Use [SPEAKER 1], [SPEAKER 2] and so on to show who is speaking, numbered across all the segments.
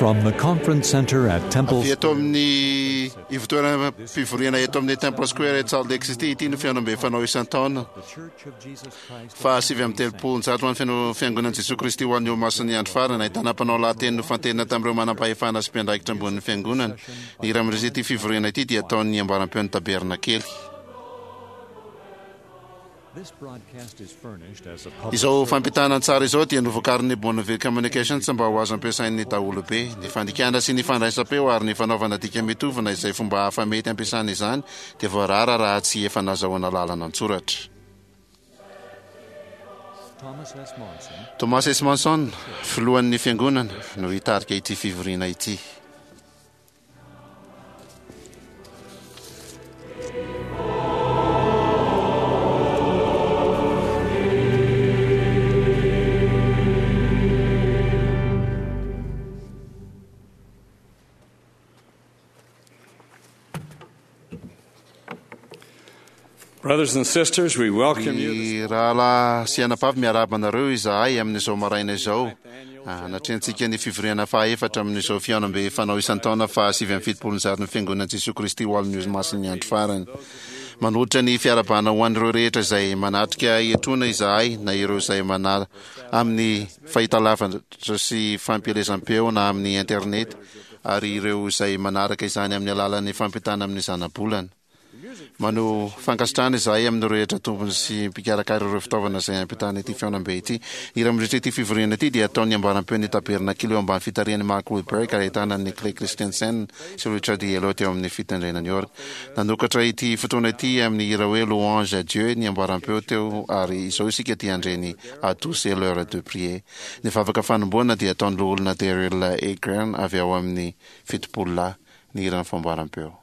[SPEAKER 1] From the conference center at Temple
[SPEAKER 2] Avy eto amin'ny ivotoeram-pivoriana eto amin'ny Temple Square eto Salt Lake City, ity no fihaonambe fanao isan-taona faha 139 ho an'ny fiano- Fiangonan'i Jesoa Kristy ho an'ny Olomasin'ny Andro Farany. Ahitana mpanao lahateny nofantenina tamin'ireo manam-pahefana sy mpiandraikitra ambonin'ny Fiangonana. Ny hira mandritra ity fivoriana ity dia ataon'ny ambaram-peon'ny Tabernakely. Izao fampitana an-tsary izao dia novokarin'ny Bonneville Communications mba ho azo ampiasain'ny daholobe. Ny fandikana sy ny fandraisam-peo ary ny fanaovana dika mitovy na izay fomba hafa mety ampiasana izany dia voarara raha tsy efa nazahoana lalana an-tsoratra. Thomas S. Monson, filohan'ny Fiangonana, no hitarika ity fivoriana ity.
[SPEAKER 3] Brothers and sisters, we welcome you.
[SPEAKER 2] Ry rahalahy sy anabavy, miarahaba anareo izahay amin'izao maraina izao. Anatrehantsika ny fivoriana fahaefatra amin'izao fihaonambe fanao isan-taona faha 179 ny Fiangonan'i Jesoa Kristy ho Alon'ny Olomasin'ny Andro Farany. Manolotra ny fiarahabana ho an'ireo rehetra izay manatrika etoana izahay na ireo izay manala amin'ny fahitalavitra sy fampielezam-peo na amin'ny internet ary ireo izay manaraka izany amin'ny alalan'ny fampitana amin'ny zanabolana. Maneho fankasitrahana izahay amin'ireo rehetra tompony sy mpikarakara ireo fitaovana izay hampitana ity fihaonambe ity. Ny hira mandritra ity fivoriana ity dia ataon'ny ambaram-peon'ny Tabernakily eo ambany fitarihan'i Mark Wilberg ary ahitana an'i Clay Christensen sy Richard Yellow teo amin'ny fitendrena ny orga. Nanokatra ity fotoana ity amin'ny hira hoe Louange à Dieu ny ambaram-peo teo ary izao isika dia handre ny À tous est l'heure de prier. Ny vavaka fanombohana dia ataon'ny Loholona Daryl A. Graham avy ao amin'ny Fitopololahy ny hiran'ny famboaram-peo.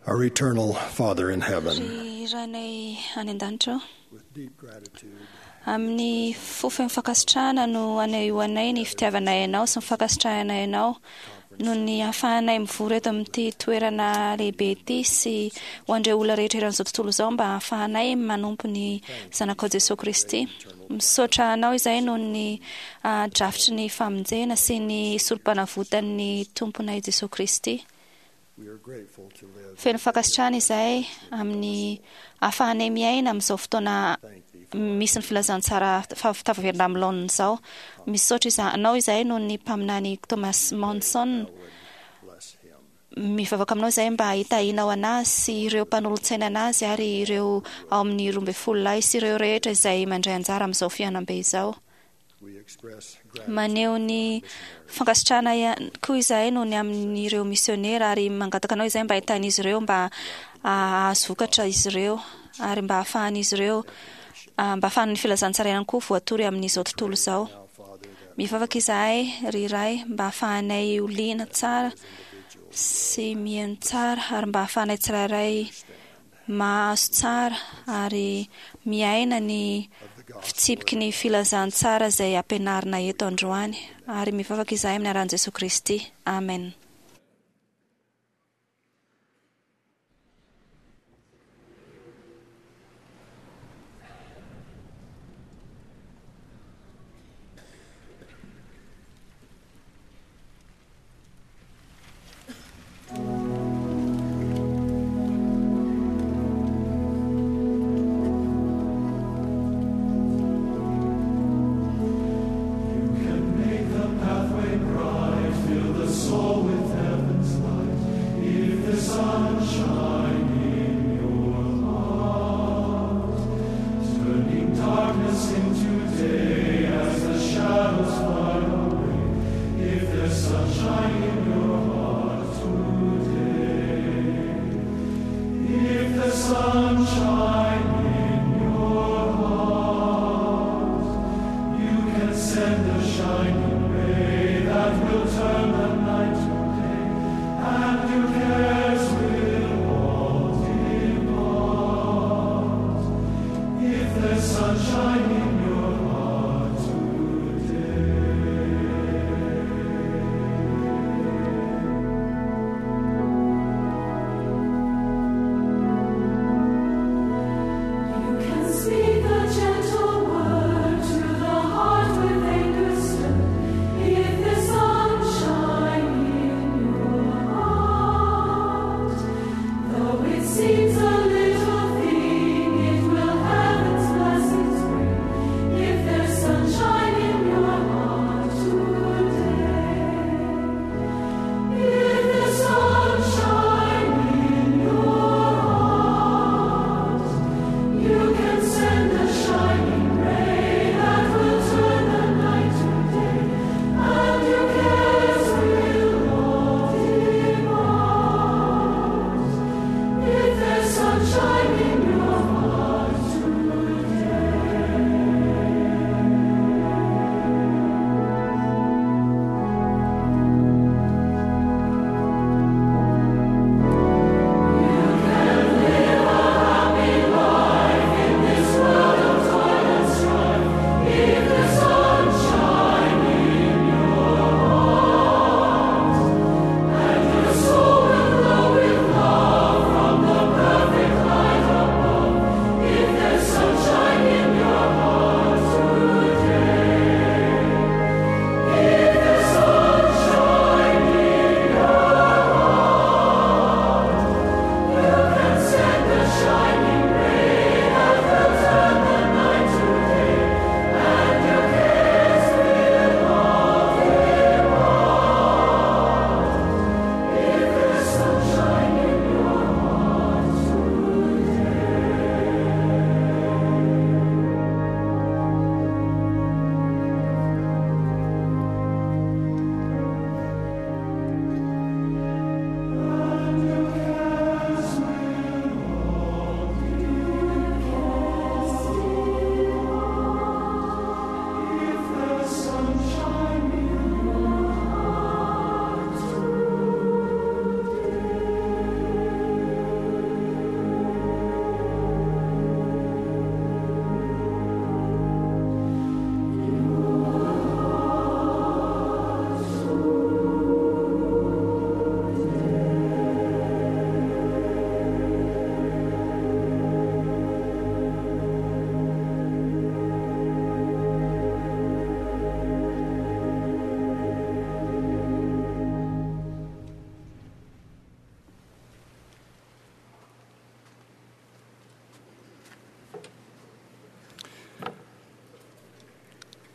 [SPEAKER 4] Our eternal Father in heaven,
[SPEAKER 5] Ry Rainay any an-danitra ao,
[SPEAKER 4] with deep gratitude,
[SPEAKER 5] amin'ny fo feno fankasitrahana no anehoanay ny fitiavanay anao sy ny fankasitrahanay anao noho ny ahafahanay mivory eto amin'ity toerana lehibe ity sy ho an'ireo olona rehetra eran'izao tontolo izao mba ahafahanay manompo ny Zanakao Jesoa Kristy. Misaotra anao izay noho ny drafitry ny famonjena sy ny solom-panavotan'ny Tomponay Jesoa Kristy.
[SPEAKER 4] we are grateful to live
[SPEAKER 5] Feno fankasitrahana izay amin'ny ahafahanay miaina amin'izao fotoana misy ny filazantsara tafaverina amin'ny laoniny izao. Misaotra anao izay noho ny mpaminany Thomas Monson.
[SPEAKER 4] bless him.
[SPEAKER 5] Mivavaka aminao izay mba hitahianao anazy sy ireo mpanolotsaina anazy ary ireo ao amin'ny 12 lahy sy ireo rehetra izay mandray anjara amin'izao fihaonambe izao.
[SPEAKER 4] We express gratitude
[SPEAKER 5] Maneho ny fankasitrahana ihany koa izahay noho ny amin'ireo misionera ary mangataka anao izay mba hitahin'izy ireo mba hahazo vokatra izy ireo ary mba hahafahan'izy ireo mba hahafahan'ny filazantsara ihany koa voatory amin'izao tontolo izao.
[SPEAKER 4] now, Father, that
[SPEAKER 5] Mivavaka izahay ry Ray mba hahafahanay ho liana tsara sy mihaino tsara ary mba hahafahanay tsirairay mahazo tsara ary miaina ny fitsipiky ny filazantsara izay ampianarina eto androany ary mivavaka izahay amin'ny anaran'i Jesoa Kristy. Amen.
[SPEAKER 6] You can make the pathway bright, fill the soul with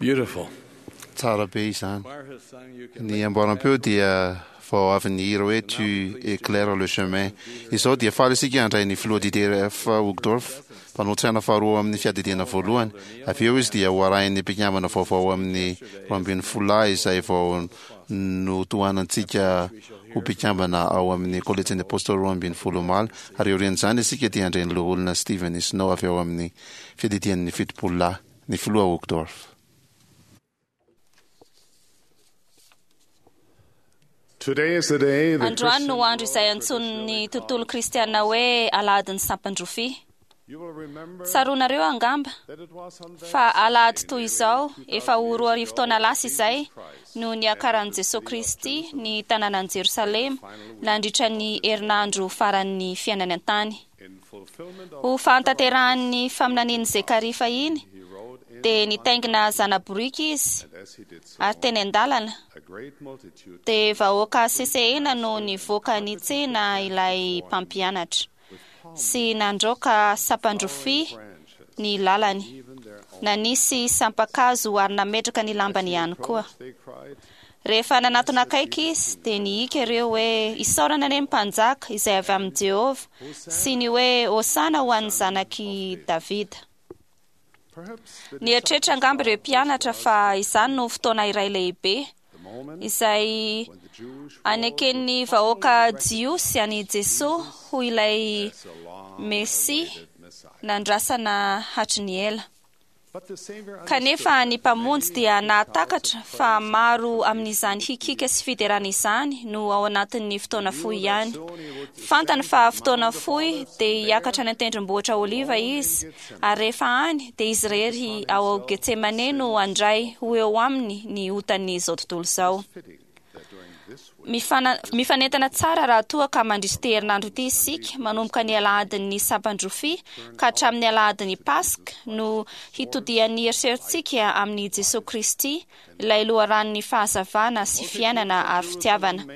[SPEAKER 3] Beautiful.
[SPEAKER 2] Tsara be izany. Ny amboaram-peo dia vao avy nihira hoe Tu éclaires le chemin. Izao dia faly isika handray ny filoha Didier F. Uchtdorf, mpanolo-tsaina faharoa amin'ny fiadidiana voalohany. Avy eo izy dia ho arahin'ny mpikambana vaovao amin'ny 12 lahy izay vao notohanantsika ho mpikambana ao amin'ny Kolejin'ny Apôstôly 12 omaly. Ary aorian'izany isika dia handray ny Loholona Steven Snow avy ao amin'ny fiadidian'ny 70 lahy, ny filoha Uchtdorf.
[SPEAKER 5] Androany no andro izay antsoin'ny tontolo kristiana hoe Alahadin'ny Sampan-drofia. Tsaroanareo angamba fa alahady toy izao efa ho 2000 taona lasa izay no niakaran'i Jesoa Kristy ny tanànan'i Jerosalema nandritra ny herinandro faran'ny fiainany an-tany. Ho fahatanterahan'ny faminanian'i Zekaria fahiny dia nitaingina zana-boriky izy ary teny an-dalana dia vahoaka sesehena no nivoaka nitsena ilay mpampianatra sy nandroaka sampan-drofia ny lalany. Nanisy sampan-kazo ary nametraka ny lambany ihany koa. Rehefa nanatona akaiky izy, dia nihika ireo hoe, Isaorana anie ny Mpanjaka izay avy amin'i Jehovah, sy ny hoe, Hosana ho an'ny Zanak'i Davida. Nieritreritra angamba ireo mpianatra fa izany no fotoana iray lehibe izay aneken'ny vahoaka jiosy an'i Jesoa ho ilay Mesia nandrasana hatry ny ela. Kanefa ny Mpamonjy dia nahatakatra fa maro amin'izany hikiaka sy fiderana izany no ao anatin'ny fotoana fohy ihany. Fantany fa fotoana fohy dia hiakatra any an-tendrombohitra Oliva izy, ary rehefa any dia izy irery ao Getsemane no handray ho eo aminy ny otan'izao tontolo izao. Mifanentana tsara raha toa ka mandritra ity herinandro ity isika, manomboka ny alahadin'ny sampan-drofia ka hatramin'ny alahadin'ny Paska, no hitodihan'ny eritreritsika amin'i Jesoa Kristy, ilay loharanon'ny fahazavana sy fiainana ary fitiavana.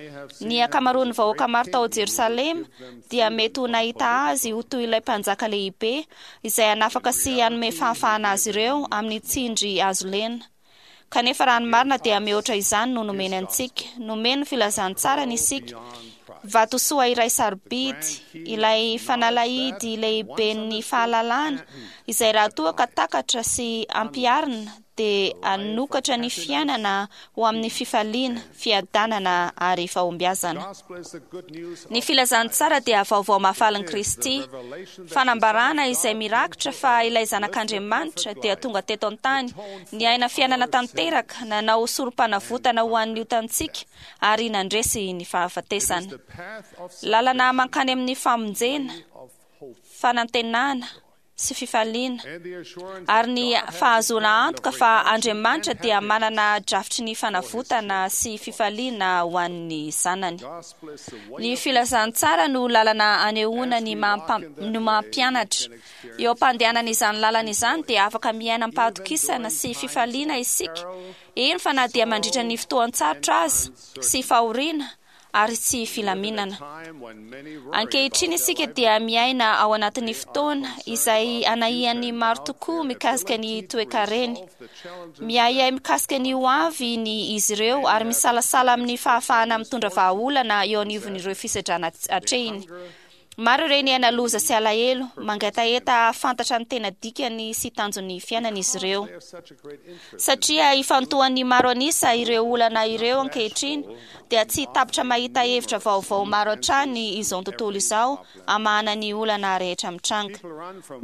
[SPEAKER 5] Ny ankamaroan'ny vahoaka maro tao Jerosalema dia mety ho nahita Azy ho toy ilay Mpanjaka lehibe izay hanafaka sy hanome fahafahana azy ireo amin'ny tsindry azo lena. Kanefa raha ny marina dia mihoatra izany no nomeny antsika. Nomeny ny filazantsarany isika, vatosoa iray sarobidy, ilay fanalahidy lehiben'ny fahalalana, izay raha toa ka takatra sy ampiharina dia hanokatra ny fiainana ho amin'ny fifaliana, fiadanana ary fahombiazana. Ny filazantsara dia vaovao mahafalin'i Kristy, fanambarana izay mirakitra fa ilay Zanak'Andriamanitra dia tonga teto an-tany, niaina fiainana tanteraka, nanao sorom-panavotana ho an'ny otantsika ary nandresy ny fahafatesana. Lalana mankany amin'ny famonjena, fanantenana, sy fifaliana, ary ny fahazoana antoka fa Andriamanitra dia manana drafitry ny fanavotana sy fifaliana ho an'ny zanany. Ny filazantsara no lalana anehoana ny no maha-mpianatra. Eo am-pandehanana izany lalana izany dia afaka miaina am-pahatokisana sy fifaliana isika, eny fa na dia mandritra ny fotoan-tsarotra aza sy fahoriana, ary tsy filaminana. Ankehitriny isika dia miaina ao anatin'ny fotoana izay anahian'ny maro tokoa mikasika ny toekareny. Miahiahy mikasika ny ho avy ny izy ireo ary misalasala amin'ny fahafahana mitondra vahaolana eo anivon'ireo fisedrana atrehiny. Maro ireo niaina loza sy alahelo, mangetaheta hahafantatra ny tena dikany sy tanjon'ny fiainana izy ireo. Satria ifantohan'ny maro an'isa ireo olana ireo ankehitriny, dia tsy tapitra mahita hevitra vaovao maro hatrany izao tontolo izao hamahana ny olana rehetra mitranga.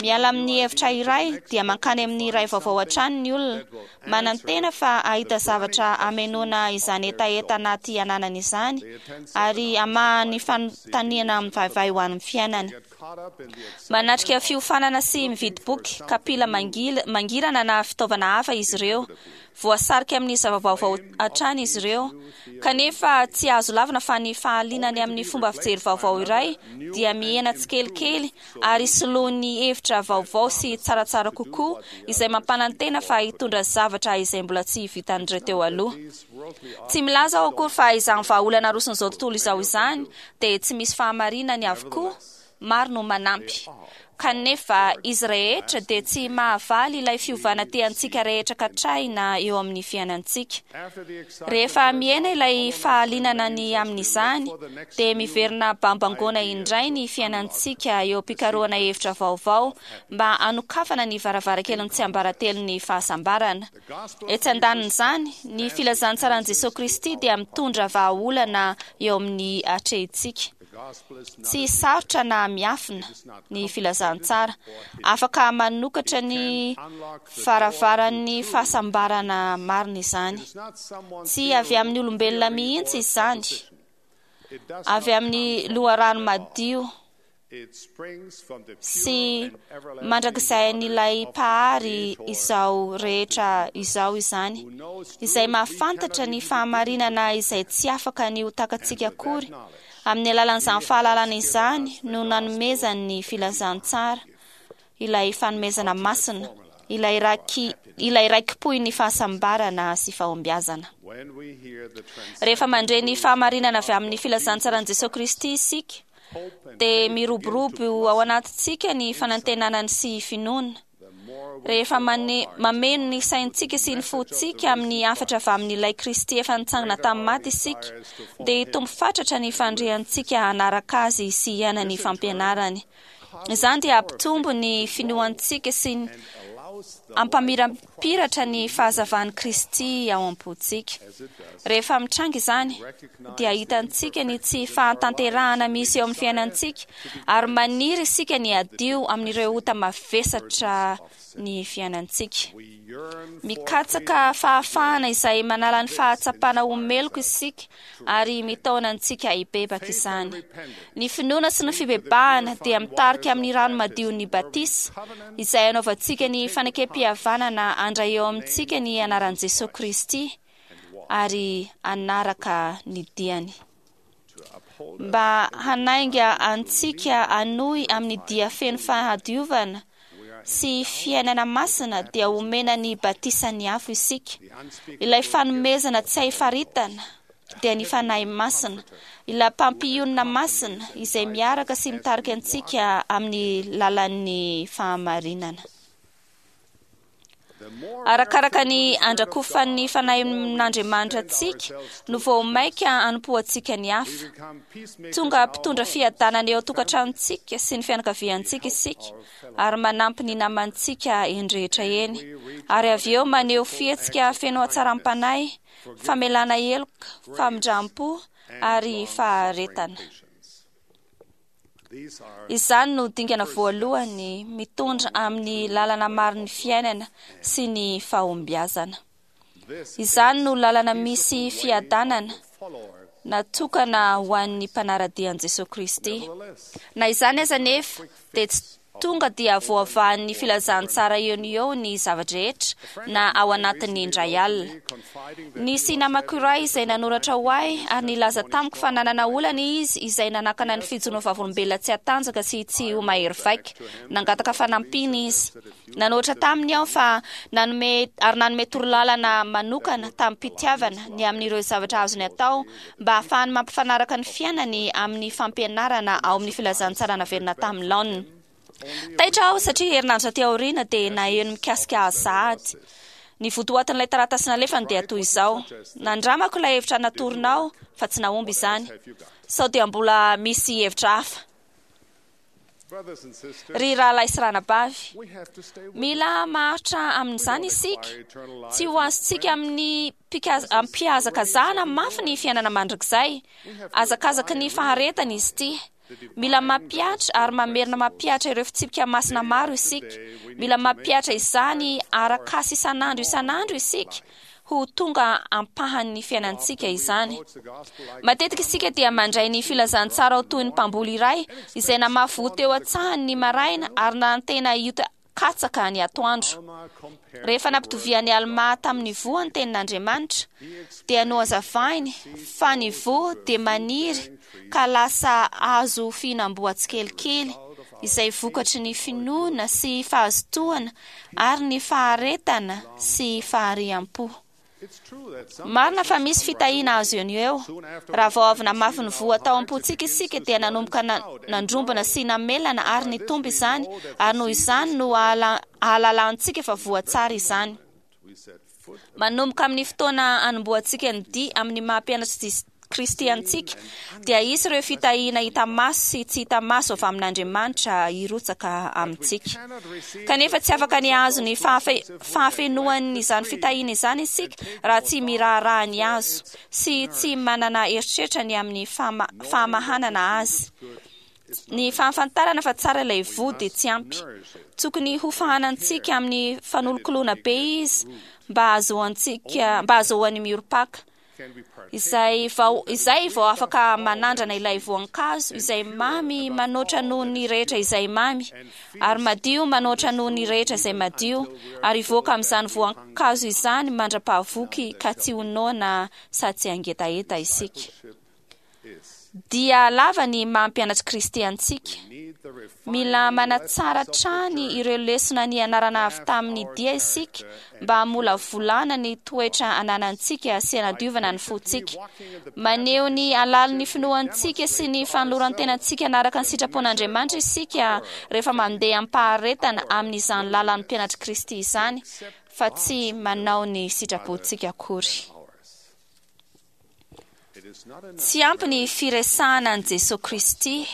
[SPEAKER 5] Miala amin'ny hevitra iray dia mankany amin'ny iray vaovao hatrany ny olona, Manantena fa hahita zavatra hamenoana izany hetaheta anaty ananany izany ary hamaha ny fanontaniana mivaivay ho an'ny fiainany. Manatrika fiofanana sy mividy boky, kapila mangirana na fitaovana hafa izy ireo. Voasarika amin'ny zava-baovao hatrany izy ireo. Kanefa tsy azo lavina fa ny fahalianany amin'ny fomba fijery vaovao iray dia mihena tsikelikely ary soloin'ny hevitra vaovao sy tsaratsara kokoa izay mampanantena fa hitondra zavatra izay mbola tsy vitan'ireo teo aloha. Tsy milaza aho akory fa izany vahaolana aroson'izao tontolo izao izany dia tsy misy fahamarinany avokoa. Maro no manampy. Kanefa izy rehetra dia tsy mahavaly ilay fiovana tiantsika rehetra katrahina eo amin'ny fiainantsika. Rehefa mihena ilay fahalinana ny amin'izany, dia miverina bambangoana indray ny fiainantsika eo am-pikarohana hevitra vaovao mba hanokafana ny varavarakelin'ny tsiambaratelon'ny fahasambarana. Etsy andanin'izany, ny filazantsaran'i Jesosy Kristy dia mitondra vahaolana eo amin'ny atrehintsika. Tsy sarotra na miafina ny filazantsara. Afaka manokatra ny varavaran'ny fahasambarana marina izany. Tsy avy amin'ny olombelona mihitsy izany. Avy amin'ny loharano madio sy mandrakizay Mpahary izao rehetra izao izany, izay mahafantatra ny fahamarinana izay tsy afaka ny ho takatsika akory. Amin'ny alalan'izany fahalalana izany no nanomezany ny filazantsara, ilay fanomezana masina, ilay ilay raikipohin'ny fahasambarana sy fahombiazana. Rehefa mandre ny fahamarinana avy amin'ny filazantsaran'i Jesosy Kristy isika, dia miroborobo ao anatintsika ny fanantenana sy finoana. Rehefa mameno ny saintsika sy ny fontsika amin'ny hafatra avy amin'ilay Kristy efa nitsangana tamin'ny maty isika, dia hitombo fatratra ny fandriantsika hanaraka azy sy hiaina ny fampianarany. Izany dia hampitombo ny finoantsika sy hampamirampiratra ny fahazavan'i Kristy ao am-pontsika. Rehefa mitranga izany, dia hitantsika ny tsy fahatanterahana misy eo amin'ny fiainantsika, ary maniry isika ny hadio amin'ireo ota mavesatra ny fiainantsika. Mikatsaka fahafahana izay manala ny fahatsapana ho meloka isika ary mitaona antsika hibebaka izany. Ny finoana sy ny fibebahana dia mitarika amin'ny rano madion'ny batisa, izay anaovantsika ny fanekem-pihavanana handray eo amintsika ny anaran'i Jesosy Kristy ary hanaraka ny diany. Mba hanainga antsika hanohy amin'ny dia feno fahadiovana sy fiainana masina, dia omena ny batisan'ny afo isika. Ilay fanomezana tsy hay faritana dia ny Fanahy Masina, ilay mpampionona masina izay miaraka sy mitarika antsika amin'ny lalan'ny fahamarinana. Arakaraka ny andrakofan'ny Fanahin'Andriamanitra antsika no vao mainka hanompoantsika ny hafa. Tonga mpitondra fiadanana eo an-tokantranontsika sy ny fianakaviantsika isika, ary manampy ny namantsika eny rehetra eny. Ary avy eo maneho fihetsika feno hatsaram-panahy, famelana heloka, famindram-po ary faharetana. Izany no dingana voalohany mitondra amin'ny lalana marin'ny fiainana sy ny fahombiazana. Izany no lalana misy fiadanana natokana ho an'ny mpanara-dia an'i Jesosy Kristy. Na izany aza anefa, dia tsy tonga dia voavahan'ny filazantsara eo no eo ny zava-drehetra, na ao anatin'ny indray alina. Nisy namako iray izay nanoratra ho ahy ary nilaza tamiko fa nanana olana izy izay nanakana ny fijoroany vavolombelona tsy hatanjaka sy tsy ho mahery vaika. Nangataka fanampiana izy. Nanoratra taminy aho fa nanome ary nanome torolalana manokana tamim-pitiavana ny amin'ireo zavatra azony atao mba hahafahany mampifanaraka ny fiainany amin'ny fampianarana ao amin'ny filazantsara naverina tamin'ny laoniny. Taitra aho satria herinandro taty aoriana dia naheno mikasika azy sahady. Ny votoatin'ilay taratasy nalefany dia toy izao: Nandramako ilay hevitra natoronao fa tsy nahomby izany. Sao dia mbola misy hevitra hafa? Ry rahalahy sy ranabavy, mila maharitra amin'izany isika. Tsy ho azontsika amin'ny am-pihazakazahana mafy ny fiainana mandrakizay. Hazakazaky ny faharetana izy ity. Mila mampihatra ary mamerina mampihatra ireo fitsipika masina maro isika. Mila mampihatra izany arak'asa isan'andro isan'andro isika ho tonga ampahan'ny fiainantsika izany. Matetika isika dia mandray ny filazantsara ho toy ny mpamboly iray izay namafy voa teo an-tsahany ny maraina ary nanantena hioty katsaka ny atoandro. Rehefa nampitovian'i Almà tamin'ny voa ny tenin'Andriamanitra, dia nohazavainy fa ny voa dia maniry ka lasa hazo fihinam-boa tsikelikely, izay vokatry ny finoana sy fahazotoana ary ny faharetana sy fahariam-po. Marina fa misy fitahiana azo eo no eo. Raha vao avy namafy ny voa tao am-pontsika isika dia nanomboka nandrombona sy namelana ary nitombo izany, ary noho izany no ahalalantsika fa voa tsara izany. Manomboka amin'ny fotoana anombohantsika ny dia amin'ny maha mpianatr'i Kristy antsika, dia hisy ireo fitahiana hita maso sy tsy hita maso avy amin'Andriamanitra hirotsaka amintsika. Kanefa tsy afaka ny hahazo ny fahafenoan'izany fitahiana izany isika raha tsy miraharaha ny hazo sy tsy manana eritreritra ny amin'ny fahamahanana azy. Ny fahafantarana fa tsara ilay voa dia tsy ampy. Tokony hofahanantsika amin'ny fanolokoloana be izy mba hahazoantsika mba hahazoany miorim-paka. Izay vao izay vao afaka manandrana ilay voankazo izay mamy manoatra noho ny rehetra izay mamy, ary madio manoatra noho ny rehetra izay madio, ary hivoaka amin'izany voankazo izany mandra-pahavoky ka tsy ho noana sady tsy hangetaheta isika. Dia lava ny maha mpianatr'i Kristy antsika. Mila manatsara hatrany ireo lesona nianarana avy tamin'ny dia isika mba hamolavolana ny toetra ananantsika sy hanadiovana ny fontsika. Maneho ny halalin'ny finoantsika sy ny fanoloran-tenantsika hanaraka ny sitrapon'Andriamanitra isika rehefa mandeha am-paharetana amin'izany lalan'ny mpianatr'i Kristy izany, fa tsy manao ny sitrapontsika akory. Tsy ampy ny firesahana an'i Jesoa Kristy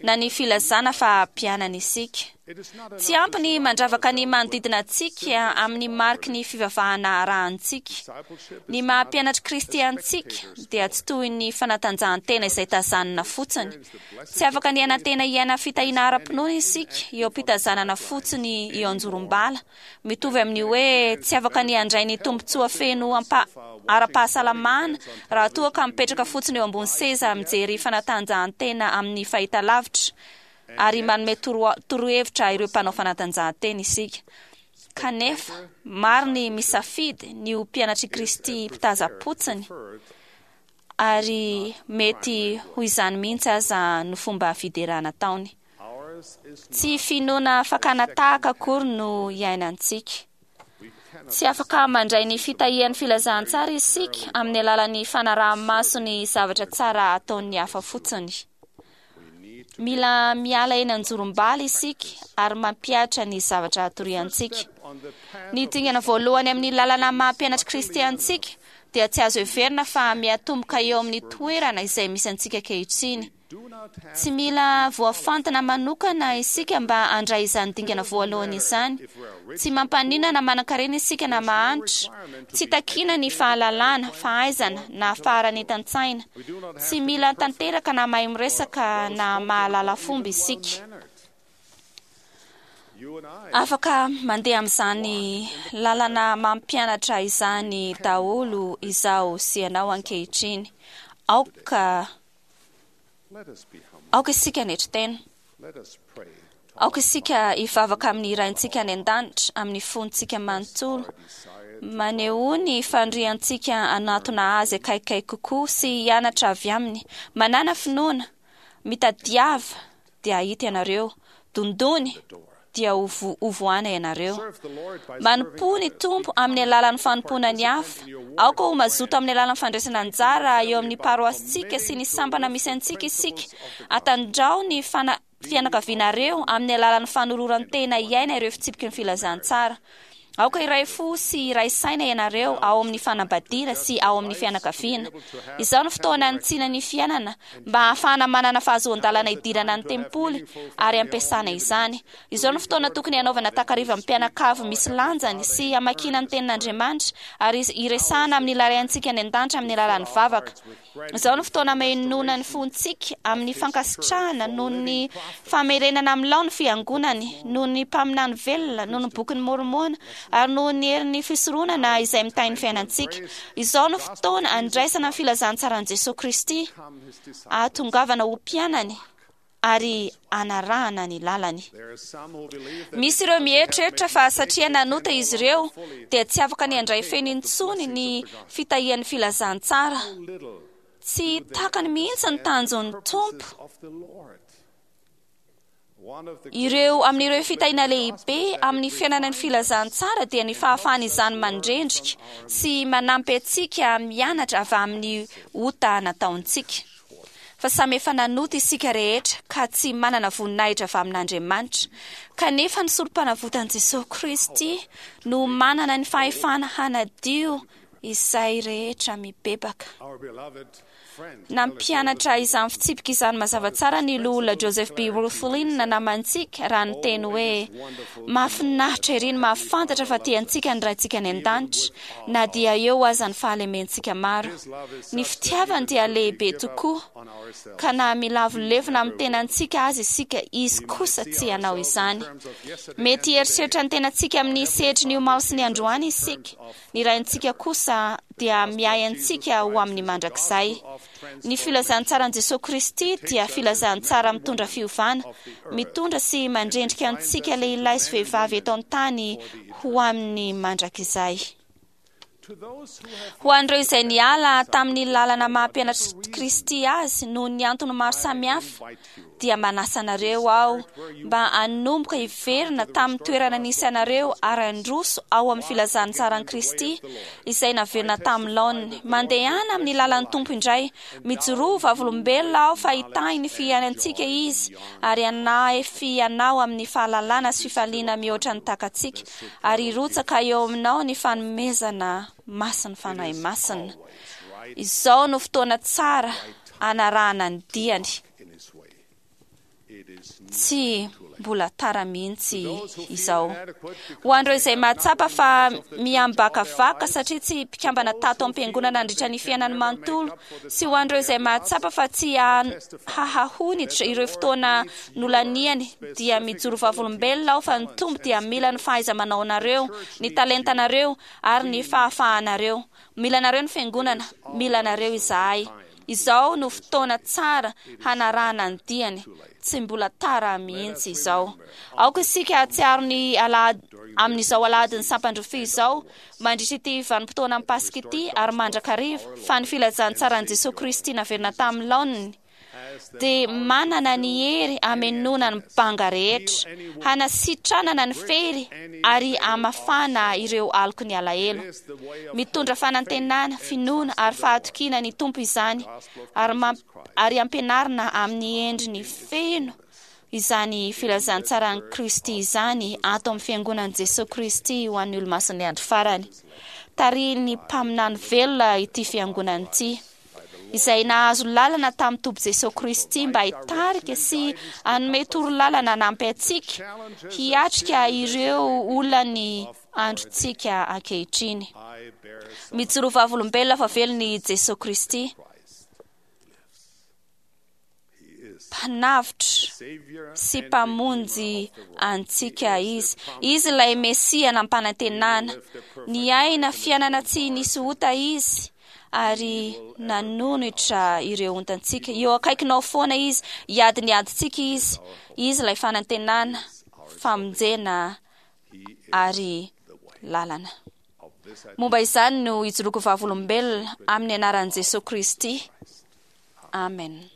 [SPEAKER 5] na ny filazana fa mpianany isika. Tsy ampy ny mandravaka ny manodidina antsika amin'ny mariky ny fivavahana arahantsika. Ny maha mpianatr'i Kristy antsika dia tsy toy ny fanatanjahantena izay tazanina fotsiny. Tsy afaka ny hanantena hiaina fitahiana ara-pinoana isika eo am-pitazanana fotsiny eo anjorom-bala. Mitovy amin'ny hoe tsy afaka ny handray ny tombontsoa feno ara-pahasalamana raha toa ka mipetraka fotsiny eo ambony seza mijery fanatanjahantena amin'ny fahitalavitra ary manome torohevitra ireo mpanao fanatanjahantena isika. Kanefa, maro ny misafidy ny ho mpianatr'i Kristy mpitaza-potsiny, ary mety ho izany mihitsy aza no fomba fiderana ataony. Tsy finoana fakana tahaka akory no iainantsika. Tsy afaka mandray ny fitahian'ny filazantsara isika amin'ny alalan'ny fanaraha-maso ny zavatra tsara ataon'ny hafa fotsiny. Mila miala eny anjorom-bala isika ary mampihatra ny zavatra atoriantsika. Ny dingana voalohany amin'ny lalana maha mpianatr'i Kristy antsika dia tsy azo heverina fa miatomboka eo amin'ny toerana izay misy antsika ankehitriny. Tsy mila voafantina manokana isika mba handray izany dingana voalohany izany. Tsy mampaninona na manankarena isika na mahantra. Tsy takiana ny fahalalana, fahaizana, na faharanitan-tsaina. Tsy mila tanteraka na mahay miresaka na mahalala fomba isika. Afaka mandeha amin'izany lalana mampianatra izany daholo izaho sy ianao ankehitriny. Aoka Aoka isika hanetry tena. Aoka isika hivavaka amin'ny Raintsika any an-danitra amin'ny fontsika manontolo. Manehoa ny faniriantsika hanatona Azy akaikikaiky kokoa sy hianatra avy Aminy. Manàna finoana. Mitadiava, dia hahita ianareo. Dondony, dia ho hovohana ianareo. Manompoa ny Tompo amin'ny alalan'ny fanompoana ny hafa. Aoka ho mazoto amin'ny alalan'ny fandraisana anjara eo amin'ny paroasintsika sy ny sampana misy antsika isika. Atandrao ny fana fianakavianareo amin'ny alalan'ny fanoloran-tena hiaina ireo fitsipiky ny filazantsara. Aoka hiray fo sy hiray saina ianareo ao amin'ny fanambadiana sy ao amin'ny fianakaviana. Izao no fotoana hanitsiana ny fiainana mba hahafahana manana fahazoan-dalana hidirana ny tempoly ary hampiasana izany. Izao no fotoana tokony hanaovana takariva mpianakavy misy lanjany sy hamakiana ny Tenin'Andriamanitra ary hiresahana amin'ny Ilay Raintsika any An-danitra amin'ny alalan'ny vavaka. Izao no fotoana hamenoana ny fontsika amin'ny fankasitrahana noho ny famerenana amin'ny lao ny Fiangonany, noho ny mpaminany velona, noho ny Bokin'i Môrmôna, ary noho ny herin'ny fisoronana izay mitahy ny fiainantsika. Izao no fotoana handraisana ny filazantsaran'i Jesoa Kristy, hahatongavana ho mpianany, ary hanarahana ny lalany. Misy ireo mieritreritra fa satria nanota izy ireo dia tsy afaka ny handray feno intsony ny fitahian'ny filazantsara. Tsy takany mihitsy ny tanjon'ny Tompo. Ireo amin'ireo fitahiana lehibe amin'ny fiainana ny filazantsara dia ny fahafahan'izany mandrendrika sy manampy antsika mianatra avy amin'ny ota nataontsika. Fa samy efa nanota isika rehetra ka tsy manana voninahitra avy amin'Andriamanitra. Kanefa ny sorompanavotan'i Jesosy Kristy no manana ny fahefana hanadio izay rehetra mibebaka. Nampianatra izany fitsipika izany mazava tsara ny loholona Joseph B. Wirthlin namantsika raha niteny hoe, Mahafinaritra ery ny mahafantatra fa tia antsika ny Raintsika any an-danitra, na dia eo aza ny fahalementsika maro. Ny fitiavany dia lehibe tokoa, ka na milavolevona amin'ny tenantsika aza isika, Izy kosa tsy hanao izany. Mety hieritreritra ny tenantsika amin'ny sehatry ny omaly sy ny androany isika. Ny Raintsika kosa dia miahy antsika ho amin'ny mandrakizay. Ny filazantsaran'i Jesoa Kristy dia filazantsara mitondra fiovana, mitondra sy mandrendrika antsika lehilahy sy vehivavy eto an-tany ho amin'ny mandrakizay. Ho an'ireo izay niala tamin'ny lalana maha mpianatr'i Kristy azy noho ny antony maro samihafa, dia manasa anareo aho mba hanomboka hiverina tamin'ny toerana nisy anareo ary handroso ao amin'ny filazantsaran'i Kristy izay naverina tamin'ny laoniny. Mandehana amin'ny lalan'ny Tompo indray. Mijoroa ho vavolombelona aho fa hitahy ny fiainantsika Izy ary hanahefy anao amin'ny fahalalana sy fifaliana mihoatra ny takatsika ary hirotsaka eo aminao ny fanomezana masin'ny Fanahy Masina. Izao no fotoana tsara hanarahana ny diany. Tsy mbola tara mihitsy izao. Ho an'ireo izay mahatsapa fa miambakavaka satria tsy mpikambana tato am-piangonana nandritra ny fiainany manontolo, sy ho an'ireo izay mahatsapa fa tsy hahahonitra ireo fotoana nolaniany, dia mijoro vavolombelona aho fa ny Tompo dia mila ny fahaiza-manaonareo, ny talentanareo, ary ny fahafahanareo. Mila anareo ny Fiangonana, mila anareo izahay. Izao no fotoana tsara hanarahana ny diany, tsy mbola tara mihitsy izao. Aoka isika hahatsiaro ny alahady amin'izao alahadin'ny sampan-drofia izao, mandritra ity vanim-potoanan'ny Paska ity ary mandrakariva, fa ny filazantsaran'i Jesoa Kristy naverina tamin'ny laoniny, dia manana ny hery hamenoana ny banga rehetra, hanasitranana ny fery ary hamafana ireo aloky ny alahelo. Mitondra fanantenana, finoana ary fahatokiana ny Tompo izany ary ary ampianarina amin'ny endriny feno izany filazantsaran'i Kristy izany ato amin'ny Fiangonan'i Jesoa Kristy ho an'ny Olomasin'ny Andro Farany. Tarihin'ny mpaminany velona ity fiangonana ity. izay nahazo lalana tamin'ny Tompo Jesoa Kristy mba hitarika sy hanome torolalana hanampy antsika hiatrika ireo olan'ny androntsika ankehitriny. Mijoroa vavolombelona fa velona i Jesoa Kristy. Mpanavotra sy Mpamonjy antsika Izy. Izy ilay Mesia nampanantenana. Niaina fiainana tsy nisy ota Izy ary nanonitra ireo ontantsika. Eo akaikinao foana Izy, hiady ny adintsika Izy. Izy ilay fanantenana, famonjena ary lalana. Momba izany no ijoroako vavolombelona amin'ny anaran'i Jesoa Kristy. Amen.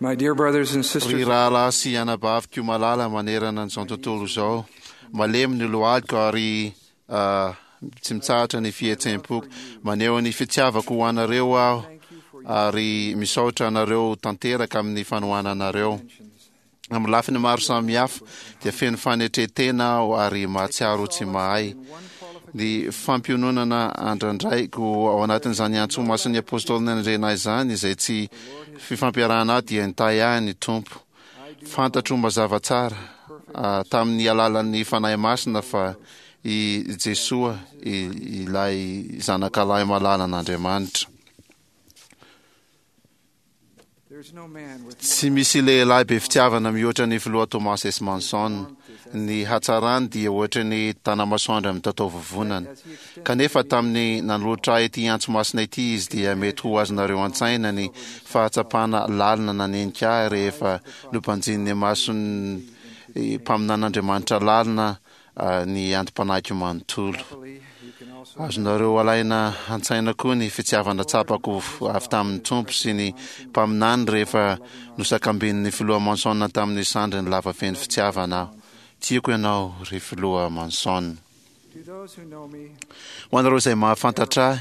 [SPEAKER 3] My dear brothers and sisters,
[SPEAKER 2] Ry rahalahy sy anabaviko malala manerana an'izao tontolo izao, malemy ny lohaliko ary ah, tsy mitsahatra ny fihetseham-poko. Maneho ny fitiavako ho anareo aho ary misaotra anareo tanteraka amin'ny fanohananareo. Amin'ny lafiny maro samihafa dia feno fanetren-tena aho ary mahatsiaro ho tsy mahay. Ny fampiononana andrandraiko ao anatin'izany antso masin'ny Apôstôly nanendrena ahy izany, izay tsy fifampiarahana ahy, dia nitahy ahy ny Tompo. Fantatro mazava tsara tamin'ny alalan'ny Fanahy Masina fa i Jesoa ilay Zanakalahy malalan'Andriamanitra. Tsy misy lehilahy be fitiavana mihoatra ny Filoha Thomas S. Monson. Ny hatsarany dia ohatry ny tanamasoandro amin'ny tataovovonana. Kanefa tamin'ny nanolotra ahy ity antso masina ity izy dia mety ho azonareo an-tsaina ny fahatsapana lalina nanenika ahy rehefa nobanjinin'ny mason'ny mpaminan'Andriamanitra lalina ny antom-panahiko manontolo. Azonareo alaina an-tsaina koa ny fitiavana tsapako avy tamin'ny Tompo sy ny mpaminany rehefa nosakambinin'ny Filoha Monson tamin'ny sandriny lava feno fitiavana aho. Tiako ianao, ry Filoha Monson. Ho anareo izay mahafantatra ahy,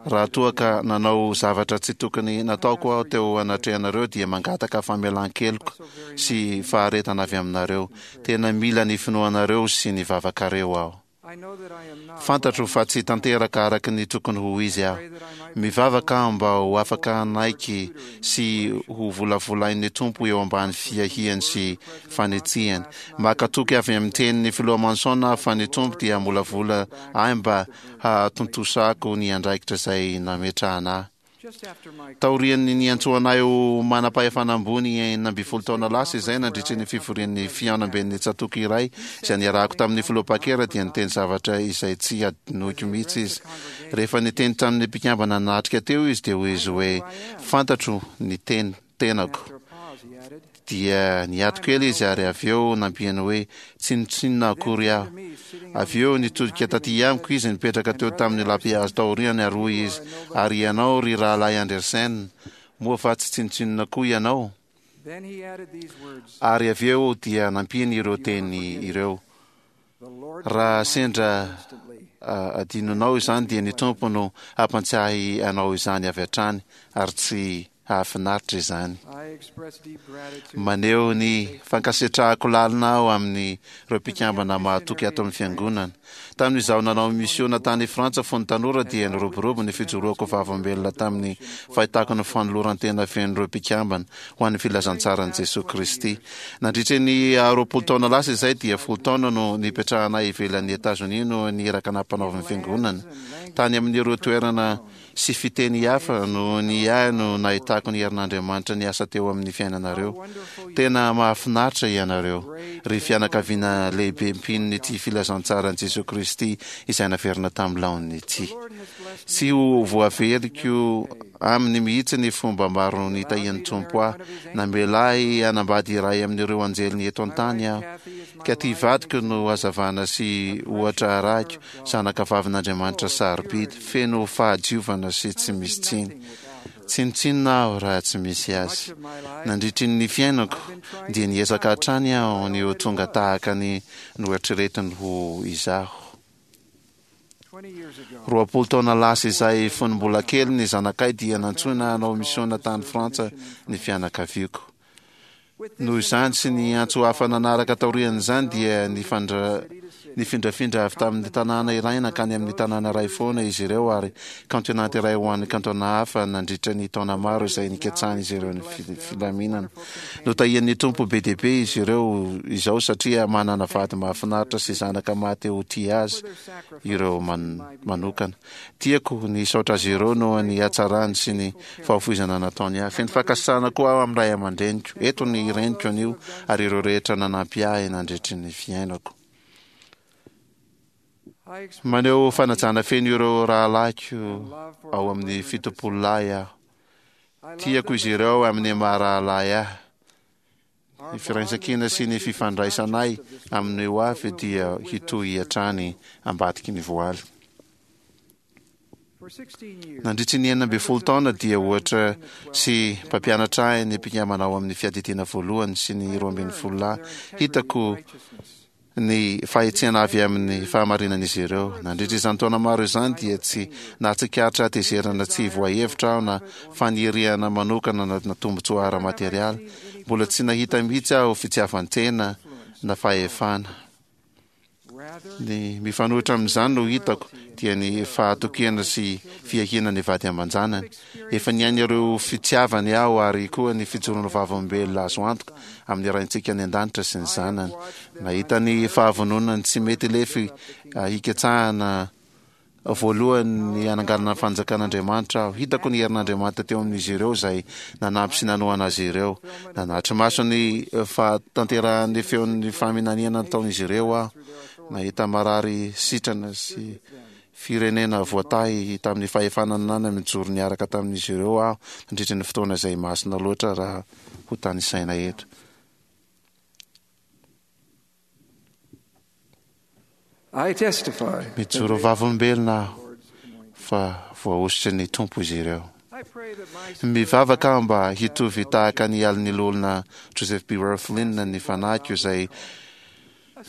[SPEAKER 2] raha toa ka nanao zavatra tsy tokony nataoko aho teo anatrehanareo dia mangataka famelan-keloka sy faharetana avy aminareo. Tena mila ny finoanareo sy ny vavakareo aho. Fantatro fa tsy tanteraka araka ny tokony ho izy aho. Mivavaka aho mba ho afaka hanaiky sy ho volavolain'ny Tompo eo ambany fiahiany sy fanitsiany. Maka toky avy amin'ny tenin'ny Filoha Monson aho fa ny Tompo dia hamolavola ahy mba hahatontosako ny andraikitra izay nametrahana ahy. Taorian'ny niantsoana ahy ho manam-pahefana ambony 16 taona lasa izay nandritry ny fivorian'ny fihaonamben'ny tsatòka iray izay niarahako tamin'ny Filoha Packer dia niteny zavatra izay tsy hadinoiko mihitsy izy. Rehefa niteny tamin'ny mpikambana nanatrika teo izy dia hoy izy hoe, Fantatro ny teny tenako. Dia niato kely izy ary avy eo nampiany hoe, Tsinontsinona akory aho. Avy eo nitodika taty amiko izy nipetraka teo tamin'ny lapihazo taoriany ary hoy izy, Ary ianao ry Rahalahy Andersen, moa va tsy tsinontsinona koa ianao? Ary avy eo dia nampiany ireo teny ireo, Raha sendra adinonao izany dia ny Tompo no hampantsiahy anao izany avy hatrany ary tsy hahafinaritra izany. Maneho ny fankasitrahako lalina aho amin'ireo mpikambana mahatoky ato amin'ny Fiangonana. Tamin'izaho nanao misiona tany Frantsa fony tanora dia niroborobo ny fijoroako vavolombelona tamin'ny fahitako ny fanoloran-tena fenon'ireo mpikambana ho an'ny filazantsaran'i Jesoa Kristy. Nandritra ny 20 taona lasa izay dia folo taona no nipetrahanay ivelan'i Etazonia noho ny iraka nampanaovin'ny Fiangonana tany amin'ireo toerana sy fiteny hafa noho ny ahy no nahitako ny herin'Andriamanitra niasa teo amin'ny fiainanareo. Tena mahafinaritra ianareo, ry fianakaviana lehibe mpinon'ity filazantsaran'i Jesoa Kristy izay naverina tamin'ny laoniny ity. Tsy ho voaveriko aminy mihitsy ny fomba maro nitahian'ny Tompo ahy. Namela ahy hanambady iray amin'ireo anjeliny eto an-tany aho. Ka ty vadiko no hazavana sy ohatra arahiko, zanaka vavin'Andriamanitra sarobidy, feno fahadiovana sy tsy misy tsiny. Tsinontsinona aho raha tsy misy azy. Nandritry ny fiainako, dia niezaka hatrany aho ny ho tonga tahaka ny noeritreretiny ho izaho. 20 taona lasa izay fony mbola kely ny zanakay dia nantsoina hanao misiona tany Frantsa ny fianakaviako. Noho izany sy ny antso hafa nanaraka taorian'izany dia nifandra nifindrafindra avy tamin'ny tanàna iray nankany amin'ny tanàna iray foana izy ireo ary kaontinanta iray ho an'ny kantona hafa nandritra ny taona maro izay nikatsahan'izy ireo ny filaminana. Notahian'ny Tompo be dia be izy ireo izao satria manana vady mahafinaritra sy zanaka maha-te ho tia azy ireo manokana. Tiako ny hisaotra azy ireo noho ny hatsarany sy ny fahafoizana nataony ahy. Feno fankasitrahana koa aho amin'ny ray aman-dreniko. Eto ny reniko anio ary ireo rehetra nanampy ahy nandritry ny fiainako. Maneho fanajana feno ireo rahalahiko ao amin'ny 70 lahy aho. Tiako izy ireo amin'ny maha rahalahy ahy. Ny firaisankina sy ny fifandraisanay amin'ny ho avy dia hitohy hatrany ambadiky ny voaly. Nandritry ny 16 taona dia ohatra sy mpampianatra ahy ny mpikambana ao amin'ny fiadidiana voalohany sy ny 12 lahy. Hitako ny fahitsiana avy amin'ny fahamarinan'izy ireo. Nandritra izany taona maro izany dia tsy nahatsikaritra hatezerana tsy voahevitra aho na faniriana manokana na tombontsoa ara-materialy. Mbola tsy nahita mihitsy aho fitiavan-tena na fahefana. Ny mifanohitra amin'izany no hitako dia ny fahatokiana sy fiahiana ny vady aman-janany. Efa niaina ireo fitiavany aho ary koa ny fijoroana vavolombelona azo antoka amin'ny Raintsika any An-danitra sy ny Zanany. Nahita ny fahavononany tsy mety lefy hikatsahana voalohany ny hananganana ny fanjakan'Andriamanitra aho. Hitako ny herin'Andriamanitra teo amin'izy ireo izay nanampy sy nanohana azy ireo. Nanatri-maso ny fahatanterahan'ny feon'ny faminaniana nataon'izy ireo aho. Nahita marary sitrana sy Firenena voatahy tamin'ny fahefana nananany mijoro niaraka tamin'izy ireo aho nandritra ny fotoana izay masina loatra raha ho tanisaina eto.
[SPEAKER 6] I testify.
[SPEAKER 2] Mijoro vavolombelona aho fa voahosotry ny Tompo izy ireo.
[SPEAKER 6] I pray that my
[SPEAKER 2] Mivavaka aho mba hitovy tahaka ny alin'ny loholona Joseph B. Wirthlin ny fanahiko izay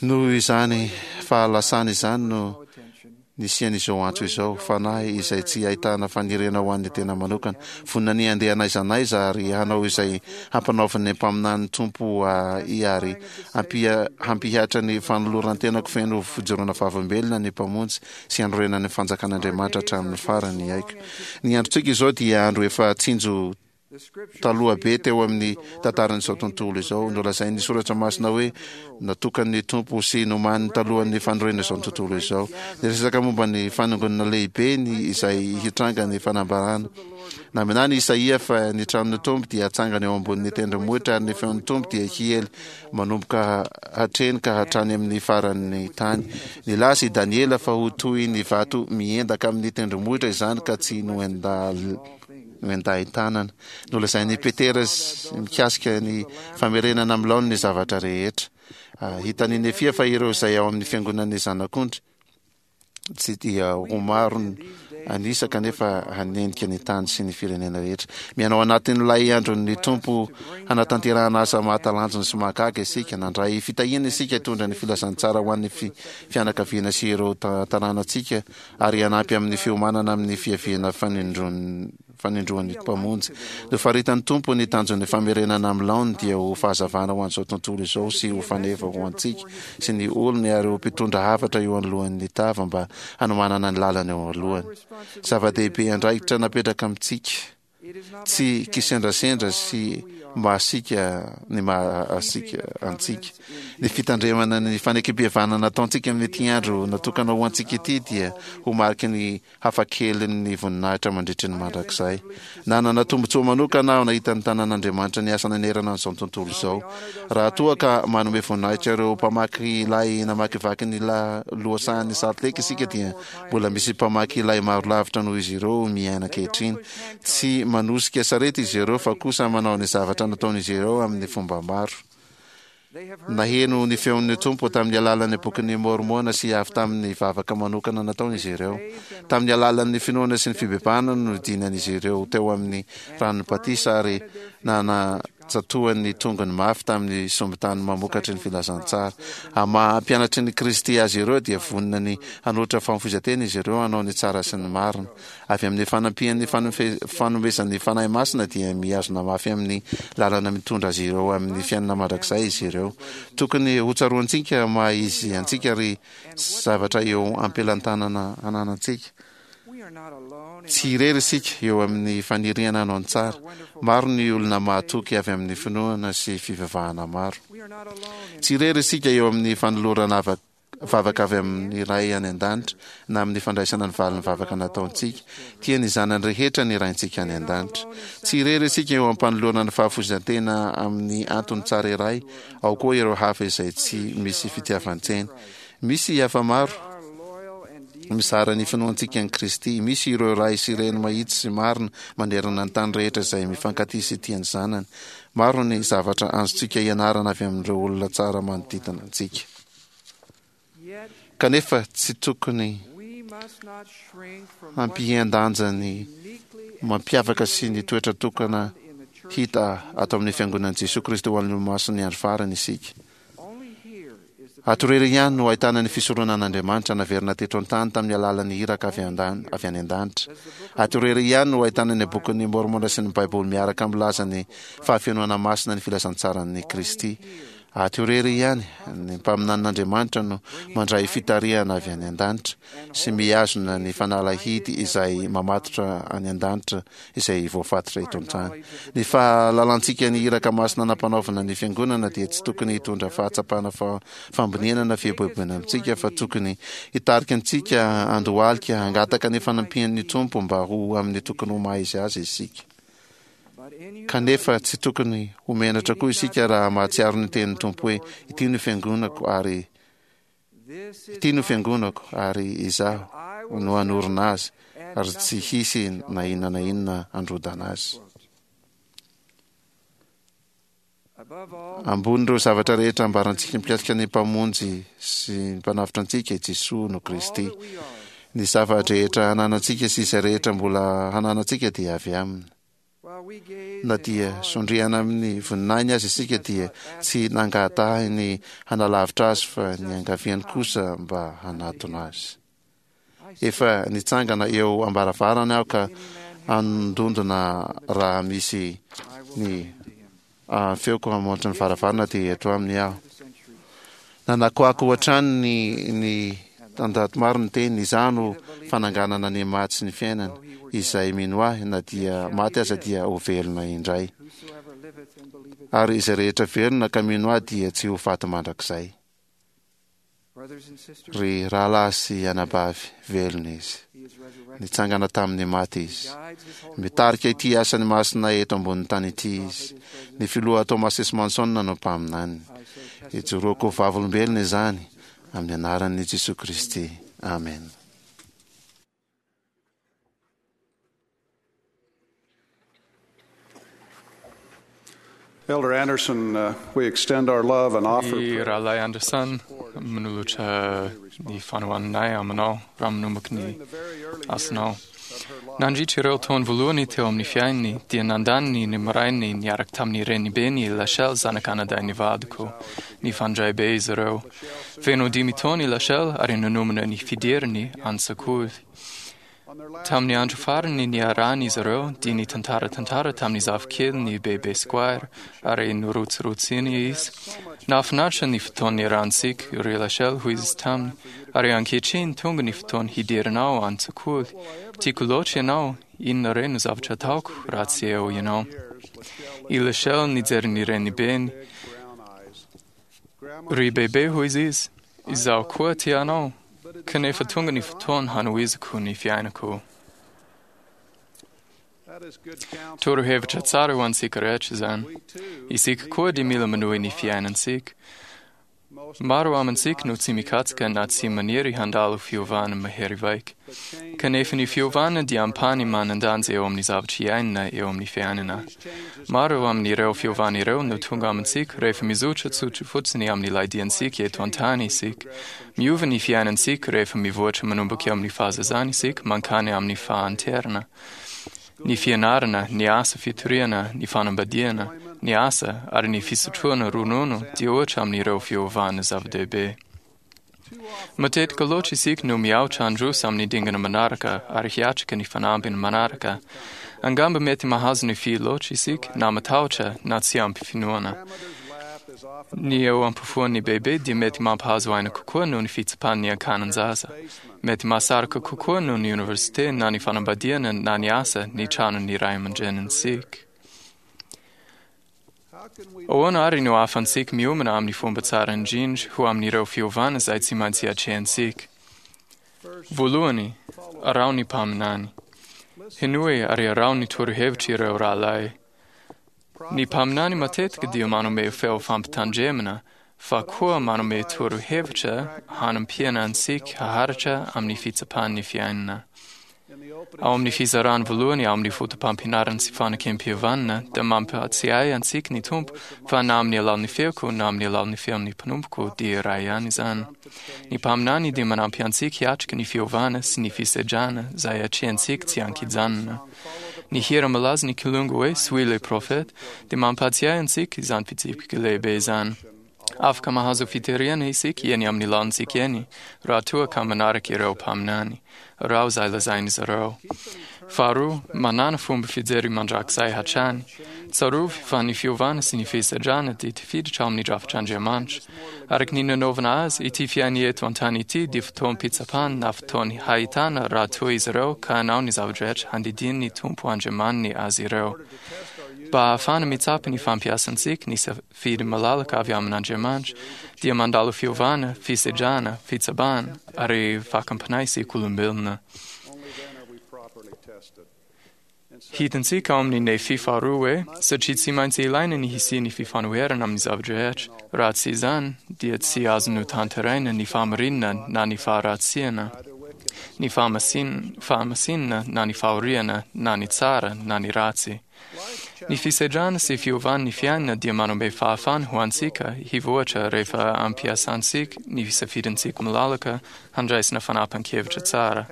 [SPEAKER 2] noho izany fahalasana izany no nisian'izao antso izao, fanahy izay tsy ahitana faniriana ho an'ny tena manokana, vonona ny handeha n'aiza n'aiza ary hanao izay hampanaovin'ny mpaminan'ny Tompo ahy ary hampihatra ny fanoloran-tenako feno fijoroana vavolombelona ny Mpamonjy sy hanorenana ny fanjakan'Andriamanitra hatramin'ny farany aiko. Ny androntsika izao dia andro efa tsinjo taloha be teo amin'ny tantaran'izao tontolo izao. Nolazain'ny Soratra Masina hoe natokan'ny Tompo sy nomaniny talohan'ny fanorenana izao tontolo izao. Niresaka momba ny fanongonana lehibe ny izay hitranga ny fanambarana. Naminany Isaia fa ny tranon'ny Tompo dia hatsangana eo ambonin'ny tendrombohitra ary ny feon'ny Tompo dia hiely manomboka hatreny ka hatrany amin'ny faran'ny tany. Nilaza i Daniela fa ho toy ny vato miendaka amin'ny tendrombohitra izany ka tsy noendahin-tanana. Nolazain'i Petera mikasika ny famerenana amin'ny laoniny ny zavatra rehetra. Hitan'i Nefia fa ireo izay ao amin'ny fiangonan'ny Zanak'ondry tsy dia ho maro an'isa kanefa hanenika ny tany sy ny firenena rehetra. Miaina ao anatin'ilay andron'ny Tompo hanatanterahana asa mahatalanjona sy mahagaga isika. Nandray fitahiana isika hitondra ny filazantsara ho an'ny fianakaviana sy ireo tanànantsika ary hanampy amin'ny fiomanana amin'ny fiaviana fanindroan'ny Mpamonjy. Nofaritan'ny Tompo ny tanjon'ny famerenana amin'ny laoniny dia ho fahazavana ho an'izao tontolo izao sy ho faneva ho antsika sy ny olony ary ho mpitondra hafatra eo anoloan'ny tava mba hanomanana ny lalana eo alohany. Zava-dehibe andraikitra napetraka amintsika. Tsy kisendrasendra sy mahasiaka ny mahasiaka antsika. Ny fitandremana ny fanekempihavanana ataontsika amin'ity andro natokana ho antsika ity dia ho mariky ny hafakelin'ny voninahitra mandritry ny mandrakizay. Nanana tombontsoa manokana aho nahita ny tanan'Andriamanitra niasa nanerana an'izao tontolo izao. Raha toa ka manome voninahitra ireo mpamaky lay namakivaky ny lohasahan'i Salt Lake isika dia Mbola misy mpamaky lay maro lavitra noho izy ireo miaina ankehitriny. Tsy manosika sarety izy ireo fa kosa manao ny zavatra nataon'izy ireo amin'ny fomba maro. Naheno ny feon'ny Tompo tamin'ny alalan'ny Bokin'i Môrmôna sy avy tamin'ny vavaka manokana nataony izy ireo. Tamin'ny alalan'ny finoana sy ny fibebahana no nidinan'izy ireo teo amin'ny ranon'ny batisa ary nana Tsatohany ny tongony mafy tamin'ny sombin-tany mamokatry ny filazantsara. Amin'ny maha mpianatry ny Kristy azy ireo dia vonona ny hanolotra fahafoizan-tena izy ireo hanao ny tsara sy ny marina. Avy amin'ny fanampian'ny fanomezan'ny Fanahy Masina dia mihazona mafy amin'ny lalana mitondra azy ireo amin'ny fiainana mandrakizay izy ireo. Tokony hotsaroantsika maha izy antsika ry zavatra eo am-pelantanana ananantsika. Tsy irery isika eo amin'ny faniriana hanao ny tsara. Maro ny olona mahatoky avy amin'ny finoana sy fivavahana maro. Tsy irery isika eo amin'ny fanolorana vavaka avy amin'ny Ray any An-danitra na amin'ny fandraisana ny valin'ny vavaka nataontsika. Tia ny zanany rehetra ny Raintsika any An-danitra. Tsy irery isika eo am-panolorana ny fahafoizan-tena amin'ny antony tsara iray, ao koa ireo hafa izay tsy misy fitiavan-tena. Misy hafa maro mizara ny finoantsika an'i Kristy. Misy ireo ray sy reny mahitsy sy marina manerana ny tany rehetra izay mifankatia sy tia ny zanany. Maro ny zavatra azontsika ianarana avy amin'ireo olona tsara manodidina antsika. Kanefa tsy tokony hampihen-danja ny mampiavaka sy ny toetra tokana hita ato amin'ny Fiangonan'i Jesoa Kristy ho an'ny Olomasin'ny Andro Farany isika. Ato irery ihany no ahitana ny fisoronan'Andriamanitra naverina teto an-tany tamin'ny alalan'ny iraka avy any an-danitra. Ato irery ihany no ahitana ny Bokin'i Môrmôna sy ny Baiboly miaraka milaza ny fahafenoana masina ny filazantsaran'i Kristy. Ato irery ihany ny mpaminanin'Andriamanitra no mandray fitarihana avy any an-danitra sy mihazona ny fanalahidy izay mamatotra any an-danitra izay voafatotra eto an-tany. Ny fahalalantsika ny iraka masina nampanaovina ny Fiangonana dia tsy tokony hitondra fahatsapana fahamboniana na fieboeboana amintsika fa tokony hitarika antsika handohalika hangataka ny fanampian'ny Tompo mba ho amin'ny tokony ho maha izy azy isika. Kanefa tsy tokony ho menatra koa isika raha mahatsiaro ny tenin'ny Tompo hoe, Ity no Fiangonako ary Ity no fiangonako, ary Izaho no hanorina azy, ary tsy hisy na inona na inona handrodana azy. Ambonin'ireo zavatra rehetra ambarantsika mikasika ny Mpamonjy sy ny Mpanavotra antsika, i Jesoa no Kristy. Ny zava-drehetra ananantsika sy izay rehetra mbola hananantsika dia avy Aminy. Na dia sondriana amin'ny voninahiny aza isika dia tsy nangatahiny hanalavitra Azy fa niangaviany kosa mba hanatona Azy. Efa nitsangana eo am-baravarany aho ka handondona raha misy ny feoko hamoatra ny varavarana dia eto aminy aho. Nanakoako hatrany ny ny tanjato maro ny teny, Izaho no fananganana ny maty sy ny fiainana, izay mino ahy na dia maty aza dia ho velona indray. Ary izay rehetra velona ka mino ahy dia tsy ho faty mandrakizay. Ry rahalahy sy anabavy, velona Izy. Nitsangana tamin'ny maty Izy. Mitarika ity asany masina eto ambonin'ny tany ity Izy. Ny Filoha Thomas S. Monson no mpaminaniny. Ijoroako ho vavolombelona izany, amin'ny anaran'i Jesoa Kristy. Amena.
[SPEAKER 6] Elder Anderson, we extend our love and offer
[SPEAKER 7] Ny Rahalahy Anderson, manolotra ny fanohananay aminao raha manomboka ny asanao. Nandritra ireo taona voalohany teo amin'ny fiainany dia nandany ny marainy niaraka tamin'ny renibeny i Lachelle zanak'anadahin'ny vadiko. Nifandray be izy ireo. Feno 5 taona i Lachelle ary nanomana ny fidirany an-tsekoly. Tamin'ny andro farany niarahana izy ireo dia nitantara tantara tamin'ny zafikeliny i Bebe Squire ary norotsirotsiny izy. Nahafinaritra ny fotoana niarahantsika, ry Lachelle, hoy izy taminy, ary ankehitriny tonga ny fotoana hidiranao an-tsekoly. Tiako loatra ianao, inona re no zavatra ataoko raha tsy eo ianao? I Lachelle nijery ny renibeny. Ry Bebe, hoy izy, izaho koa tia anao. Kanefa tonga ny fotoana hanohizako ny fiainako. Torohevitra tsara ho antsika rehetra izany. Isika koa dia mila manohy ny fiainantsika. Maro amintsika no tsy mikatsaka na tsy maniry handalo fiovana mahery vaika. Kanefa ny fiovana dia ampahany manan-danja eo amin'ny zavatra iainana eo amin'ny fiainana. Maro amin'ireo fiovana ireo no tonga amintsika rehefa mizotra tsotra fotsiny amin'ilay diantsika eto an-tany isika. Miova ny fiainantsika rehefa mivoatra manomboka eo amin'ny fahazazana isika mankany amin'ny fahanterana. Ny fianarana, ny asa fitoriana, ny fanambadiana, ny asa ary ny fisotroana ronono dia ohatra amin'ireo fiovana zava-dehibe. Matetika loatra isika no miaotra handroso amin'ny dingana manaraka ary hiatrika ny fanambiny manaraka. Angamba mety mahazo ny fy loatra isika na matahotra na tsy ampy finoana. Ny eo ampofoan'ny bebe dia mety mampahazo aina kokoa noho ny fitsapan'ny ankanan-jaza. Mety mahasarika kokoa noho ny oniversite na ny fanambadiana na ny asa ny tranon'ny ray aman-drenintsika. Ahoana ary no ahafahantsika miomana amin'ny fomba tsara indrindra ho amin'ireo fiovana izay tsy maintsy atrehantsika? Voalohany, araho ny mpaminany. Henoy ary araho ny torohevitr'ireo rahalahy. Ny mpaminany matetika dia manome feo fampitandremana fa koa manome torohevitra hanampiana antsika haharitra amin'ny fitsapan'ny fiainana. Ao amin'ny fizarany voalohany ao amin'ny foto-pampianarana sy fanekem-pihavanana dia mampahatsiahy antsika ny Tompo fa na amin'ny alalan'ny feoko na amin'ny alalan'ny feon'ny mpanompoko dia iray ihany izany. Ny mpaminany dia manampy antsika hiatrika ny fiovana sy ny fisedrana izay atrehantsika tsy an-kijanona. Ny hira malaza ny kilonga hoe Suis le prophète dia mampahatsiahy antsika izany fitsipika lehibe izany. Afaka mahazo fitoriana isika eny amin'ny lalantsika eny raha toa ka manaraka ireo mpaminany, raha izay lazain'izy ireo. Faharoa, manana fomba fijery mandrakizay hatrany. Tsarovy fa ny fiovana sy ny fisedrana dia tafiditra ao amin'ny drafitr'Andriamanitra. Araka ny nanaovana azy, ity fiainana eto an-tany ity dia fotoam-pitsapana na fotoany hahitana raha toa izy ireo ka hanao ny zava-drehetra handidian'ny Tompo Andriamaniny azy ireo. Mba hahafahana mitsapa ny fampiasantsika ny safidy malalaka avy amin'Andriamanitra dia mandalo fiovana, fisedrana, fitsapana ary fakam-panahy isika olombelona. Hitantsika ao amin'ny Nefy faharoa hoe satria tsy maintsy ilaina ny hisian'ny fifanoherana amin'ny zava-drehetra, raha tsy izany dia tsy azo notanteraina ny fahamarinana na ny faharatsiana, ny fahamasinana na ny fahoriana na ny tsara na ny ratsy. Ny fisedrana sy fiovan'ny fiainana dia manome fahafahana ho antsika hivoatra rehefa ampiasantsika ny safidintsika malalaka handraisana fanapahan-kevitra tsara.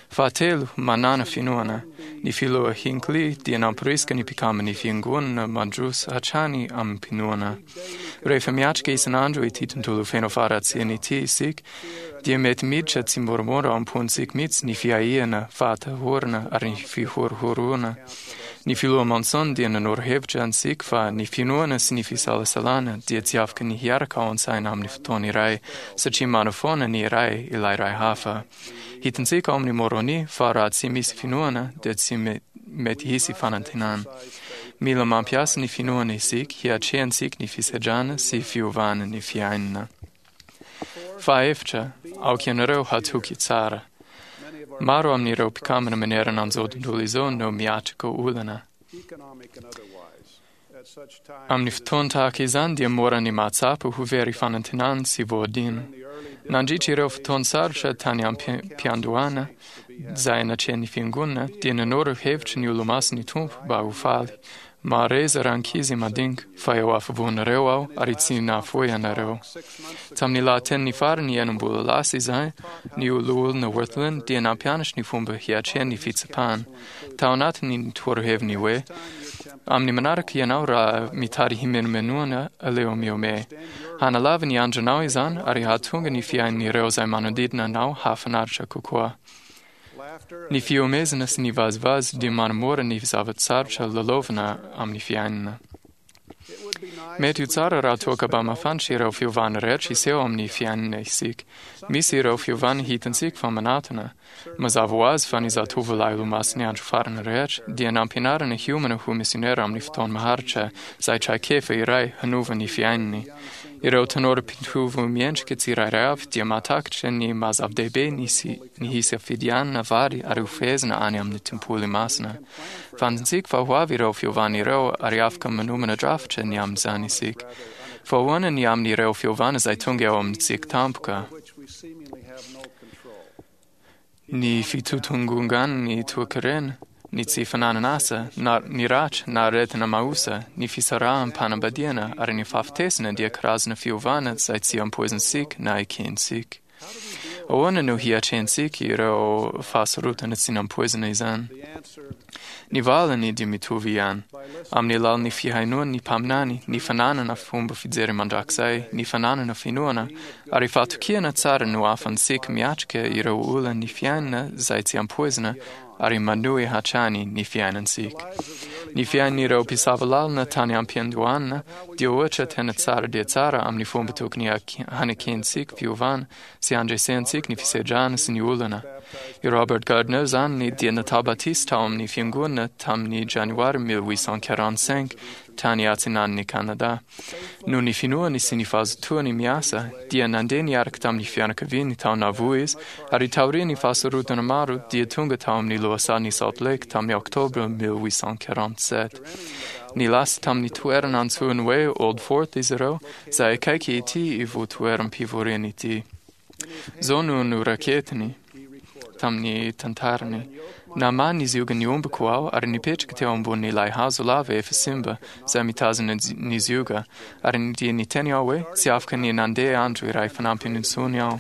[SPEAKER 7] Fahatelo, manana finoana. Ny filoha Hinckley dia namporisika ny mpikamban'ny fiangonana mandroso hatrany amim-pinoana. Rehefa miatrika isan'andro ity tontolo feno faharatsiana ity isika, dia mety miditra tsimoramora ao am-pontsika mihitsy ny fiahiana, fahatahorana ary ny fihorohoroana. Ny filoha Monson dia nanoro hevitra antsika fa ny finoana sy ny fisalasalana dia tsy afaka ny hiaraka ao an-tsaina amin'ny fotoana iray, satria manafoana ny iray ilay iray hafa. Hitantsika ao amin'ny Moroni fa raha tsy misy finoana dia tsy mety hisy fanantenana. Mila mampiasa ny finoana isika hiatrehantsika ny fisedrana sy fiovana ny fiainana. Fahaefatra, aoka ianareo hatoky tsara. Maro amin'ireo mpikambana manerana an'izao tontolo izao no miatrika olana. Amin'ny fotoana tahaka izany dia mora ny mahatsapa ho very fanantenana sy voadino. Nandritra ireo fotoan-tsarotra tany am-piandohana izay natrehan'ny fiangonana dia nanoro hevitra ny olomasin'ny Tompo mba ho faly. Mahareza rankizy madinika fa eo afovoanareo aho ary tsy nahafoy anareo. Tamin'ny lahateniny farany enimbola lasa izay, ny loholona Wirthlin dia nampianatra ny fomba hiatrehany ny fitsapana. Tao anatin'ny toroheviny hoe, amin'ny manaraka ianao raha mitady himenomenoana aleo mihomehy. Hanalava ny andronao izany ary hahatonga ny fiainan'ireo izay manodidina anao hahafinaritra kokoa. Ny fihomezana sy ny vazivazy dia manamora ny zava-tsarotra lalaovina amin'ny fiainana. Mety ho tsara raha toa ka mba mahafantatra ireo fiovana rehetra hiseho amin'ny fiainana isika. Misy ireo fiovana hitantsika fa manatona. Mazava ho azy fa ny zatovolahy olomasin'ny andro farany rehetra dia nampianarina hiomana ho misionera amin'ny fotoana maharitra izay traikefa iray hanova ny fiainany. Ireo tanora mpitovo miendrika tsirairay avy dia mahatakatra ny maha zava-dehibe ny ny hisafidianana vary ary ho fehezina any amin'ny tempoly masina. Fantatsika fa ho avy ireo fiovana ireo ary afaka manomana drafitra ny amin'izany isika. Fa ahoana ny amin'ireo fiovana izay tonga eo amintsika tampoka? Ny fitotongongan'ny toekarena, ny tsy fananana asa, na ny ratra na aretina maosa, ny fisaraham-panambadiana ary ny fahafatesana dia karazana fiovana izay tsy ampoizintsika na ekentsika. Ahoana no hiatrehantsika ireo fahasarotana tsy nampoizina izany? Ny valiny dia mitovy ihany. Amin'ny alalan'ny fihainoan'ny mpaminany, ny fananana fomba fijery mandrakizay, ny fananana finoana, ary fahatokiana tsara no ahafahantsika miatrika ireo olan'ny fiainana izay tsy ampoizina ary manohy hatrany ny fiainantsika. Ny fiainan'ireo mpisava lalana tany am-piandohana dia ohatra tena tsara dia tsara amin'ny fomba tokony hanekentsika fiovana sy handresentsika ny fisedrana sy ny olana. I Robert Gardner zany dia natao batisa tao amin'ny fiangonana tamin'ny janoary 1845 tany atsinanan'i Kanada. Noho ny finoany sy ny fahazotoany miasa dia nandeha niaraka tamin'ny fianakaviany tao Nauvoo izy ary taorian'ny fahasarotana maro dia tonga tao amin'ny lohasahan'i Salt Lake tamin'ny oktobra 1847. Nilasa tamin'ny toerana antsoiny hoe Old Fort izy ireo izay akaiky ity ivotoeram-pivoriana ity. Izao no noraketiny tamin'ny tantarany. Namaha ny ziogan'ny ombiko aho ary nipetraka teo ambonin'ilay hazo lava efa simba izay mitazona ny zioga ary dia niteny aho hoe tsy afaka ny nandeha andro iray fanampiny intsony aho.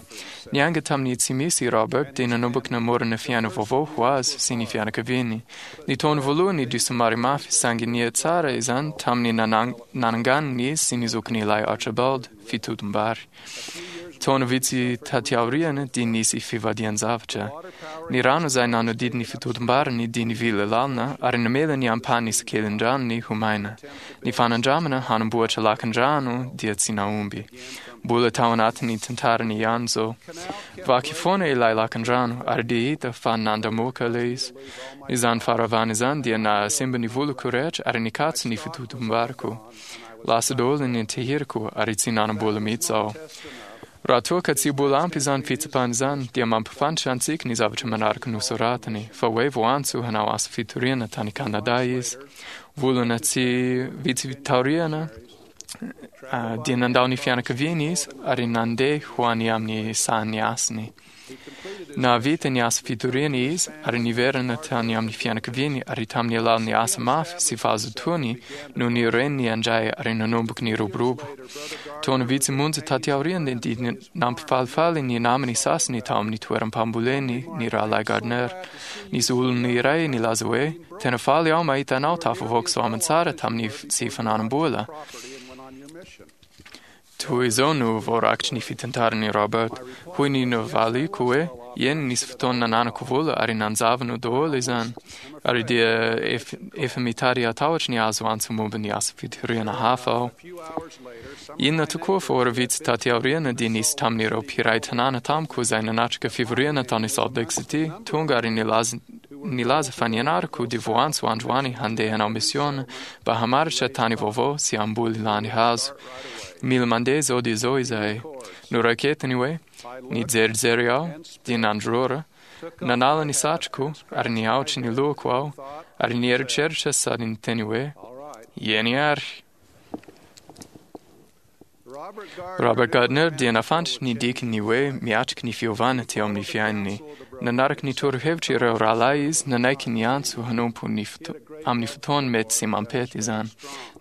[SPEAKER 7] Niainga tamin'ny tsy misy i Robert dia nanomboka namorona fiainana vaovao ho azy sy ny fianakaviany. Ny taona voalohany dia somary mafy saingy nihatsara izany tamin'ny nananganany izy sy ny zokiny ilay Archibald fitotom-bary. Taona vitsy taty aoriana dia nisy fivadian-javatra. Ny rano izay nanodidina ny fitotom-bariny dia nivily lalina ary namela ny ampahany isan-kelin-dranony ho maina. Ny fanandramana hanamboatra lakan-drano dia tsy nahomby. Mbola tao anatin'ny tantarany ihany izao. Vaky foana ilay lakan-drano ary dia hita fa nandamoaka ilay izy. Izany faharavana izany dia nahasimba ny voloko rehetra ary nikatso ny fitotom-bariko. Lasa daholo ny tehiriko ary tsy nanam-bola mihitsy aho. Raha toa ka tsy mbola ampy izany fitsapana izany dia mampifantatra antsika ny zavatra manaraka nosoratany fa hoe voantso hanao asa fitoriana tany Kanada izy. Volana tsy vitsy taoriana. Dia nandao ny fianakaviany izy ary nandeha ho any amin'ny sahan'ny asany. Nahavita ny asa fitoriana izy ary niverina tany amin'ny fianakaviany ary tamin'ny alalan'ny asa mafy sy fahazotoany no nireniny indray ary nanomboka niroborobo. Taona vitsy monja taty aoriana dia nampifalifaly ny namany sasany tao amin'ny toeram-pamboleny ny rahalahy Gardner. Nisy olona iray nilaza hoe, "Tena faly aho mahita anao tafavoaka soamantsara tamin'ny tsy fananam-bola." Toy izao no voarakitry ny fitantaran'i Robert. Hoy ny navaliko hoe, "Eny, nisy fotoana nananako vola ary nanjavona daholo izany." Ary dia efa mitady hatahotra ny hahazo antso momba ny asa fitoriana hafa aho. Inona tokoa fa ora vitsy taty aoriana dia nisy tamin'ireo mpiray tanàna tamiko izay nanatrika fivoriana tany Salt Lake City tonga ary nilaza fa ny anarako dia voantso androany handeha hanao misiona mba hamaritra tany vaovao sy hamboly landy hazo. Mila mandeha izao dia izao izahay. Noraiketiny hoe, Nijerijery aho, dia nandrora, nanala ny satroko ary nihaotry ny lohako aho ary nieritreritra sady niteny hoe, Eny ary. Robert Gardner dia nahafantatra ny dikan'ny hoe miatrika ny fiovana teo amin'ny fiainany. Nanaraka ny torohevitra ireo rahalahy izy, nanaiky ny antso hanompo ny amin'ny fotoana mety sy mampety izany.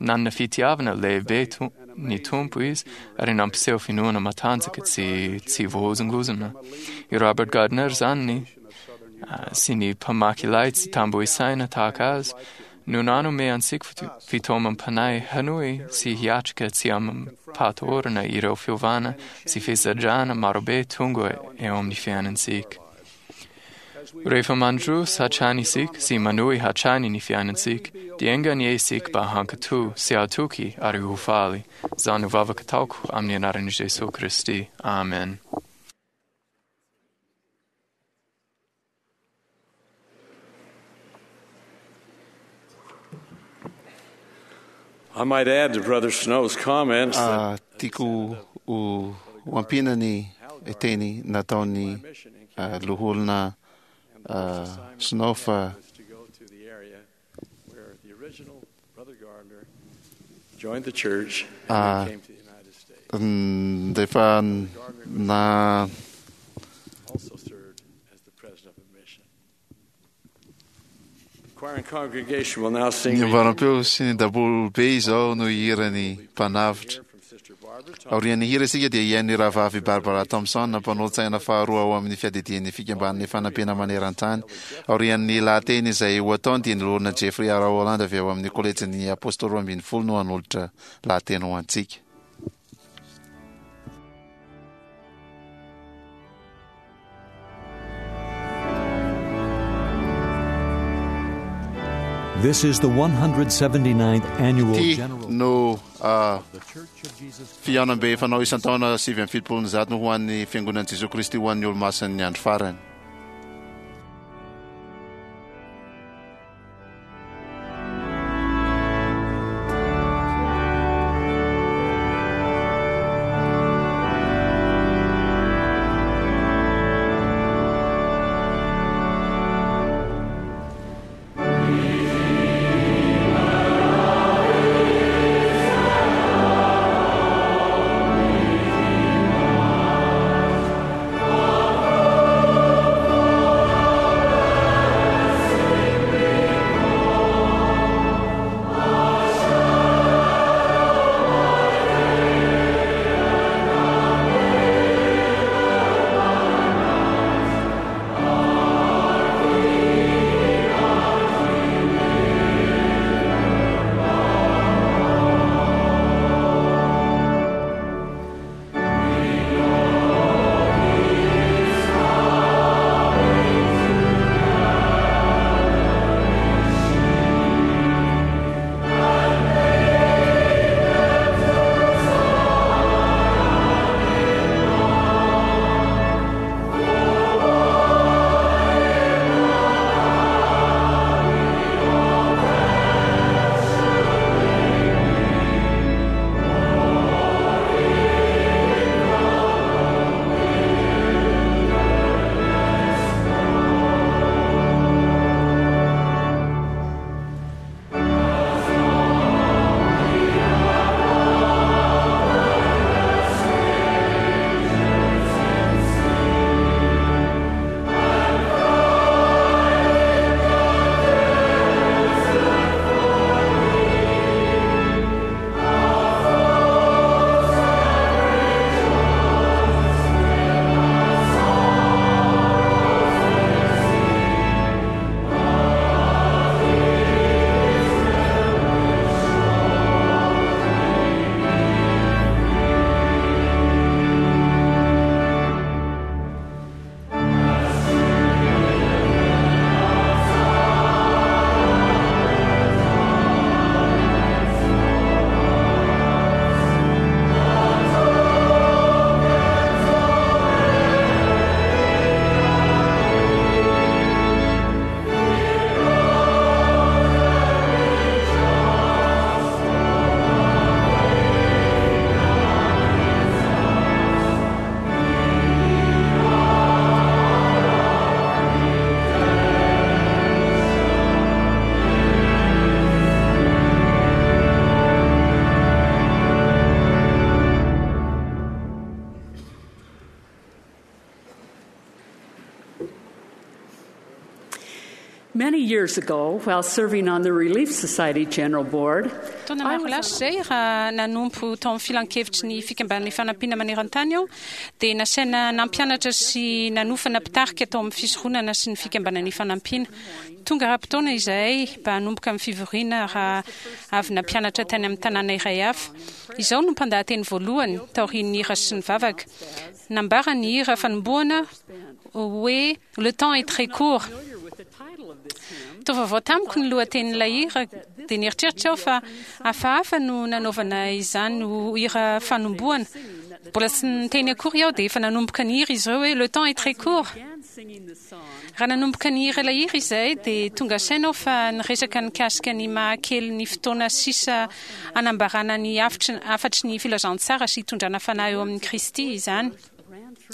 [SPEAKER 7] Nanana fitiavana lehibe ny Tompo izy ary nampiseho finoana matanjaka tsy tsy voahozongozona. I Robert Gardner izany sy ny mpamaky lay tsy tambo isaina tahaka azy no nanome antsika fitaomam-panahy hanohy sy hiatrika tsy amim-pahatahorana ireo fiovana sy fisedrana marobe tonga eo amin'ny fiainantsika. Rehefa mandroso hatrany isika sy manohy hatrany ny fiainantsika, dia enga anie isika mba hankatò sy hatoky ary ho faly. Izany no vavaka ataoko amin'ny anaran'i Jesoa Kristy. Amen.
[SPEAKER 3] I might add to Brother Snow's comments that
[SPEAKER 2] Tiako ho ampiana ny teny nataon'ny loholona Snow fa
[SPEAKER 3] joined the church and came to the United States.
[SPEAKER 2] Rehefa na
[SPEAKER 3] Also served as the president of a mission. The choir and congregation will now sing
[SPEAKER 2] ny ambaram-peo sy ny daholobe izao no hiran'ny mpanavotra.
[SPEAKER 3] from Sister Barbara Thompson.
[SPEAKER 2] Aorian'ny hira isika dia hihaino ny rahavavy Barbara Thompson, mpanolo-tsaina faharoa ao amin'ny fiadidian'ny fikambanan'ny fanampiana maneran-tany. Aorian'ny lahateny izay ho ataony dia ny loholona Jeffrey R. Holland avy ao amin'ny kolejin'ny Apôstôly 12 no hanolotra lahateny ho antsika.
[SPEAKER 1] This is the 179th annual
[SPEAKER 2] Ity
[SPEAKER 1] General
[SPEAKER 2] no
[SPEAKER 1] The Church of Jesus
[SPEAKER 2] fihaonambe fanao isan-taona 179 no ho an'ny fiangonan'i Jesoa Kristy ho an'ny olomasin'ny andro farany.
[SPEAKER 1] Thank
[SPEAKER 8] years ago, while serving on the Relief Society General Board,
[SPEAKER 9] Taona maro lasa izay, raha nanompo tao amin'ny filankevitry ny Fikambanan'ny Fanampiana Maneran-tany aho, dia nasaina nampianatra sy nanofana mpitarika tao amin'ny fisoronana sy ny Fikambanan'ny Fanampiana. Tonga ara-potoana izahay mba hanomboka ny fivoriana raha avy nampianatra tany amin'ny tanàna iray hafa. Izaho no mpandahateny voalohany, taorian'ny hira sy ny vavaka. Nambara ny hira fanombohana hoe Le temps est très court. Toa vaovao tamiko ny lohatenin'ilay hira, dia nieritreritra aho fa hafahafa no nanaovana izany ho hira fanombohana. Mbola tsy niteny akory aho dia efa nanomboka nihira izy ireo hoe Le temps est très court. Raha nanomboka nihira ilay hira izahay dia tonga saina aho fa niresaka nikasika ny maha kely ny fotoana sisa hanambarana ny hafatry ny filazantsara sy hitondrana fanahy eo amin'i Kristy izany.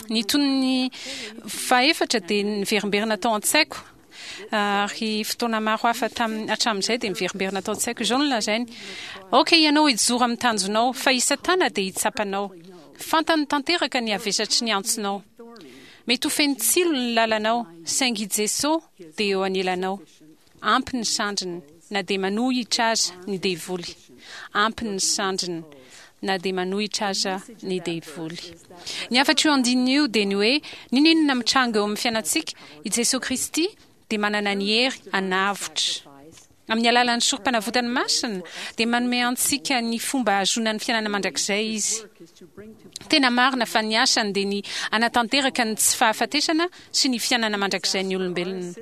[SPEAKER 9] Ny tonony fahefatra dia niverimberina tao an-tsaiko ary fotoana maro hafa tamin'ny hatramin'izay dia miverimberina tao an-tsaiko. Izao no lazainy, Aoka ianao hijoro amin'ny tanjonao, fa i Satana dia hitsapa anao. Fantany tanteraka ny havesatry ny antsonao. Mety ho feno tsilo ny lalanao, saingy i Jeso dia eo anilanao. Ampy ny sandriny, na dia manohitra aza ny devoly. Ampy ny sandriny, na dia manohitra aza ny devoly. Ny hafatr'io andininy io dia ny hoe, n'inon'inona mitranga eo amin'ny fiainantsika, i Jesoa Kristy dia manana ny hery hanavotra. Amin'ny alalan'ny Sorompanavotany masina, dia manome antsika ny fomba hahazoana ny fiainana mandrakizay Izy. Tena marina fa ny asany dia ny hanatanteraka ny tsy fahafatesana sy ny fiainana mandrakizain'ny olombelona.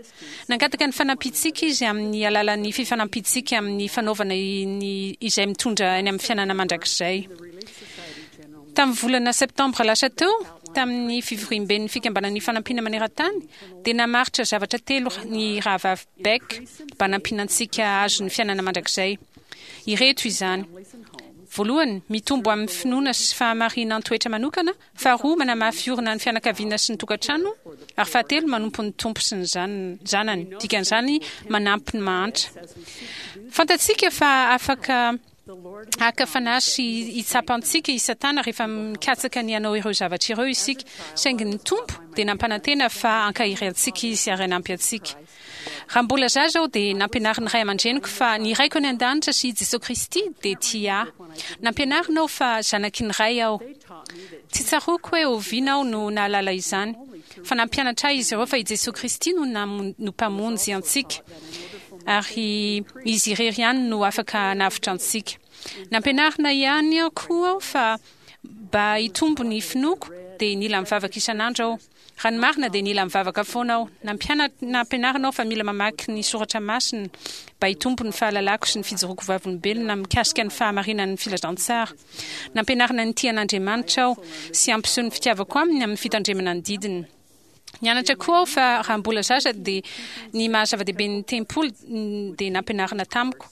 [SPEAKER 9] Nangataka ny fanampiantsika Izy amin'ny alalan'ny fifanampiantsika amin'ny fanaovana ny izay mitondra any amin'ny fiainana mandrakizay. Tamin'ny volana septambra lasa teo, tamin'ny fivoriamben'ny Fikambanan'ny Fanampiana Maneran-tany, dia namaritra zavatra telo ny Rahavavy Beck mba hanampiana antsika hahazo ny fiainana mandrakizay. Ireto izany, Voalohany, mitombo amin'ny finoana sy fahamarinan-toetra manokana, faharoa, manamafy orina ny fianakaviana sy ny tokantrano, ary fahatelo, manompo ny Tompo sy ny zanany, dikan'izany manampy ny mahantra. Fantatsika fa afaka Haka fanahy sy hitsapa antsika i Satana rehefa mikatsaka ny hanao ireo zavatra ireo isika, saingy ny Tompo dia nampanantena fa hankahery antsika Izy ary hanampy antsika. Raha mbola zaza aho dia nampianarin'ny ray aman-dreniko fa ny Raiko any An-danitra sy i Jesoa Kristy dia tia ahy. Nampianarina aho fa zanaky ny Ray aho. Tsy tsaroako hoe oviana aho no nahalala izany, fa nampianatra ahy izy ireo fa i Jesoa Kristy no no Mpamonjy antsika. ary Izy irery ihany no afaka hanavotra antsika. Nampianarina ihany koa aho fa mba hitombo ny finoako dia nila mivavaka isan'andro aho. Raha ny marina dia nila mivavaka foana aho. Nampianarina aho fa mila mamaky ny soratra masina mba hitombo ny fahalalako sy ny fijoroako vavolombelona mikasika ny fahamarinan'ny filazantsara. Nampianarina nitia an'Andriamanitra aho sy hampiseho ny fitiavako aminy amin'ny fitandremana ny didiny. Nianatra koa aho fa raha mbola zaza dia ny maha zava-dehibe ny tempoly dia nampianarina tamiko.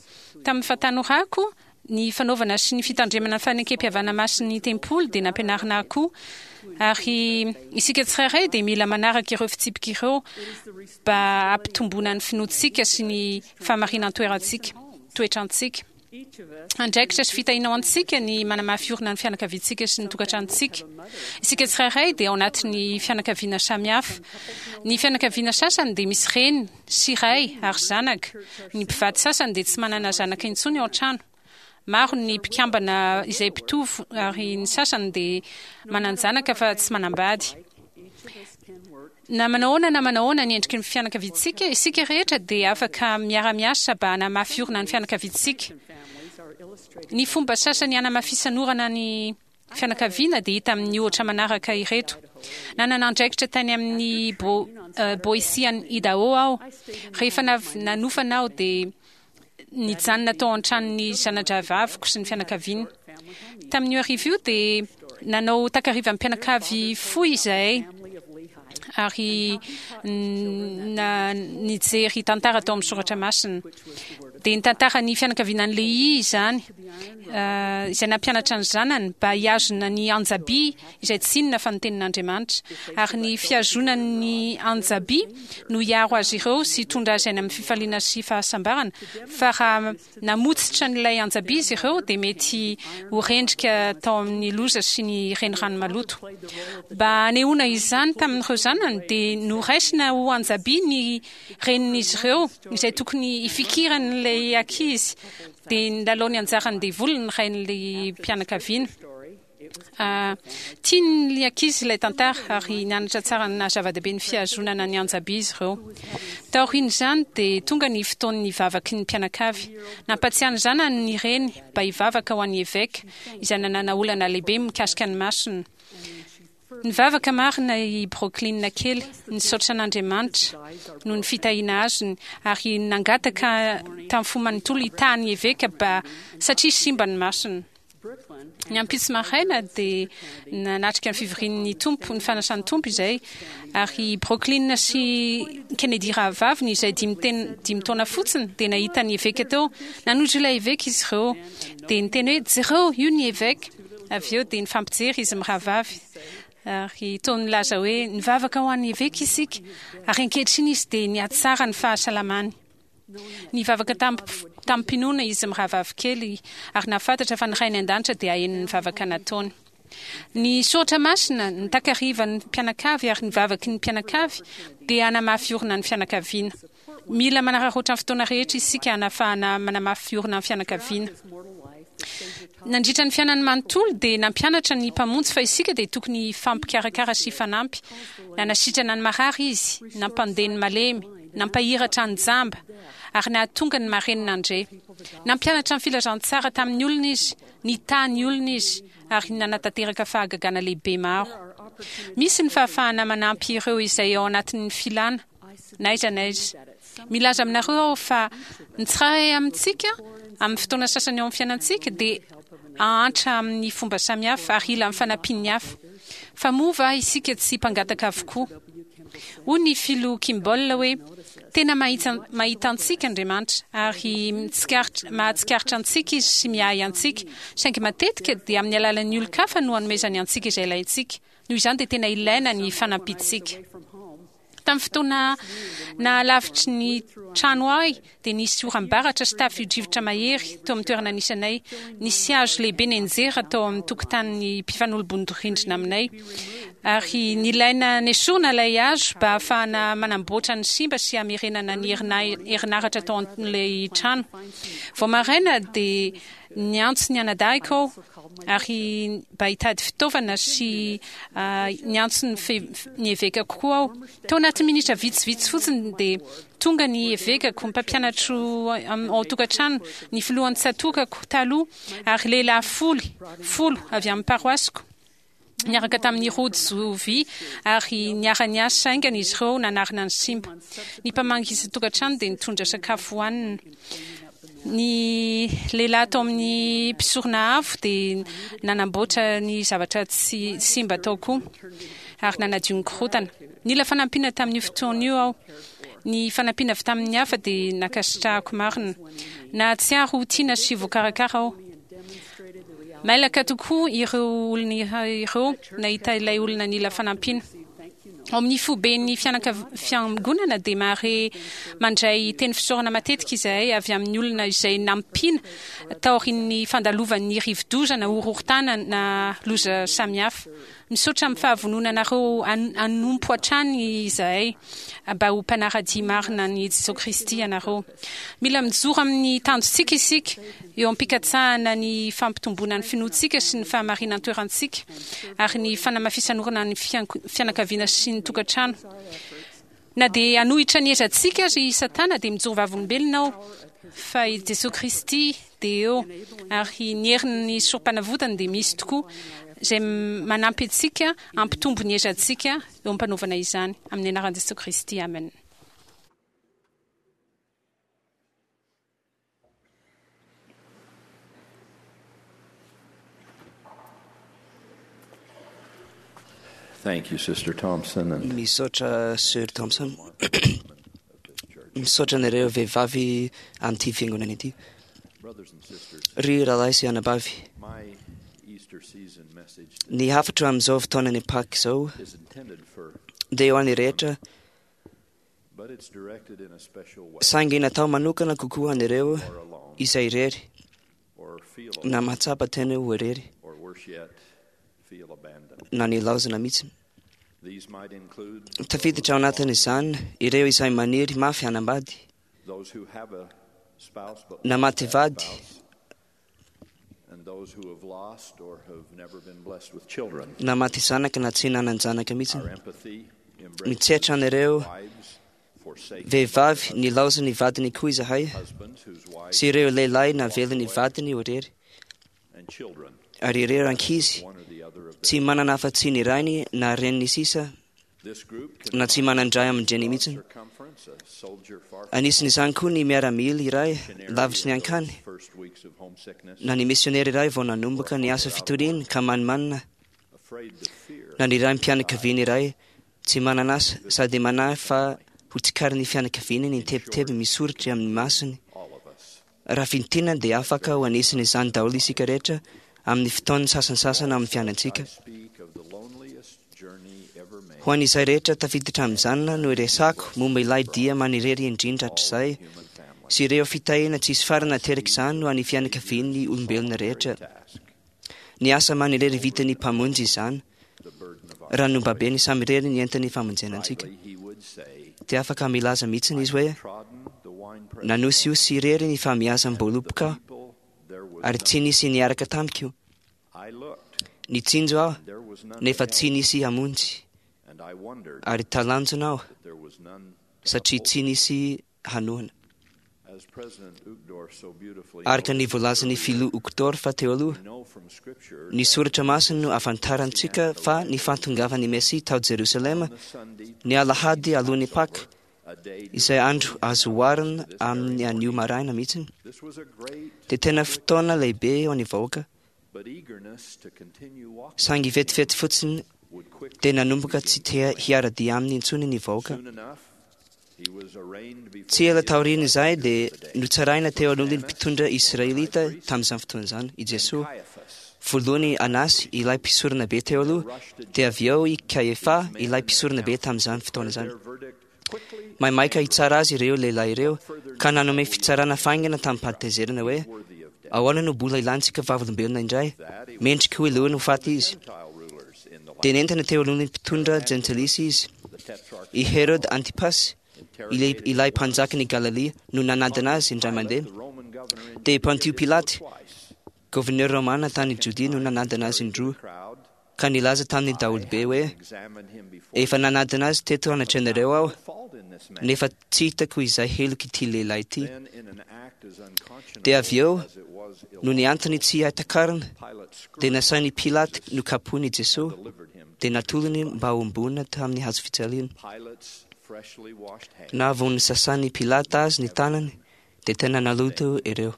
[SPEAKER 9] Tamin'ny fahatanorako, ny fanaovana sy ny fitandremana ny fanekempihavanana masin'ny tempoly dia nampianarina ahy koa. Ary isika tsirairay dia mila manaraka ireo fitsipika ireo mba hampitomboana ny finoantsika sy ny fahamarinan-toerantsika, toetrantsika. Andraikitra sy fitahiana ho antsika ny manamafy orina ny fianakaviantsika sy ny tokantranontsika. Isika tsirairay dia ao anatin'ny fianakaviana samihafa. Ny fianakaviana sasany dia misy reny sy ray ary zanaka. Ny mpivady sasany dia tsy manana zanaka intsony ao an-trano. Maro ny mpikambana izay mpitovo ary ny sasany dia manan-janaka fa tsy manambady. Na manahoana na manahoana ny endriky ny fianakaviantsika, isika rehetra dia afaka miara-miasa mba hanamafy orina ny fianakaviantsika. Ny fomba sasany hanamafisan'orana ny fianakaviana dia hita amin'ny ohatra manaraka ireto. Nanana andraikitra tany amin'ny Boise any Idaho aho. Rehefa nanofana aho dia nijanona tao an-tranon'ny zana-drahavaviko sy ny fianakaviany. Tamin'io hariva io dia nanao takariva mpianakavy fohy izahay ary nijery tantara tao amin'ny soratra masina. Dia nitantara ny fianakaviana an'i Lehia izany, izay nampianatra ny zanany mba hihazona ny anja-by izay tsy inona fa ny tenin'Andriamanitra. Ary ny fihazonany ny anja-by no hiaro azy ireo sy hitondra azy any amin'ny fifaliana sy fahasambarana, fa raha namotsitra an'ilay anja-by izy ireo dia mety ho rendrika tao amin'ny loza sy ny renirano maloto. Mba hanehoana izany tamin'ireo zanany dia noraisina ho anja-by ny renin'izy ireo, izay tokony hifikiran'ilay ankizy, dia nilalao ny anjaran'ny devoly ny rain'ilay mpianakaviana. Tian'ny ankizy ilay tantara ary nianatra tsara ny naha-zava-dehibe ny fihazonana ny anja-by izy ireo. Taorian'izany dia tonga ny fotoan'ny vavaky ny mpianakavy. Nampatsiahy ny zanany ny reny mba hivavaka ho an'ny eveka, izay nanana olana lehibe mikasika ny masony. Nivavaka marina i Brooklyn kely, nisaotra an'Andriamanitra noho ny fitahiana azony, ary nangataka tamin'ny fo manontolo hitaha ny eveka mba satria simba ny masony. Ny ampitso maraina dia nanatrika ny fivorian'ny Tompo, ny fanasan'ny Tompo izay, ary i Brooklyn sy Kennedy rahavaviny izay dimy taona fotsiny dia nahita ny eveka teo. Nanojo ilay eveka izy ireo, dia niteny hoe, Jereo, io ny eveka! Avy eo dia nifampijery izy mirahavavy ary toa nilaza hoe, Nivavaka ho an'ny eveka isika, ary ankehitriny izy dia nihatsara ny fahasalamany. Nivavaka tamim-pinoana izy mirahavavy kely ary nahafantatra fa ny Rainy An-danitra dia haheno ny vavaka nataony. Ny soratra masina, ny takarivan'ny mpianakavy ary ny vavaky ny mpianakavy dia hanamafy orina ny fianakaviana. Mila manararaotra ny fotoana rehetra isika hanafahana manamafy orina ny fianakaviana. Nandritra ny fiainany manontolo dia nampianatra ny Mpamonjy fa isika dia tokony hifampikarakara sy hifanampy. Nanasitrana ny marary Izy, nampandeha ny malemy, nampahiratra ny jamba, ary nahatonga ny marenina handre. Nampianatra ny filazantsara tamin'ny olona Izy, nitaha ny olona Izy, ary nanatanteraka fahagagana lehibe maro. Misy ny fahafahana manampy ireo izay ao anatin'ny filana. na aiza na aiza. Milaza aminareo aho fa ny tsirairay amintsika, amin'ny fotoana sasany eo amin'ny fiainantsika, dia hahantra amin'ny fomba samihafa ary hila ny fanampian'ny hafa. Fa moa va isika tsy mpangataka avokoa? Hoy ny Filoha Kimball hoe, Tena mahita antsika Andriamanitra, ary mahatsikaritra antsika Izy sy miahy antsika, saingy matetika dia amin'ny alalan'ny olon-kafa no anomezany antsika izay ilaintsika. Noho izany dia tena ilaina ny fanampiantsika. Tamin'ny fotoana nahalavitry ny trano ahy dia nisy oram-baratra sy tafio-drivotra mahery teo amin'ny toerana nisy anay. Nisy hazo lehibe nianjera tao amin'ny tokotanin'ny mpifanolo-bodirindrina aminay, ary nilaina nesorina ilay hazo mba hahafahana manamboatra ny simba sy hamerenana ny herinaratra tao amin'ilay trano. Vao maraina dia niantso ny anadahiko aho ary mba hitady fitaovana sy niantso ny evekako koa aho. Tao anatin'ny minitra vitsivitsy fotsiny dia tonga ny evekako, ny mpampianatro ao an-tokantrano, ny filohan'ny tsatokako taloha ary lehilahy folo avy amin'ny paroasiko niaraka tamin'ny rojo vy ary niara-niasa haingana izy ireo nanarina ny simba. Ny mpamangy isan-tokantrano dia nitondra sakafo hohanina. Ny lehilahy tao amin'ny mpisorona avo dia nanamboatra ny zavatra tsy simba tao koa ary nanadio ny korontana. Nila fanampiana tamin'io fotoana io aho. Ny fanampiana avy tamin'ny hafa dia nankasitrahako marina. Nahatsiaro ho tiana sy voakarakara aho. Mailaka tokoa ireo olona ireo nahita ilay olona nila fanampiana. Ao amin'ny foiben'ny fiangonana dia mahare mandray teny fisaorana matetika izahay avy amin'ny olona izay nampiana taorian'ny fandalovan'ny rivodoza na horohorontany na loza samihafa. Misaotra amin'ny fahavononanareo hanompo hatrany izahay mba ho mpanara-dia marina an'i Jesoa Kristy ianareo. Mila mijoro amin'ny tanjontsika isika eo am-pikatsahana ny fampitomboana ny finoantsika sy ny fahamarinan-toerantsika ary ny fanamafisan'orina ny fianakaviana sy ny tokantrano. Na dia hanohitra ny ezantsika aza i Satana dia mijoro vavolombelona aho fa i Jesoa Kristy dia eo ary ny herin'ny Sorompanavotany dia misy tokoa izay manampy antsika hampitombo ny ezantsika eo am-panaovana izany. Amin'ny anaran'i Jesoa Kristy, amena.
[SPEAKER 10] Thank you, Sister Thompson. And
[SPEAKER 11] Misaotra Sir Thompson.
[SPEAKER 10] Misaotra anareo vehivavy amin'ity fiangonana ity. Ry rahalahy sy anabavy, ny hafatra amin'izao fotoanan'ny Paka izao dia ho an'ny rehetra, saingy natao manokana kokoa an'ireo izay irery na mahatsapa tena ho irery na nilaozana mihitsy. Tafiditra ao anatin'izany ireo izay maniry mafy hanambady na maty vady na maty zanaka na tsy nanan-janaka mihitsy. Mitsetra an'ireo vehivavy nilaozan'ny vadiny koa izahay sy ireo lehilahy navelan'ny vadiny ho irery ary ireo ankizy tsy manana afa-tsy ny rainy na reniny sisa na tsy manan-dray aman-dreny mihitsy. Anisan'izany koa ny miaramila iray lavitry ny ankany na ny misionera iray vao nanomboka ny asa fitoriany ka manimanina na ny raim-pianakaviana iray tsy manana asa sady manahy fa ho tsikarin'ny fianakaviany ny tebiteby misoritra amin'ny masony. Raha fintinina dia afaka ho anisan'izany daholo isika rehetra amin'ny fotoan'ny sasantsasany amin'ny fiainantsika. Ho an'izay rehetra tafiditra amin'izany no iresako momba ilay dia manirery indrindra hatrizay sy ireo fitahiana tsisy farany naterak'izany ho an'ny fianakavian'ny olombelona rehetra. Ny asa manirery vitan'ny Mpamonjy izany. Raha nobabeny samirery ny entan'ny famonjena antsika, dia afaka milaza mihitsy izy hoe nanosihosy irery ny famiazam-boaloboka aho ary tsy nisy niaraka tamiko. Nitsinjo aho nefa tsy nisy hamonjy ary talanjona aho satria tsy nisy hanohana. Araka ny voalazan'ny filoha Uchtdorf teo aloha, ny soratra masina no ahafantarantsika fa ny fahatongavan'ny Mesia tao Jerosalema ny alahady alohan'ny Paka, izay andro azo oharina amin'ny anio maraina mihitsy, dia tena fotoana lehibe ho an'ny vahoaka. Saingy vetivety fotsiny dia nanomboka tsy te hiara-dia aminy intsony ny vahoaka. Tsy ela taorian'izay dia notsaraina teo alohan'ny mpitondra israelita tamin'izany fotoana izany i Jesoa. Voalohany Anasy, ilay mpisorona be teo aloha, dia avy eo i Kaefa, ilay mpisorona be tamin'izany fotoana izany. Maimaika hitsara azy ireo lehilahy ireo ka nanome fitsarana faingana tamin'ny-pahatezerana hoe ahoana no mbola ilantsika vavolombelona indray? Mendrika ho helohina ho faty izy. Dia nentina teo alohan'ny mpitondra jentilisa izy. I Herod Antipas, ilay mpanjakan'i Galilia, no nanadina azy indray mandeha. Dia i Pontio Pilaty, gouverneur romana tany Jodia, no nanadina azy indroa, ka nilaza tamin'ny daholobe hoe efa nanadina azy teto anatrehanareo aho, nefa tsy hitako izay heloka ity lehilahy ity. Dia avy eo, noho ny antony tsy hahatakarina, dia nasain'i Pilaty nokapohiny i Jesoa, dia natolony mba hombona tamin'ny hazo fijaliana. Na vao nosasan'i Pilata azy ny tanany, dia tena naloto ireo.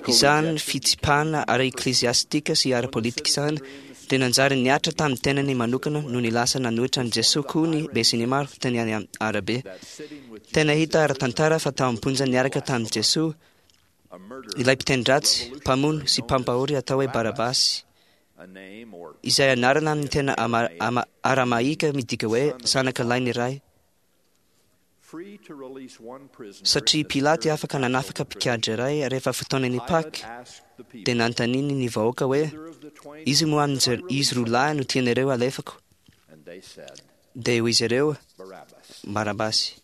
[SPEAKER 10] Izany fitsipahana ara-ekleziastika sy ara-politika izany dia nanjary nihatra tamin'ny tenany manokana nony lasa nanohitra an'i Jesoa koa ny besinimaro teny arabe. Tena hita ara-tantara fa tao am-ponja niaraka tamin'i Jesoa ilay mpiteny ratsy, mpamono sy mpampahory atao hoe Barabasy, izay anarana amin'ny tena aramaika midika hoe zanaka lahin'ny ray. Satria Pilaty afaka nanafaka mpikadra iray rehefa fotoanan'ny Paka, dia nanontaniany ny vahoaka hoe izy moa izy roa lahy no tianareo alefako? Dia hoy izy ireo, Barabasy.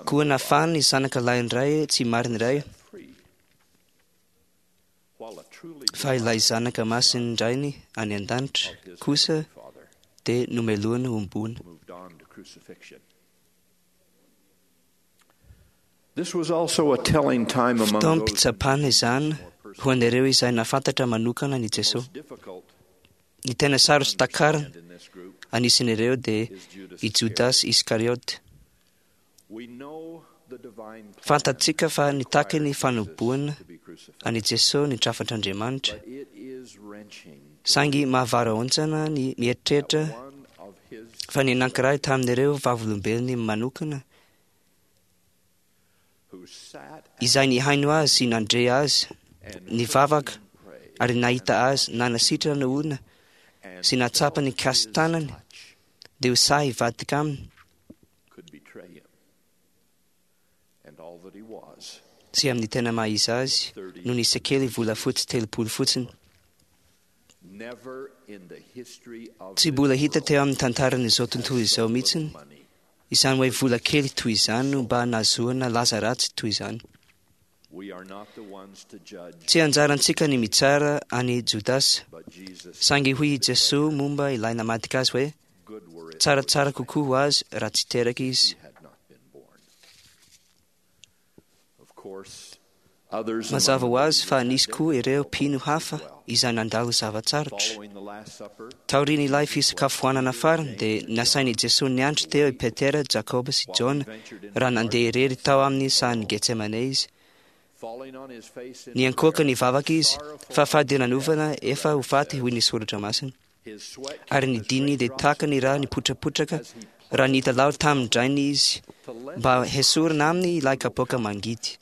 [SPEAKER 10] Koa nafahany ny zanaka lahin'ny ray tsy marina iray, fa ilay zanaka masin'ny rainy any an-danitra kosa dia nomelohiny hombona. Fotoam-pitsapana izany ho an'ireo izay nahafantatra manokana an'i Jesoa. Ny tena sarotra takarina anisan'ireo dia i Jodasy Iskariota. Fantatsika fa nitaky ny fanomboana an'i Jesoa ny drafitr'Andriamanitra. Saingy mahavarahontsana ny mieritreritra fa ny anankiray tamin'ireo vavolombelony manokana izay nihaino azy sy nandre azy, nivavaka ary nahita azy nanasitrana olona sy nahatsapa ny kasi-tanany dia ho sahy hivadika aminy sy amin'ny tena maha izy azy no nisy kely volafotsy 30 fotsiny. Tsy mbola hita teo amin'ny tantaran'izao tontolo izao mihitsiny izany hoe vola kely toy izany no mba nahazoana laza ratsy toy izany. Tsy anjarantsika ny mitsara an'i Jodasy, saingy hoy i Jesoa momba ilay namadika azy hoe tsaratsara kokoa ho azy raha tsy teraka izy. Mazava ho azy fa nisy koa ireo mpino hafa izay nandalo zava-tsarotra. Taorian'ilay fisakafoanana farany dia nasain'i Jesoa niandry teo i Petera, Jakoba sy Jaona raha nandeha irery tao amin'ny sahan'i Getsemane izy. Niankohoka nivavaka izy fa fadiranovana efa ho faty hoy ny soratra masina. Ary ny dininy dia tahaka ny ra nipotrapotraka raha nitalaho tamin-drainy izy mba hesorina aminy ilay kapoaka mangidy.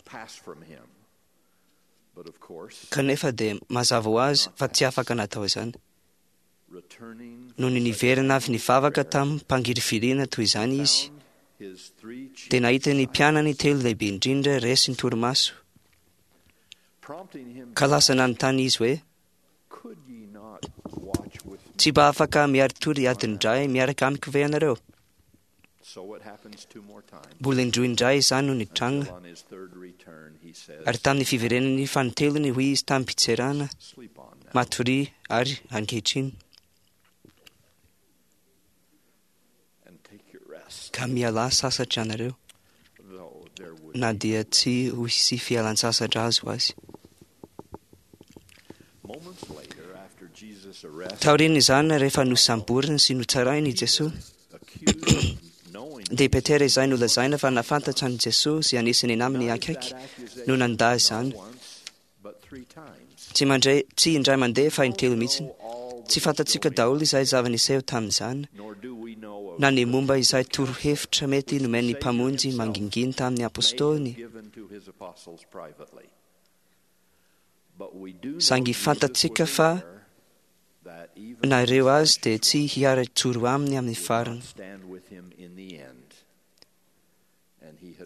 [SPEAKER 10] Kanefa dia mazava ho azy fa tsy afaka natao izany. Nony niverina avy nivavaka tamim-pangirifiriana toy izany izy, dia nahita ny mpianany telo lehibe indrindra resy ny torimaso. Ka lasa nanontany izy hoe, Tsy mba afaka miari-tory adiny iray miaraka amiko ve ianareo? Mbola indroa indray izany no nitranga. Ary tamin'ny fiverenany fanintelony hoy izy tamim-pitserana, Matoria ary ankehitriny. Ka mialà sasatra ianareo, na dia tsy ho hisy fialan-tsasatra azy ho azy. Taorian'izany, rehefa nosamborina sy notsaraina i Jesoa, dia Petera izay nolazaina fa nahafantatra an'i Jesoa sy anisan'ny namany akaiky no nandà izany. Tsy mandray, tsy indray mandeha fa intelo mihitsy. Tsy fantatsika daholo izay zava-niseho tamin'izany, na ny momba izay torohevitra mety nomen'ny Mpamonjy mangingina tamin'ny apôstôliny. Saingy fantatsika fa na ireo azy dia tsy hiara-joro aminy amin'ny farany.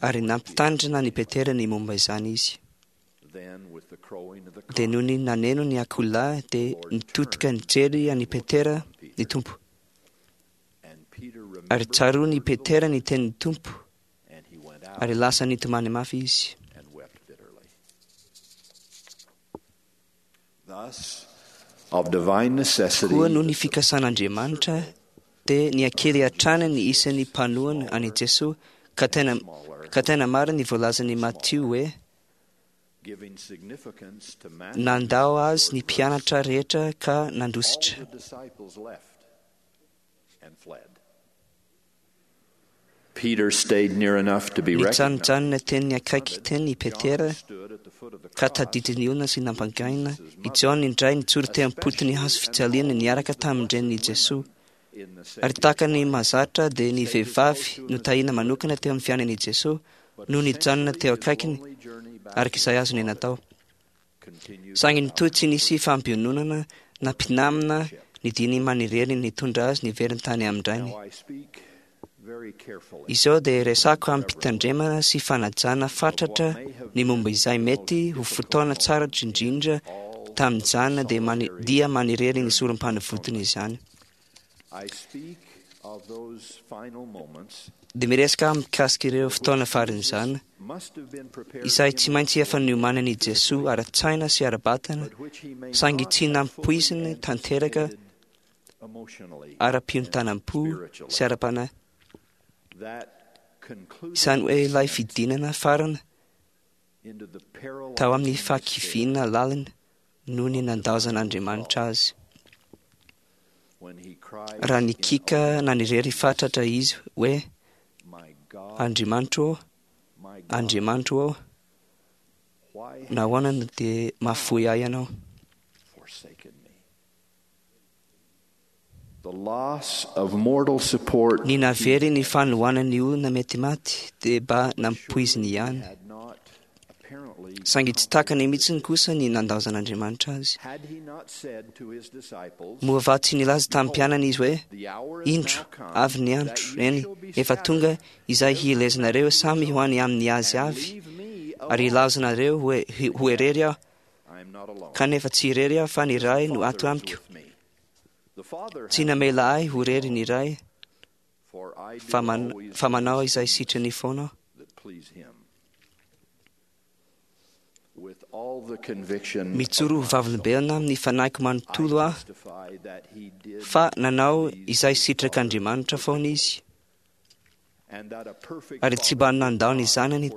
[SPEAKER 10] Ary nampitandrina an'i Petera ny momba izany izy. Dia nony naneno ny akoholahy dia nitodika nijery an'i Petera ny Tompo. Ary tsaroan'i Petera ny tenin'ny Tompo, ary lasa nitomany mafy izy. Koa noho ny fikasan'Andriamanitra dia nihakely hatrany ny isan'ny mpanohana an'i Jesoa ka tena, ka tena marina ny voalazan'i Matio hoe nandao azy ny mpianatra rehetra ka nandositra. Nijanojanona teny akaiky teny i Petera ka tadidin'ny olona sy nampangaina. I Jaona indray nijoro teo am-potony hazo fijaliana niaraka tamin-drenin'i Jesoa. Ary tahaka ny mahazatra dia ny vehivavy notahina manokana teo amin'ny fiainan'i Jesoa no nijanona teo akaikiny araka izay azony natao. Saingy nitohy tsy nisy fampiononana na mpinamina ny diny manirery nitondra azy niverina tany amin-drainy. Izao dia resako amim-pitandremana sy fanajana fatratra ny momba izay mety ho fotoana tsara indrindra tamin'izany dia mani- dia manirery ny sorom-panavotana izany. Dia miresaka mikasika ireo fotoana faran'izany izay tsy maintsy efa niomanan'i Jesoa ara-tsaina sy ara-batana, saingy tsy nampoiziny tanteraka ara-piontanam-po sy ara-panahy. Izany hoe ilay fidinana farany tao amin'ny fahakiviana lalina noho ny nandaozan'Andriamanitra azy. Raha nikiaka nanirery fatratra izy hoe, Andriamanitro ô, Andriamanitro ô, nahoana no dia mahafoy ahy ianao? Ny navery ny fanohanan'ny olona mety maty dia mba nampoiziny ihany. Saingy tsy takany mihitsy kosa ny nandaozan'Andriamanitra azy. Moa va tsy nilaza tamin'ny mpianany izy hoe, Indro, avy ny andro, eny, efa tonga izay hielezanareo samy ho any amin'ny azy avy, ary hilaozanareo ho irery aho, kanefa tsy irery aho fa ny Ray no ato amiko. Tsy namela ahy ho irery ny Ray, fa manao izay sitrany foana aho. Mijoro ho vavolombelona amin'ny fanahiko manontolo aho fa nanao izay sitrak'Andriamanitra foana izy, ary tsy mba nandao ny zanany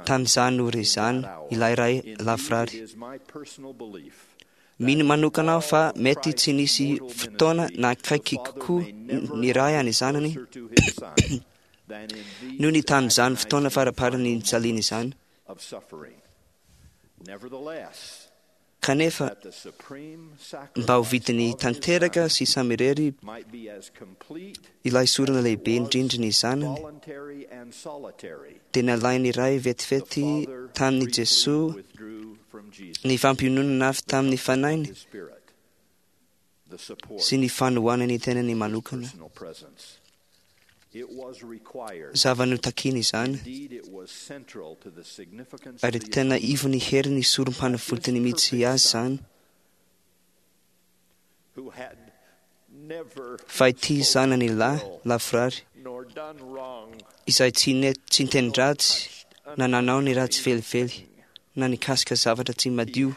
[SPEAKER 10] tamin'izany ora izany ilay Ray lavorary. Mino manokana aho fa mety tsy nisy fotoana na akaiky kokoa ny Ray an'ny zanany noho ny tamin'izany fotoana faraparany nijaliana izany. Kanefa, mba ho vidiny tanteraka sy samirery ilay sorona lehibe indrindra ny zanany, dia nalain'ny Ray vetivety tamin'i Jesoa ny fampiononana avy tamin'ny fanahiny sy ny fanohanany tenany manokana. Zava-notakina izany, ary tena ivon'ny herin'ny sorom-panavotany mihitsy azy izany. Fa ity zanany lahy lavorary, izay tsy niteny ratsy na nanao ny ratsy velively na nikasika zavatra tsy madio,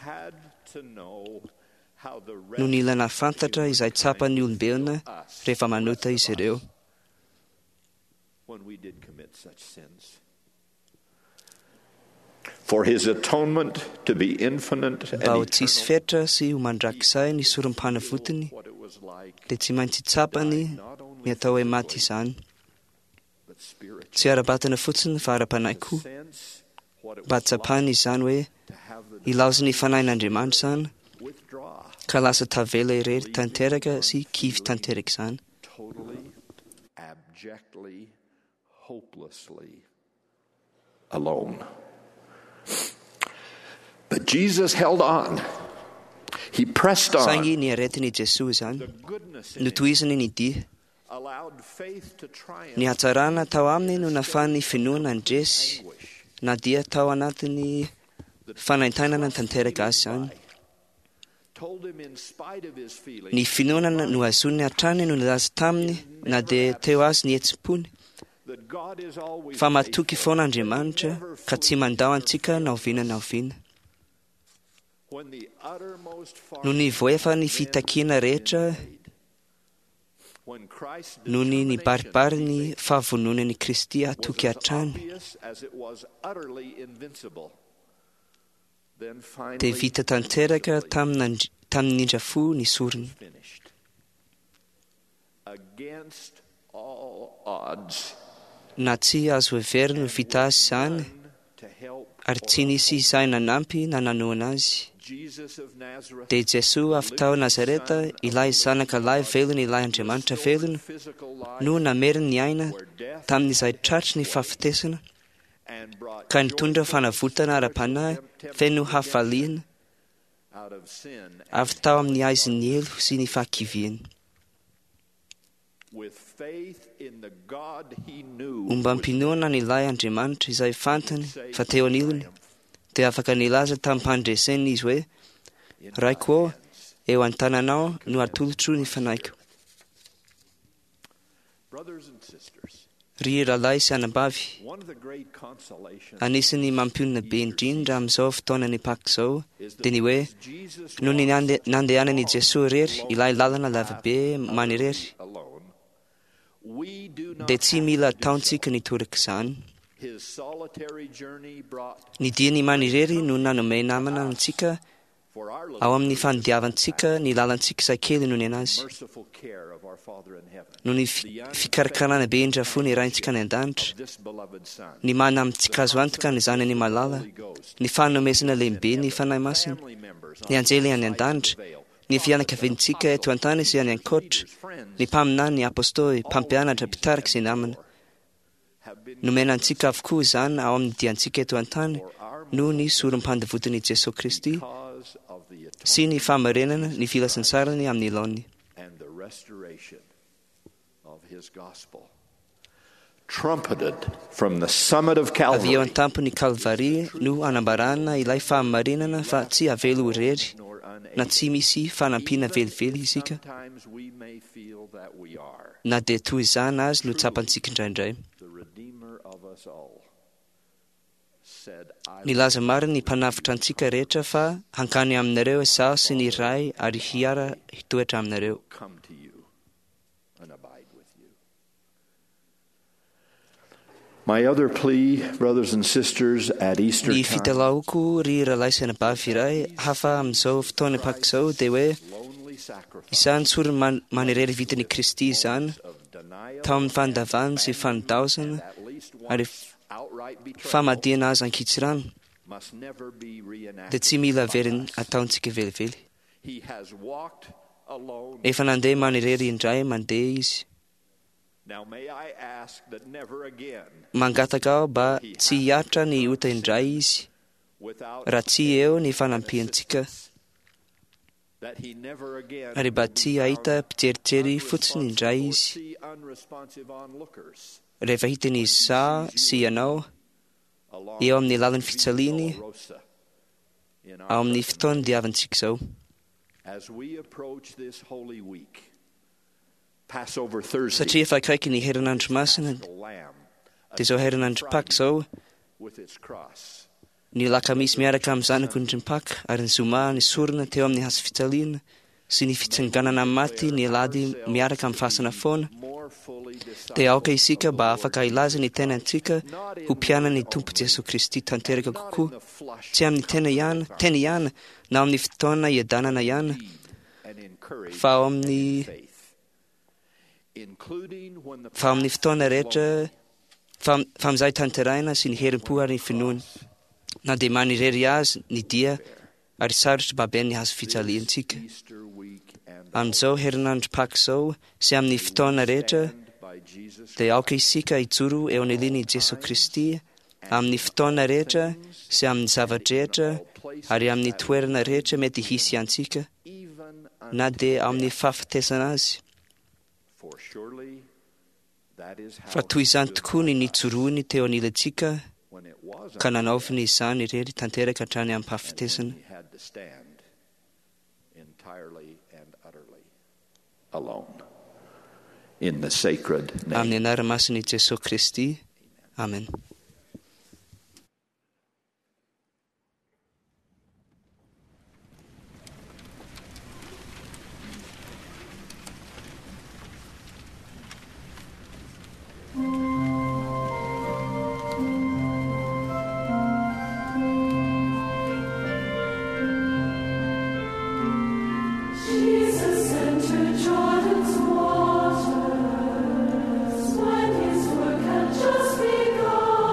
[SPEAKER 10] no nila nahafantatra izay tsapan'ny olombelona rehefa manota izy ireo. Mba ho tsisy fetra sy ho mandrakizay ny sorom-panavotiny, dia tsy maintsy tsapany ny atao hoe maty izany. Tsy ara-batana fotsiny fa ara-panahy koa. Mba tsapany izany hoe ilaozin'ny fanahin'Andriamanitra izany, ka lasa tavela irery tanteraka sy kivy tanteraka izany.
[SPEAKER 11] Alone. But Jesus held on. He pressed on.
[SPEAKER 10] Saingy ny aretin'i Jesoa izany, notohizany ny dia. Ny hatsarana tao aminy no nahafahan'ny finoana nandresy na dia tao anatin'ny fanaintainana tanteraka azy izany. Ny finoana nohazoniny hatrany no nilaza taminy na dia teo azy ny hetsi-pony, fa matoky foana Andriamanitra ka tsy mandao antsika na oviana na oviana. Nony voaefa ny fitakiana rehetra, nony nibaribary ny fahavononan'i Kristy hatoky hatrany, dia vita tanteraka tamin'ny indra-fo ny sorony. Na tsy azo heverina ho vita azy izany, ary tsy nisy izay nanampy na nanohana azy, dia Jesoa avy tao Nazareta, ilay zanaka lahy velona, ilay Andriamanitra velona, no nameriny ny aina tamin'izay tratry ny fahafatesana, ka nitondra fanavotana ara-panahy feno hafaliana avy tao amin'ny haizin'ny helo sy ny fahakiviana. Ombam-pinoana an'ilay Andriamanitra izay fantany fa teo anilany, dia afaka nilaza tamim-pandresena izy hoe, Raiko ô, eo an-tananao no atolotro ny fanahiko. Ry rahalahy sy anabavy, anisan'ny mampionona be indrindra amin'izao fotoanan'ny Paka izao dia ny hoe nony nandehanan'i Jesoa irery ilay lalana lavabe manirery, dia tsy mila ataontsika ny toraka izany. Ny diany manirery no nanome namana antsika ao amin'ny fanodiavantsika ny lalantsika izay kely noho ny anazy. Noho ny fikarakarana be indrindra fo ny Raintsika any an-danitra, ny mana amintsika azo antoka ny Zanany malala, ny fanomezana lehibe ny Fanahy Masina, ny anjely any an-danitra, Ny fianakaviantsika eto an-tany sy any ankoatra, ny mpaminany, ny apôstôly, mpampianatra, mpitarika sy namana. Nomena antsika avokoa izany ao amin'ny diantsika eto an-tany noho ny sorom-pandevotin'i Jesoa Kristy sy ny fahamarinana ny filazantsarany amin'ny laoniny. Avy eo an-tampon'ny Kalvary no anambarana ilay fahamarinana fa tsy avela ho irery na tsy misy fanampiana velively isika, na dia toy izany azy no tsapantsika indraindray. Nilaza marina ny Mpanavotra antsika rehetra fa hankany aminareo izaho sy ny Ray ary hiara hitoetra aminareo.
[SPEAKER 11] My other plea, brothers and sisters, at Easter
[SPEAKER 10] Ny
[SPEAKER 11] time,
[SPEAKER 10] fitalahoako ry rahalahy sy anabavy iray hafa amin'izao fotoana Paka izao dia hoe izany sorona manirery vitan'i Kristy izany tao amin'ny fandavana sy fandaozana ary famadihana azy ankitsirano
[SPEAKER 11] must never be reenacted.
[SPEAKER 10] dia tsy mila averina ataontsika velively.
[SPEAKER 11] He has walked alone.
[SPEAKER 10] Efa nandeha manirery indray mandeha izy.
[SPEAKER 11] Now may I ask that never again,
[SPEAKER 10] Mangataka aho mba tsy hiaritra ny ota indray izy
[SPEAKER 11] without
[SPEAKER 10] raha tsy eo ny fanampiantsika
[SPEAKER 11] that he never again
[SPEAKER 10] ary mba tsy hahita mpijerijery fotsiny indray izy
[SPEAKER 11] see unresponsive onlookers
[SPEAKER 10] rehefa hitany izaho sy ianao eo amin'ny lalan'ny fijaliany
[SPEAKER 11] Rosa in
[SPEAKER 10] ao
[SPEAKER 11] our
[SPEAKER 10] amin'ny fotoana diavintsika izao.
[SPEAKER 11] as we approach this holy week. Passover Thursday,
[SPEAKER 10] Satria efa akaiky ny herinandro masina
[SPEAKER 11] the Lamb
[SPEAKER 10] dia izao herinandro Paka izao
[SPEAKER 11] with its cross.
[SPEAKER 10] ny lakamisy miaraka amin'ny zanak'ondry ny Paka ary ny zoma ny sorona teo amin'ny hazo fijaliana sy ny fitsanganana amin'ny maty ny alahady miaraka amin'ny fasana foana
[SPEAKER 11] More fully
[SPEAKER 10] dia aoka isika mba afaka hilaza ny tenantsika ho mpianany Tompo Jesoa Kristy tanteraka kokoa tsy amin'ny tena ihany tena ihany na amin'ny fotoana iadanana ihany
[SPEAKER 11] and encouraged
[SPEAKER 10] fa ao amin'ny
[SPEAKER 11] faith, including when the
[SPEAKER 10] fa amin'ny fotoana rehetra fa fa amin'izay tanterahina sy ny herim-po ary ny finoana na dia manirery azy ny dia ary sarotra baben'ny hazo fijaliantsika
[SPEAKER 11] Easter week and
[SPEAKER 10] amin'izao herinandro Paka izao sy amin'ny fotoana rehetra
[SPEAKER 11] by Jesus
[SPEAKER 10] dia aoka isika hijoro eo aniliny Jesoa Kristy amin'ny fotoana rehetra sy amin'ny zavatra rehetra ary amin'ny toerana rehetra mety hisy antsika
[SPEAKER 11] even
[SPEAKER 10] na dia amin'ny fahafatesana azy
[SPEAKER 11] for surely that is how
[SPEAKER 10] fa toy izany tokoa ny nijoroany teo anilantsika
[SPEAKER 11] when it was
[SPEAKER 10] ka nanaoviny izany irery tanteraka hatrany amin'ny fahafatesana
[SPEAKER 11] he had to stand entirely and utterly alone in the sacred name
[SPEAKER 10] amin'ny anara-masin'i Jesoa Kristy amen.
[SPEAKER 12] Jesus entered Jordan's waters when his work had just begun.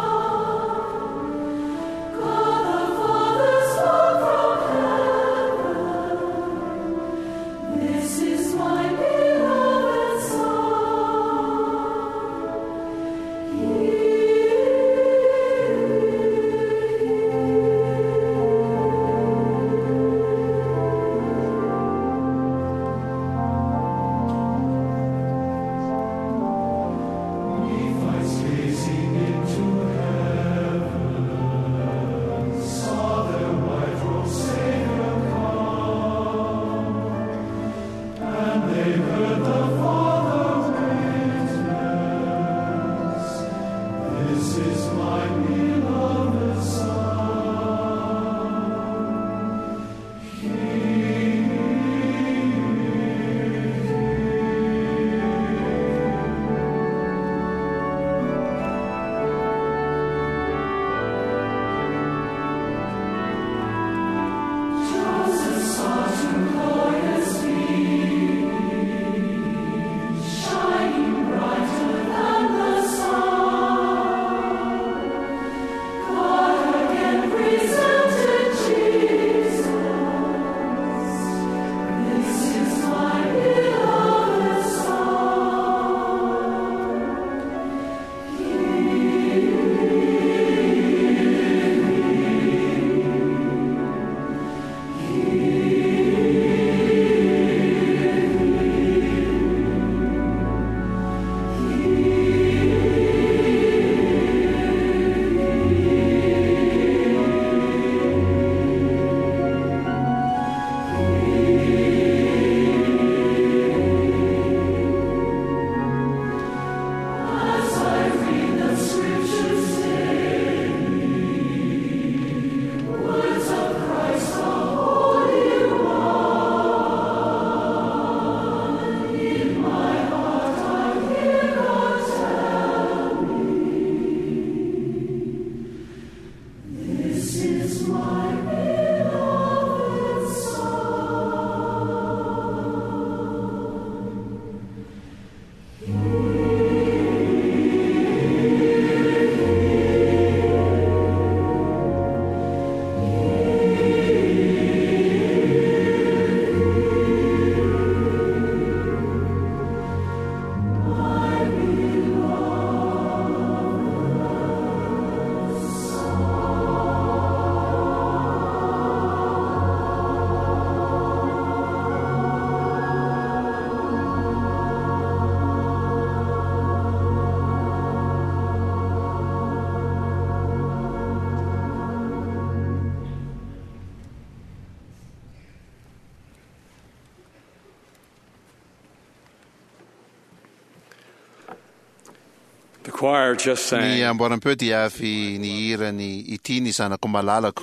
[SPEAKER 3] The choir just sang.
[SPEAKER 2] Ny amboaram-peo dia avy nihira ny Ity ny zanako malalako.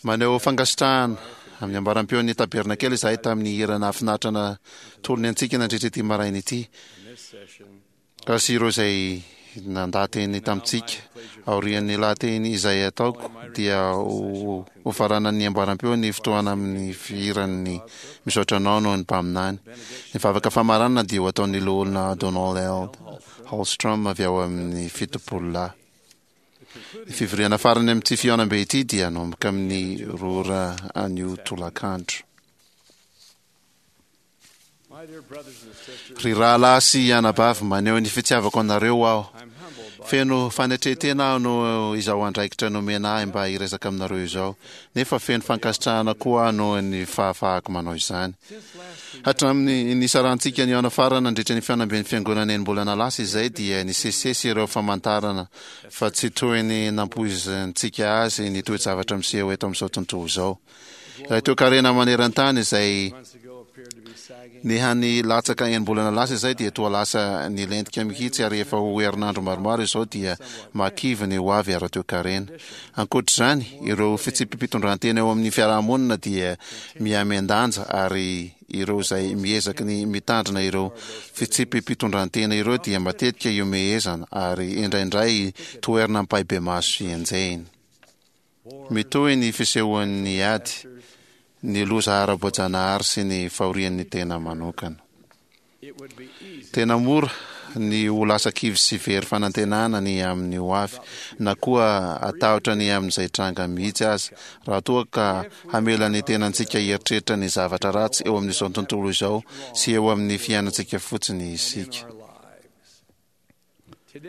[SPEAKER 2] Maneho fankasitrahana amin'ny amboaram-peon'ny tabernakely izahay tamin'ny hira nahafinaritra natolony antsika nandritra ity maraina ity. Sy ireo izay nandaha-teny tamintsika. Aorian'ny lahateny izay ataoko dia ho hofaranan'ny amboaram-peo ny fotoana amin'ny fihiran'ny Misaotra Anao noho ny Mpaminany. Ny vavaka famaranana dia ho ataon'ny Loholona Donald L. Holmstrom avy ao amin'ny Fitopololahy. Ny fivoriana farany amin'ity fihaonambe ity dia hanomboka amin'ny roa ora anio tolakandro. Ry rahalahy sy anabavy, maneho ny fitiavako anareo aho. Feno fanetren-tena aho noho izao andraikitra nomena ahy mba hiresaka aminareo izao, nefa feno fankasitrahana koa aho noho ny fahafahako manao izany. Hatramin'ny nisarantsika nihaona farany nandritra ny fihaonamben'ny Fiangonana enim-bolana lasa izay dia nisesisesy ireo famantarana fa tsy toy ny nampoizintsika azy ny toe-javatra miseho eto amin'izao tontolo izao. Ilay toekarena maneran-tany izay nihany latsaka enim-bolana lasa izay dia toa lasa nilentika mihitsy ary efa ho herinandro maromaro izao dia mahakivy ny ho avy ara-toekarena. Ankoatra izany, ireo fitsipi-pitondrantena eo amin'ny fiarahamonina dia mihamian-danja ary ireo izay miezaky ny mitandrina ireo fitsipi-pitondrantena ireo dia matetika ihomehezana ary indraindray toherina ampahibemaso sy enjehina. Mitohy ny fisehoan'ny ady, ny loza ara-boajanahary sy ny fahorian'ny tena manokana. Tena mora ny ho lasa kivy sy very fanantenana ny amin'ny ho avy, na koa hatahotra ny amin'izay tranga mihitsy aza, raha toa ka hamela ny tenantsika hieritreritra ny zavatra ratsy eo amin'izao tontolo izao sy eo amin'ny fiainantsika fotsiny isika.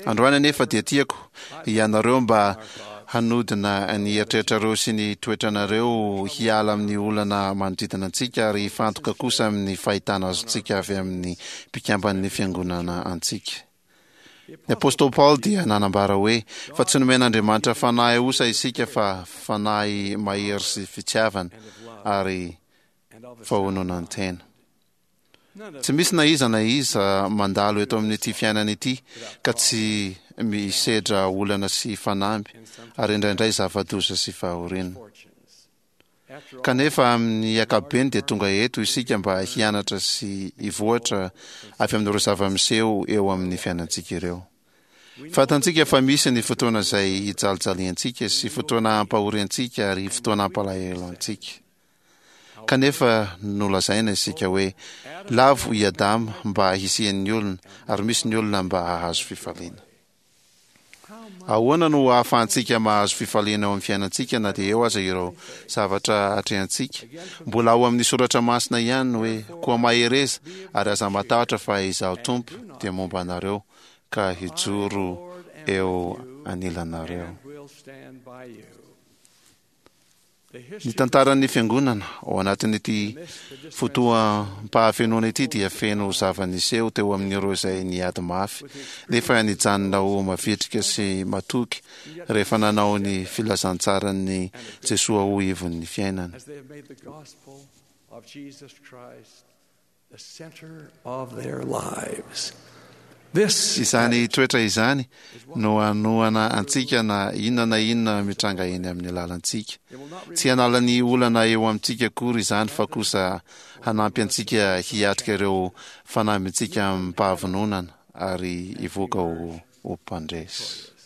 [SPEAKER 2] Androany anefa dia tiako ianareo mba hanodina ny eritreritrareo sy ny toetranareo hiala amin'ny olana manodidina antsika ary hifantoka kosa amin'ny fahitana azontsika avy amin'ny mpikamban'ny fiangonana antsika. Ny apostoly Paoly dia nanambara hoe fa tsy nomen'Andriamanitra fanahy osa isika fa fanahy mahery sy fitiavana ary fahononan-tena. Tsy misy na iza na iza mandalo eto amin'ity fiainana ity ka tsy misedra olana sy fanamby ary indraindray zava-doza sy fahoriana. Kanefa amin'ny ankapobeny dia tonga eto isika mba hianatra sy hivoatra avy amin'ireo zava-miseho eo amin'ny fiainantsika ireo. Fantantsika fa misy ny fotoana izay hijalijaliantsika sy fotoana hampahoriantsika ary fotoana hampalahelo antsika. Kanefa nolazaina isika hoe, Lavo i Adama mba hisian'ny olona, ary misy ny olona mba hahazo fifaliana. Ahoana no ahafahantsika mahazo fifaliana eo amin'ny fiainantsika na dia eo aza ireo zavatra atrehantsika? Mbola ao amin'ny soratra masina ihany ny hoe, Koa mahereza ary aza matahotra fa Izaho Tompo dia momba anareo ka hijoro eo anilanareo. Ny tantaran'ny Fiangonana ao anatin'ity fotoam-pahafenoana ity dia feno zava-niseho teo amin'ireo izay niady mafy nefa nijanona ho mavitrika sy matoky rehefa nanao ny filazantsaran'i Jesoa ho ivon'ny fiainany. Izany toetra izany no hanohana antsika na inona na inona mitranga eny amin'ny lalantsika. Tsy hanala ny olana eo amintsika akory izany fa kosa hanampy antsika hiatrika ireo fanambintsika amim-pahavononana ary hivoaka ho mpandresy.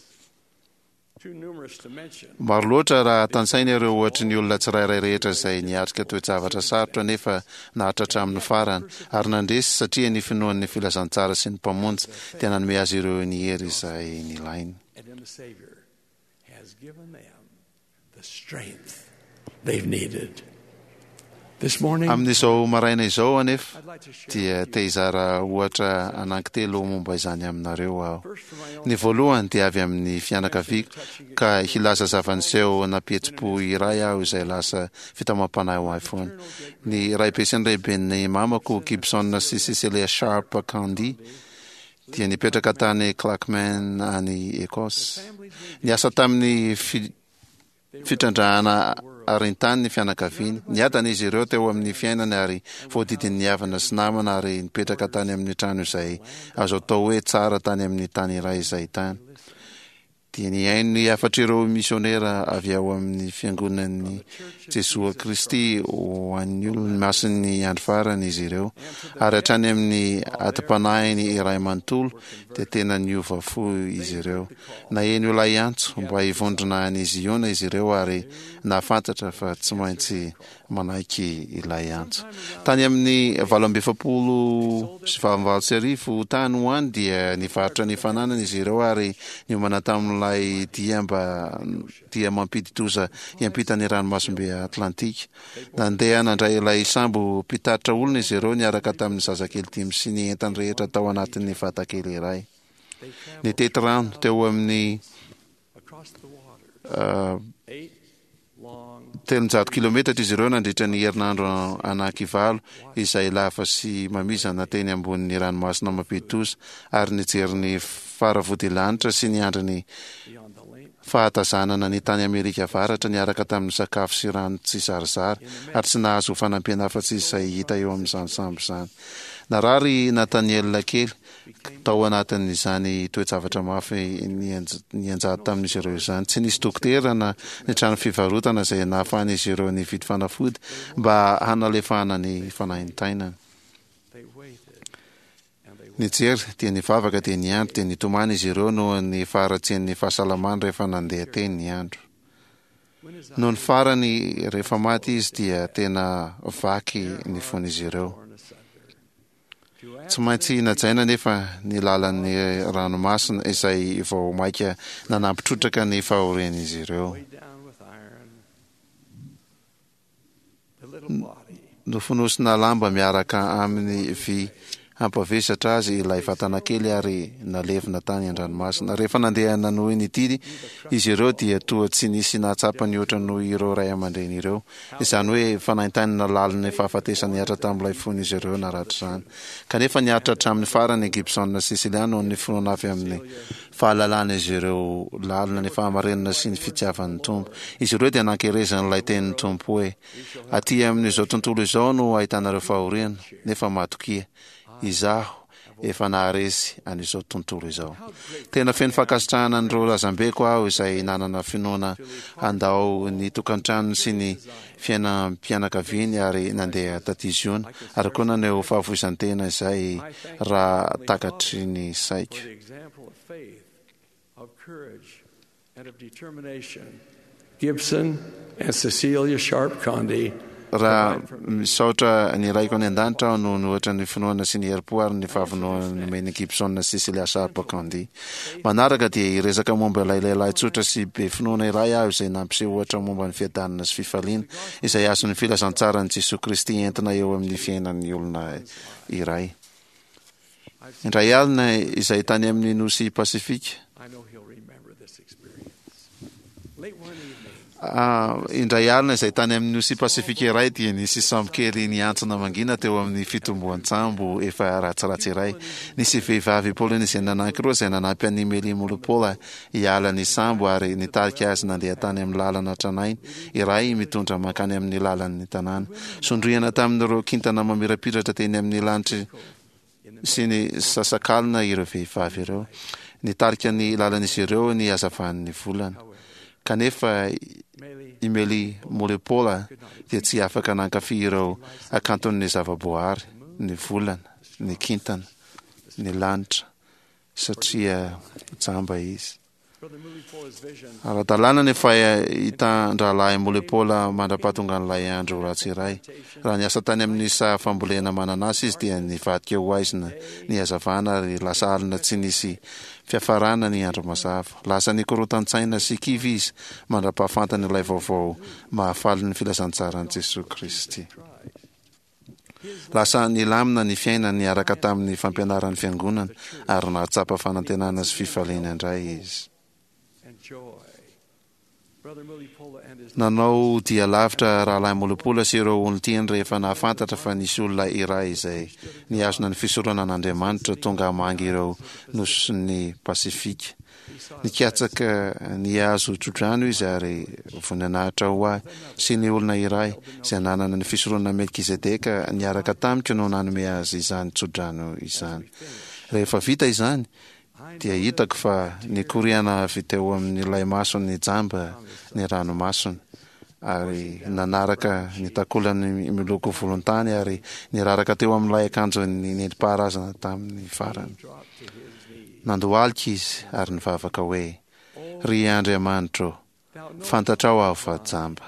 [SPEAKER 2] Maro loatra raha tantsaina ireo ohatry ny olona tsirairay rehetra izay niatrika toe-javatra sarotra nefa naharitra hatramin'ny farany ary nandresy satria ny finoany ny filazantsara sy ny Mpamonjy dia nanome azy ireo ny hery izay nilainy. Amin'izao maraina izao anefa dia te hizara ohatra anankitelo momba izany aminareo aho. Ny voalohany dia avy amin'ny fianakaviako ka hilaza zava-niseho nampihetsi-po iray aho izay lasa fitaomam-panahy ho ahy foana. Ny raibe sy ny raiben'ny mamako, Gibson sy Cecilia Sharp Candy, dia nipetraka tany Clackmannan any Écosse. Niasa tamin'ny fitrandrahana arintany ny fianakaviany. Niadana izy ireo teo amin'ny fiainany ary voadidin'ny havana sy namana ary nipetraka tany amin'ny trano izay azo atao hoe tsara tany amin'ny tany iray izay tany. Dia nihaino ny hafatr'ireo misionera avy ao amin'ny Fiangonan'i Jesoa Kristy ho an'ny olony masin'ny andro farany izy ireo, ary hatrany amin'ny atim-panahiny iray manontolo dia tena niova fo izy ireo. Naheno ilay antso mba hivondrona any Ziona izy ireo ary nahafantatra fa tsy maintsy manaiky ilay antso. Tany amin'ny 1848 tany ho any dia nivarotra ny fananany izy ireo ary niomana tamin'ilay dia mba dia mampidi-doza hiampita ny ranomasimbe Atlantika. Nandeha nandray ilay sambo mpitatitra olona izy ireo niaraka tamin'ny zazakely dimy sy ny entany rehetra tao anatin'ny vatakely iray. Nitety rano teo amin'ny 300 kilometatra izy ireo nandritra ny herinandro anankivallo izay lava sy mamizana teny ambonin'ny ranomasina mampidi-doza ary nijery ny faravodilanitra sy niandry ny fahatazanana ny tany Amerika Avaratra niaraka tamin'ny sakafo sy rano tsy zarizary ary tsy nahazo fanampiana afa-tsy izay hita eo amin'izany sambo izany. Narary i Nathaniel kely Tao anatin'izany toe-javatra mafy nianjady tamin'izy ireo izany, tsy nisy dokotera na ny trano fivarotana izay nahafahan'izy ireo nividy fanafody mba hanalefahana ny fanaintainany. Nijery, dia nivavaka, dia niandry, dia nitomany izy ireo noho ny faharatsian'ny fahasalamany rehefa nandeha teny ny andro. Nony farany, rehefa maty izy, dia tena vaky ny fon'izy ireo. Tsy maintsy najaina anefa ny lalan'ny ranomasina izay vao mainka nanampy trotraka ny fahorian'izy ireo. Nofonosina lamba miaraka amin'ny vy hampavesatra azy ilay vatana kely ary nalevina tany an-dranomasina. Rehefa nandeha nanohy ny didy izy ireo dia toa tsy nisy nahatsapa nihoatra noho ireo ray aman-dreny ireo. Izany hoe fanaintainana lalin'ny fahafatesana nihatra tamin'ilay fon'izy ireo naratra izany. Kanefa niaritra hatramin'ny farany i Gibson sy Celia noho ny finoana avy amin'ny fahalalan'izy ireo lalina ny fahamarinana sy ny fitiavan'ny Tompo. Izy ireo dia nankerezin'ilay tenin'ny Tompo hoe, Aty amin'izao tontolo izao no ahitanareo fahoriana, nefa matokia, Izaho efa naharesy an'izao tontolo izao. Tena feno fankasitrahana an'ireo razambeko aho izay nanana finoana handao ny tokantranony sy ny fiainam-pianakaviany ary nandeha taty Ziona, ary koa naneho fahafoizan-tena izay raha takatry ny saiko.
[SPEAKER 3] Gibson and Cecilia Sharp Condie
[SPEAKER 2] Raha misaotra ny Raiko any An-danitra aho noho ny ohatra ny finoana sy ny herim-po ary ny fahavononana nomen'i Gibson sy Cecilia Sharp Condie. Manaraka dia hiresaka momba ilay lehilahy tsotra sy be finoana iray aho izay nampiseho ohatra momba ny fiadanana sy fifaliana izay azon'ny filazantsaran'i Jesoa Kristy entina eo amin'ny fiainan'ny olona iray. Indray alina izay tany amin'ny nosy Pasifika, indray alina izay tany amin'ny nosy Pasifika iray dia nisy sambo kely niantsona mangina teo amin'ny fitomboan-tsambo efa ratsiratsy iray. Nisy vehivavy Polyneziana anankiroa izay nanampy an'i Meli Molopola hiala ny sambo ary nitarika azy nandeha tany amin'ny lalana tranainy iray mitondra mankany amin'ny lalan'ny tanàna. Sondriana tamin'ireo kintana mamirapiratra teny amin'ny lanitry sy ny sasakalina ireo vehivavy ireo. Nitarika ny lalan'izy ireo ny hazavan'ny volana. Kanefa i Meli Molepola dia tsy afaka nankafy ireo hakanton'ny zavaboahary, ny volana, ny kintana, ny lanitra, satria jamba izy. Ara-dalàna ny fahitan-drahalahy Molepola mandra-pahatongan'ilay andro ratsy iray. Raha niasa tany amin'ny saha fambolena mananasy izy dia nivadika ho haizina ny hazavana ary lasa alina tsy nisy fiafarana ny andro mazava. Lasa nikorontan-tsaina sy kivy izy mandra-pahafantany ilay vaovao mahafalin'ny filazantsaran'i Jesoa Kristy. Lasa nilamina ny fiainany niaraka tamin'ny fampianaran'ny Fiangonana ary nahatsapa fanantenana sy fifaliana indray izy. Nanao dia lavitra Rahalahy Mulipola sy ireo olon-tiany rehefa nahafantatra fa nisy olona iray izay nihazona ny fisoronana an'Andriamanitra tonga hamangy ireo nosin'ny Pasifika. Nikatsaka ny hahazo tsodrano izy ary voninahitra ho ahy sy ny olona iray izay nanana ny fisoronana Melkizedeka niaraka tamiko no nanome azy izany tsodrano izany. Rehefa vita izany, dia hitako fa nikoriana avy teo amin'ilay masony jamba ny ranomasony, ary nanaraka ny takolany miloko volontany ary niraraka teo amin'ilay akanjony nentim-paharazana tamin'ny farany. Nandohalika izy ary nivavaka hoe, Ry Andriamanitro, Fantatrao aho fa jamba.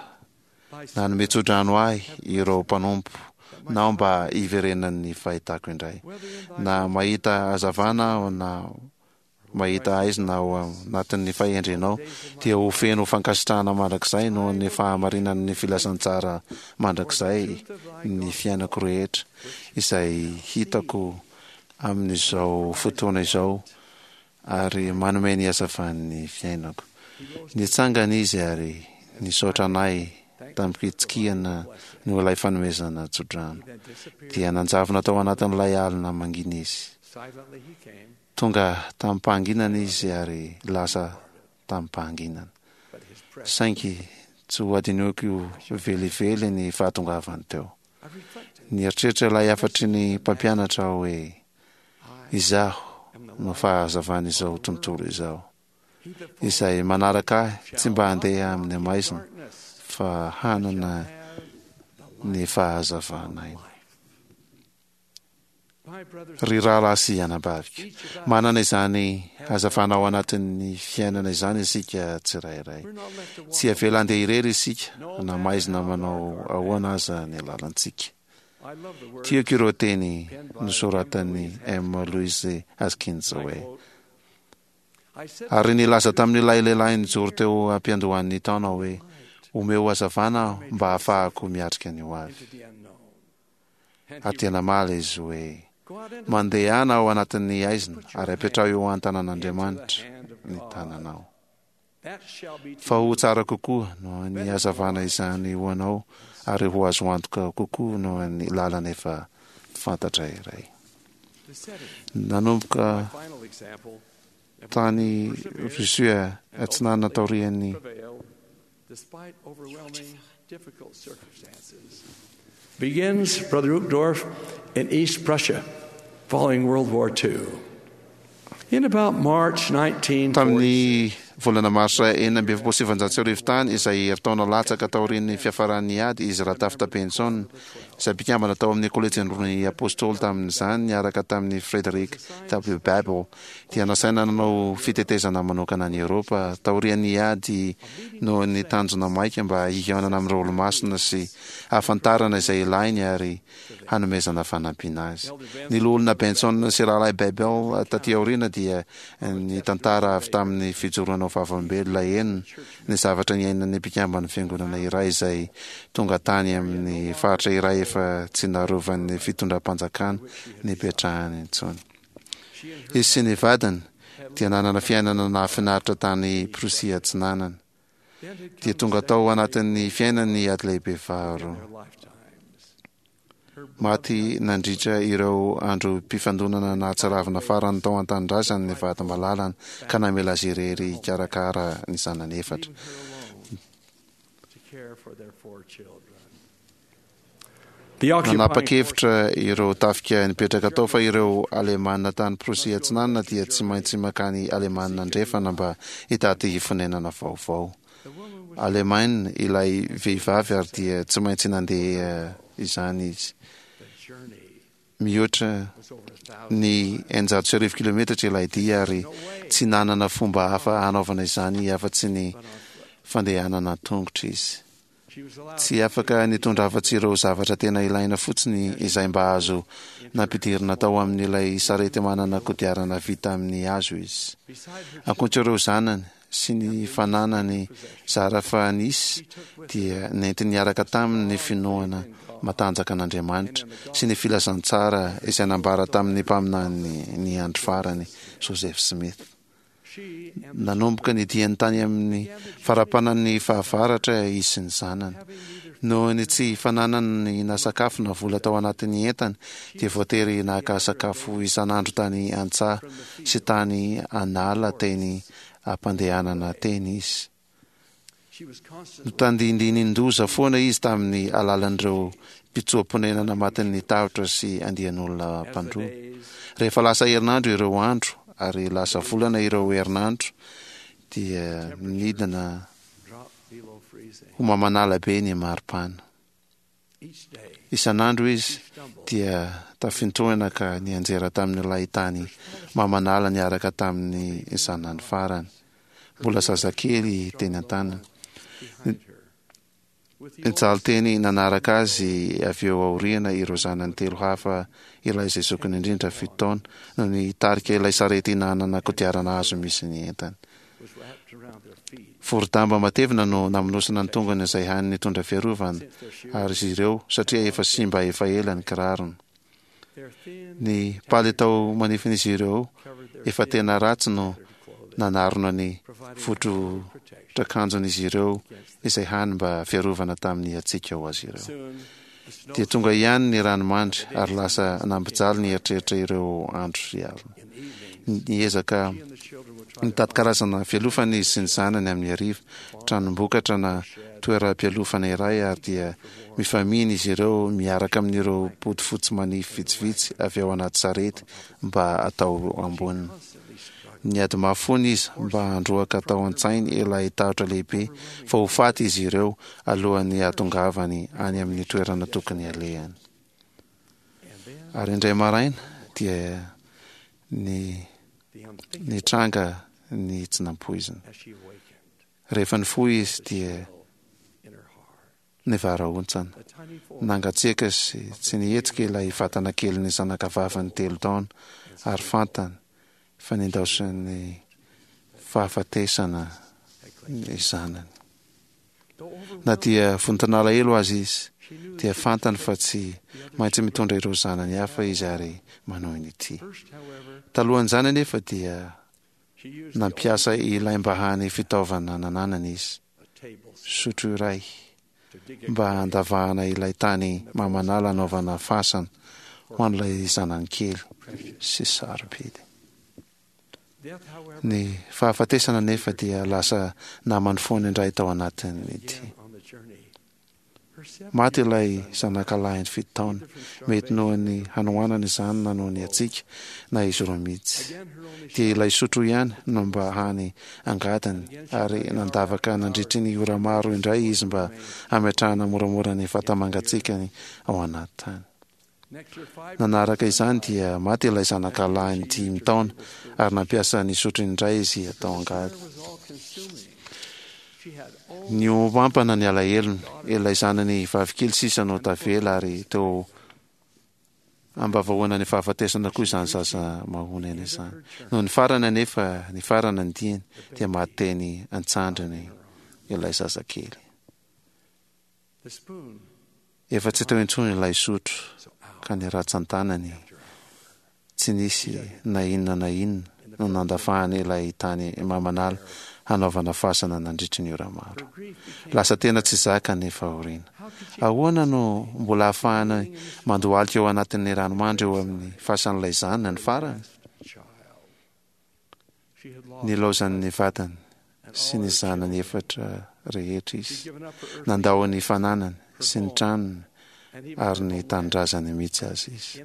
[SPEAKER 2] Nanome tsodrano ahy ireo mpanompo nao mba hiverenan'ny fahitako indray. Na mahita hazavana aho na mahita haizina ao anatin'ny fahendrenao, dia ho feno fankasitrahana mandrakizay noho ny fahamarinan'ny filazantsara mandrakizay ny fiainako rehetra, izay hitako amin'izao fotoana izao ary manome ny hazavan'ny fiainako. Nitsangana izy ary nisaotra anay tamim-pitsikiana noho ilay fanomezana tsodrano. Dia nanjavona tao anatin'ilay alina mangina izy. Tonga tamim-pahanginana izy ary lasa tamim-pahanginana. Saingy tsy ho hadinoiko velively ny fahatongavany teo. Nieritreritra ilay hafatry ny mpampianatra aho hoe, Izaho no fahazavan'izao tontolo izao. Izay manaraka ahy tsy mba handeha amin'ny maizina fa hanana ny fahazavan'aina. Ry rahalahy sy anabaviko, manana izany hazavana ao anatin'ny fiainana izany isika tsirairay. Tsy avela handeha irery isika na maizina manao ahoana aza ny lalantsika. Tiako ireo teny nosoratan'i M. Louise Haskins hoe, Ary nilaza tamin'ilay lehilahy nijoro teo am-piandohan'ny taona aho hoe, Omeo hazavana aho mba hahafahako miatrika ny hoavy. Ary dia namaly izy hoe, Mandehana ao anatin'ny haizina ary apetraho eo an-tanan'Andriamanitra ny tananao. Fa ho tsara kokoa noho ny hazavana izany ho anao ary ho azo antoka kokoa noho ny lalana efa fantatra iray. Nanomboka tany Russie Atsinanana taorian'ny
[SPEAKER 3] Begins, Brother Uchtdorf, in East Prussia following World War II. In about March 1946,
[SPEAKER 2] Tamin'ny volana marsa 1946 tany, izay herintaona latsaka taorian'ny fiafaran'ny ady, izy Ratafta Benson, izay mpikambana tao amin'ny Kolejin'ny Apostoly tamin'izany niaraka tamin'i Frederick W. Babel, dia nasaina nanao fitetezana manokana an'i Eoropa taorian'ny ady noho ny tanjona maika mba hihaonana amin'ireo Olomasina sy hahafantarana izay ilainy ary hanomezana fanampiana azy. Ny Loholona Benson sy Rahalahy Babel taty aoriana dia nitantara avy tamin'ny fijoroana ho vavolombelona henony ny zavatra niainan'ny mpikamban'ny Fiangonana iray izay tonga tany amin'ny faritra iray efa tsy narovan'ny fitondram-panjakana nipetrahany intsony. Izy sy ny vadiny dia nanana fiainana nahafinaritra tany Prussie Atsinanana. Dia tonga tao anatin'ny fiainany ny Ady Lehibe Faharoa. Maty nandritra ireo androm-pifandonana nahatsiravina farany tao an-tanindrazany ny vady malalany ka namela azy irery hikarakara ny zanany efatra. Nanapa-kevitra ireo tafika nipetraka tao fa ireo Alemana tany Prosia Atsinanana dia tsy maintsy mankany Alemana Andrefana mba hitady fonenana vaovao. Alemaina ilay vehivavy ary dia tsy maintsy nandeha izany izy. Mihoatra ny 1600 kilometatra ilay dia ary tsy nanana fomba hafa hanaovana izany afa-tsy ny fandehanana an-tongotra izy. Tsy afaka nitondra afa-tsy ireo zavatra tena ilaina fotsiny izay mba azo nampidirina tao amin'ilay sarety manana kodiarana vita amin'ny hazo izy. Ankoatra ireo zanany sy ny fananany zara fa nisy, dia nentiny niaraka taminy ny finoana matanjaka an'Andriamanitra sy ny filazantsara izay nambara tamin'ny mpaminany ny andro farany, Joseph Smith. Nanomboka ny diany tany amin'ny farapanan'ny fahavaratra izy sy ny zanany. Noho ny tsy fananany na sakafo na vola tao anatin'ny entany, dia voatery naka sakafo isan'andro tany an-tsaha sy tany an'ala teny am-pandehanana teny izy. Notandindinindoza foana izy tamin'ny alalan'ireo mpitsoa-ponenana matin'ny tahotra sy andian'olona mpandroba. Rehefa lasa herinandro ireo andro, ary lasa volana ireo herinandro, dia nidina ho mamanala be ny maripana. Isan'andro izy dia tafintohina ka nianjera tamin'ilay tany mamanala niaraka tamin'ny zanany farany, mbola zazakely teny an-tanany. Nijaly teny nanaraka azy avy eo aoriana ireo zanany telo hafa, ilay izay zokiny indrindra, fito taona, no nitarika ilay sarety nanana kodiarana hazo misy ny entany. Vorodamba matevina no namonosana ny tongony izay hany nitondra fiarovana ary izy ireo satria efa simba efa ela ny kirarony. Ny palitao manifin'izy ireo efa tena ratsy no nanarona ny votrotrakanjon'izy ireo izay hany mba fiarovana tamin'ny hatsiaka ho azy ireo. Dia tonga ihany ny ranomandry ary lasa nampijaly ny eritreritra ireo andro sy alina. Niezaka nitady karazana fialofana izy sy ny zanany amin'ny hariva, tranom-bokatra na toeram-pialofana iray ary dia mifamihina izy ireo miaraka amin'ireo bodofotsy manify vitsivitsy avy ao anaty sarety mba atao amboniny. Niady mafy foana izy mba handroaka tao an-tsainy ilay tahotra lehibe fa ho faty izy ireo alohan'ny hahatongavany any amin'ny toerana tokony halehany. Ary indray maraina dia ny nitranga ny tsy nampoizina. Rehefa nifoha izy dia nivarahontsana. Nangatsiaka sy tsy nihetsika ilay vatana kelin'ny zanakavaviny telo taona, ary fantany fa nindaosin'ny fahafatesana ny zanany. Na dia vonton'alahelo aza izy, dia fantany fa tsy maintsy mitondra ireo zanany hafa izy ary manohy ny tia. Talohan'izany anefa dia Nampiasa ilay mba hany fitaovana nananany izy, sotro iray, mba handavahana ilay tany mamanala hanaovana fasana ho an'ilay zanany kely sy sarobidy. Ny fahafatesana anefa dia lasa namany foana indray tao anatin'ity. Maty ilay zanakalahiny fito taona. Mety noho ny hanoanana izany na noho ny hatsiaka, na izy roa mihitsy. Dia ilay sotro ihany no mba hany angadiny, ary nandavaka nandritry ny ora maro indray izy mba hametrahana moramora ny vata-mangatsiakany ao anaty tany. Nanaraka izany dia maty ilay zanakalahiny dimy taona ary nampiasa ny sotrony indray izy atao angady. Nihoampampana ny alahelony, ilay zanany vavikely sisa no tavela ary teo ambavahoana ny fahafatesana koa izany zaza mahonena izany. Nony farany anefa nifarana ny diany dia maty teny an-tsandriny ilay zazakely. Efa tsy teo intsony ilay sotro ka ny ratsan-tanany tsy nisy na inona na inona no nandavahany ilay tany mamanala hanaovana fasana nandritry ny ora maro. Lasa tena tsy zaka ny fahoriana. Ahoana no mbola ahafahany mandohalika eo anatin'ny ranomandry eo amin'ny fasan'ilay zanany farany? Nilaozan'ny vadiny sy ny zanany efatra rehetra izy. Nandao ny fananany sy ny tranony ary ny tanindrazany mihitsy aza izy.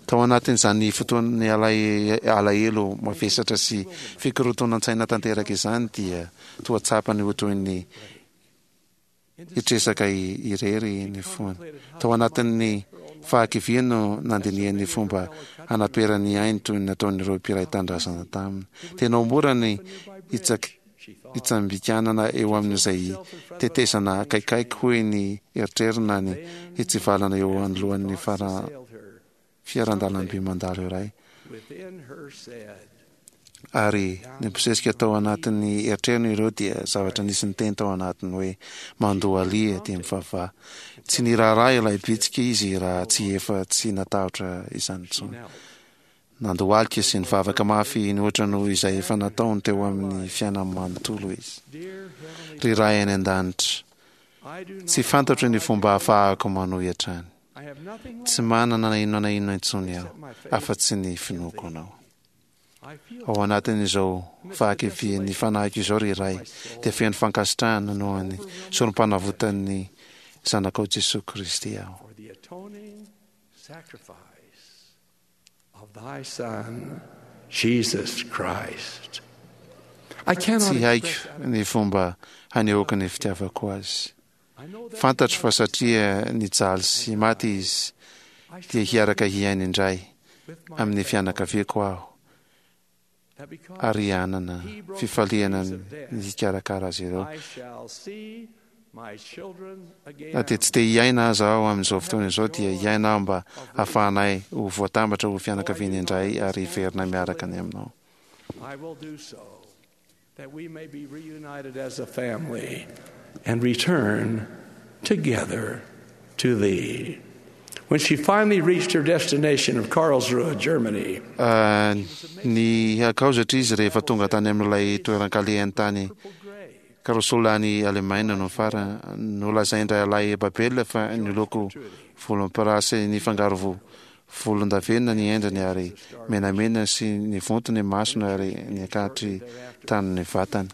[SPEAKER 2] Tao anatin'izany fotoan'ny alahelo mavesatra sy fikorotonan-tsaina tanteraka izany dia toa tsapany ho toy ny hitresaka irery ny fony. Tao anatin'ny fahakiviany no nandinihany ny fomba hanaperany ainy toy ny nataon'ireo mpiray tanindrazana taminy. Tena ho mora ny hitsambikanana eo amin'izay tetezana akaikaiky hoy ny eritreriny na ny hitsivalana eo anoloan'ny fiarandalamby mandalo iray. Ary nibosesika tao anatin'ny eritreriny ireo dia zavatra nisy niteny tao anatiny hoe, Mandohalia dia mivavaha. Tsy niraharaha ilay bitsika izy raha tsy efa tsy natahotra izany intsony. Nandohalika sy nivavaka mafy nihoatra noho izay efa nataony teo amin'ny fiainany manontolo izy. Ry Ray any An-danitra, tsy fantatro ny fomba ahafahako manohy hatrany. Tsy manana na inona na inona intsony aho, afa-tsy ny finoako Anao. Ao anatin'izao fahakivian'ny fanahiko izao, ry Ray, dia feno fankasitrahana noho ny sorom-panavotan'ny Zanakao Jesoa Kristy aho. Tsy haiko ny fomba hanehoako ny fitiavako Azy. Fantatro fa satria nijaly sy maty Izy, dia hiaraka hiaina indray amin'ny fianakaviako aho ary hanana fifaliana ny hikarakara azy ireo. Na dia tsy te hiaina aza aho amin'izao fotoana izao, dia hiaina aho mba hahafahanay ho voatambatra ho fianakaviana indray ary hiverina miaraka any aminao.
[SPEAKER 3] That we may be reunited as a family and return together to thee. When she finally reached her destination of Karlsruhe, Germany,
[SPEAKER 2] Ny hakaozatra izy rehefa tonga tany amin'ilay toeran-kalehany tany Karlsruhe any Alemaina no farany. Nolazain-drahalahy Babel fa niloko volomparasy nifangaro Volondavenona ny endriny ary menamena sy nivonto ny masony ary niakatry tany ny vatany.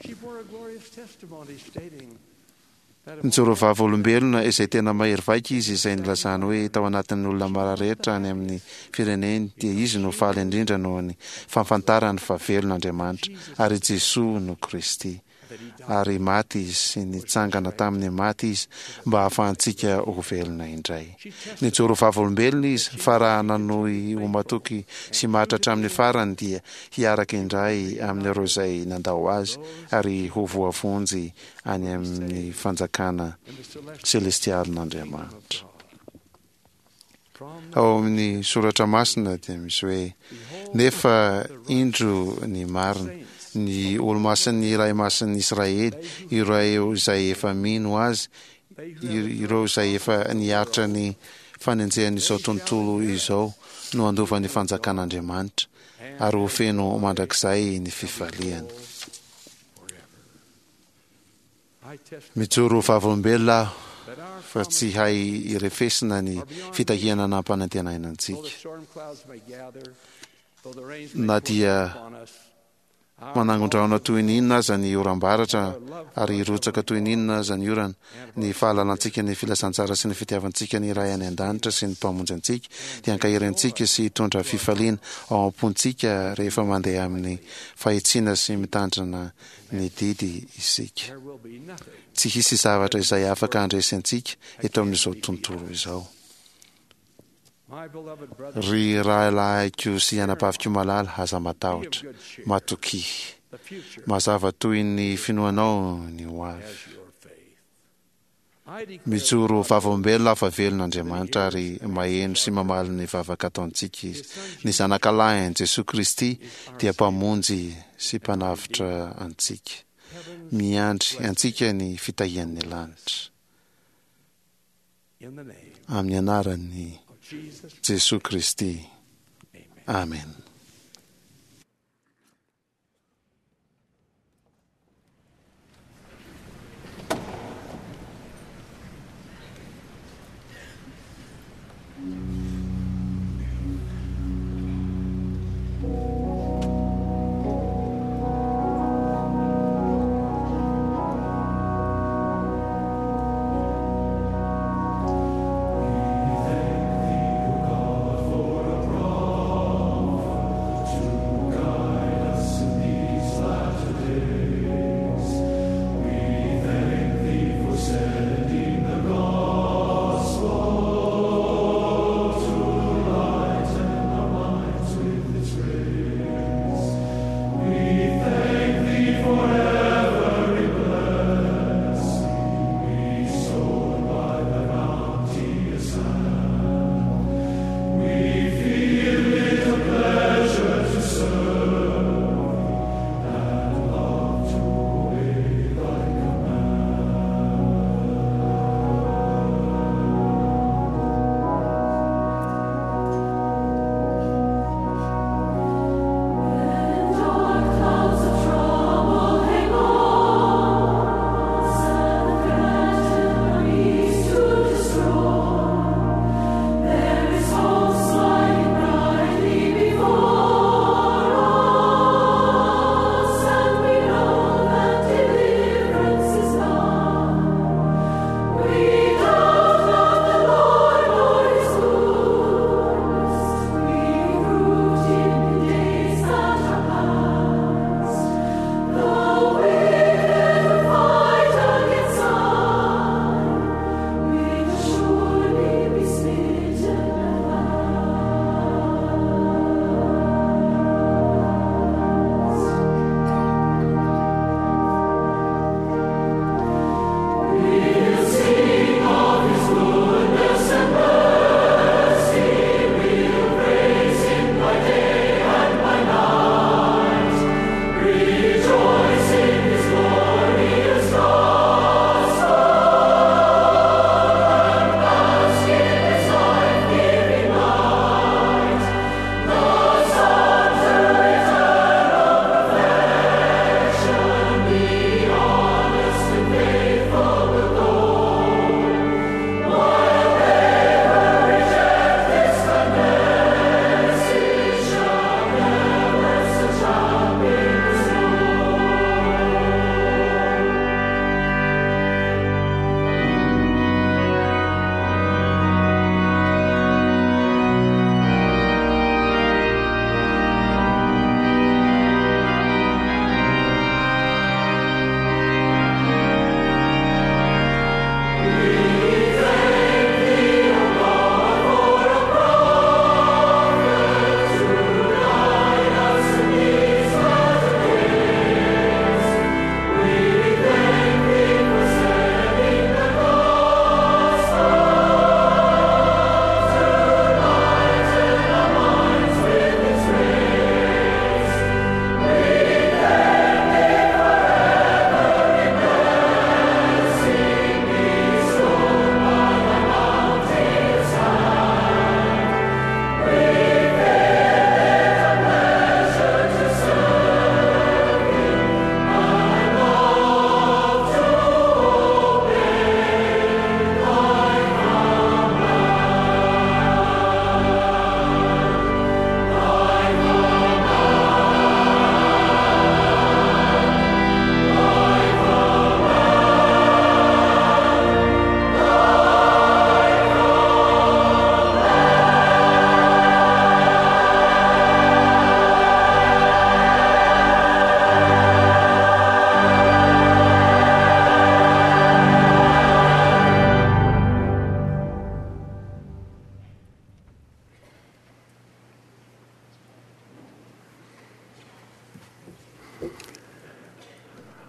[SPEAKER 2] Nijoro vavolombelona izay tena mahery vaika izy izay nilazany hoe tao anatin'ny olona mara rehetra any amin'ny fireneny dia izy no faly indrindra noho ny fahafantarany fa velona Andriamanitra ary Jesoa no Kristy. ary maty Izy sy nitsangana tamin'ny maty Izy mba hahafahantsika ho velona indray. Nijoro vavolombelona Izy fa raha nanohy ho matoky sy maty hatramin'ny farany dia hiaraka indray amin'ireo izay nandao Azy ary ho voavonjy any amin'ny fanjakana selestialin'Andriamanitra. Ao amin'ny soratra masina dia misy hoe, Nefa indro ny marina, ny olo-masin'ny Iray Masin'ny Israely, ireo izay efa mino Azy, ireo izay efa niaritra ny fanenjehan'izao tontolo izao no handova ny fanjakan'Andriamanitra, ary ho feno mandrakizay ny fifaliany. Mijoro ho vavolombelona aho fa tsy hay irefesina ny fitahiana nampanantenaina antsika. Na dia manangon-drahona toy ny inona aza ny oram-baratra ary hirotsaka toy ny inona aza ny orana, ny fahalalantsika ny filazantsara sy ny fitiavantsika ny Ray any An-danitra sy ny Mpamonjy antsika dia hankahery antsika sy hitondra fifaliana ao am-pontsika rehefa mandeha amin'ny fahitsiana sy mitandrina ny didy isika. Tsy hisy zavatra izay afaka handresy antsika eto amin'izao tontolo izao. Ry rahalahiko sy anabaviko malala, aza matahotra. Matokia. Mazava toy ny finoanao ny ho avy. Mijoro ho vavolombelona aho fa velona Andriamanitra ary maheno sy mamaly ny vavaka ataontsika Izy. Ny Zanakalahiny, Jesoa Kristy, dia Mpamonjy sy Mpanavotra antsika. Miandry antsika ny fitahian'ny lanitra. Amin'ny anaran'i Jesoa Kristy. Amena.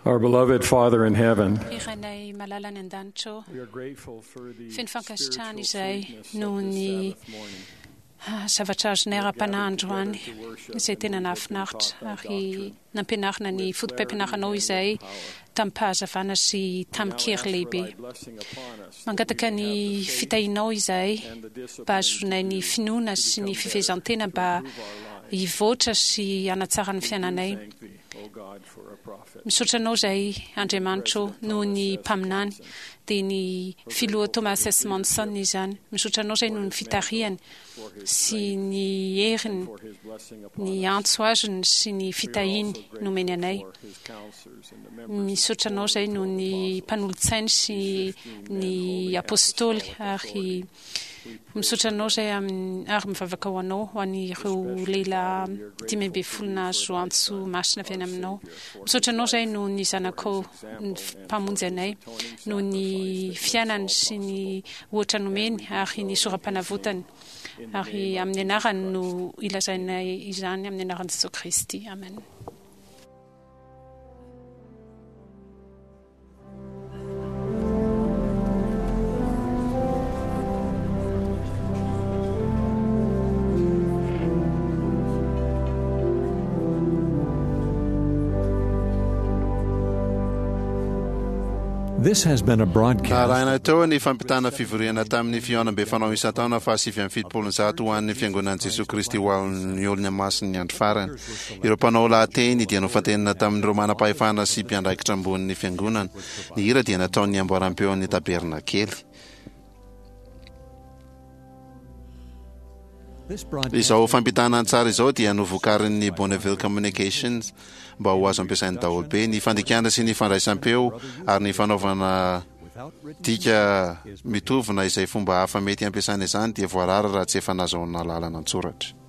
[SPEAKER 13] Our beloved Father in heaven,
[SPEAKER 9] Ry Rainay malala any an-danitra ô,
[SPEAKER 13] we are grateful for the
[SPEAKER 9] feno fankasitrahana
[SPEAKER 13] spiritual
[SPEAKER 9] izay
[SPEAKER 13] sweetness
[SPEAKER 9] noho
[SPEAKER 13] of this
[SPEAKER 9] ny
[SPEAKER 13] Sabbath morning.
[SPEAKER 9] zavatra azonay ara-panahy androany izay tena nahafinaritra ary nampianarina ny foto-pampianaranao izay tamin'ny-pahazavana sy tamin-kery lehibe. Mangataka ny fitahianao izahay mba hahazoanay ny finoana sy ny fifehezan-tena mba hivoatra sy hanatsara ny fiainanay. Misaotra anao izahay, Andriamanitra ô, noho ny mpaminany, dia ny filoha Thomas S. Monson izany. Misaotra anao izahay noho ny fitarihany sy ny heriny, ny antso azony sy ny fitahiany nomeny anay. Misaotra anao izahay noho ny mpanolotsainy sy ny apostoly ary Misaotra anao izay amin'ny ary mivavaka ho anao ho an'ireo lehilahy 15 nahazo antso masina avy any aminao. Misaotra anao izay noho ny zanakao mpamonjy anay, noho ny fiainany sy ny ohatra nomeny ary ny soram-panavotany. Ary amin'ny anarany no ilazainay izany amin'ny anaran'i Jesoa Kristy. Amen.
[SPEAKER 1] This has been a broadcast.
[SPEAKER 2] Narahina teo ny fampitana fivoriana tamin'ny fihaonambe fanao isan-taona faha 179 ho an'ny Fiangonan'i Jesoa Kristy ho an'ny Olona Masin'ny Andro Farany. Ireo mpanao lahateny dia nofantenina tamin'ireo manam-pahefana sy mpiandraikitra ambonin'ny Fiangonana. Ny hira dia nataon'ny amboaram-peon'ny Tabernakely. Izao fampitana an-tsary izao dia novokarin'ny Bonneville Communications mba ho azo ampiasain'ny daholobe. Ny fandikana sy ny fandraisam-peo ary ny fanaovana dika mitovy na izay fomba hafa mety hampiasana izany dia voarara raha tsy efa nazahoana alalana an-tsoratra.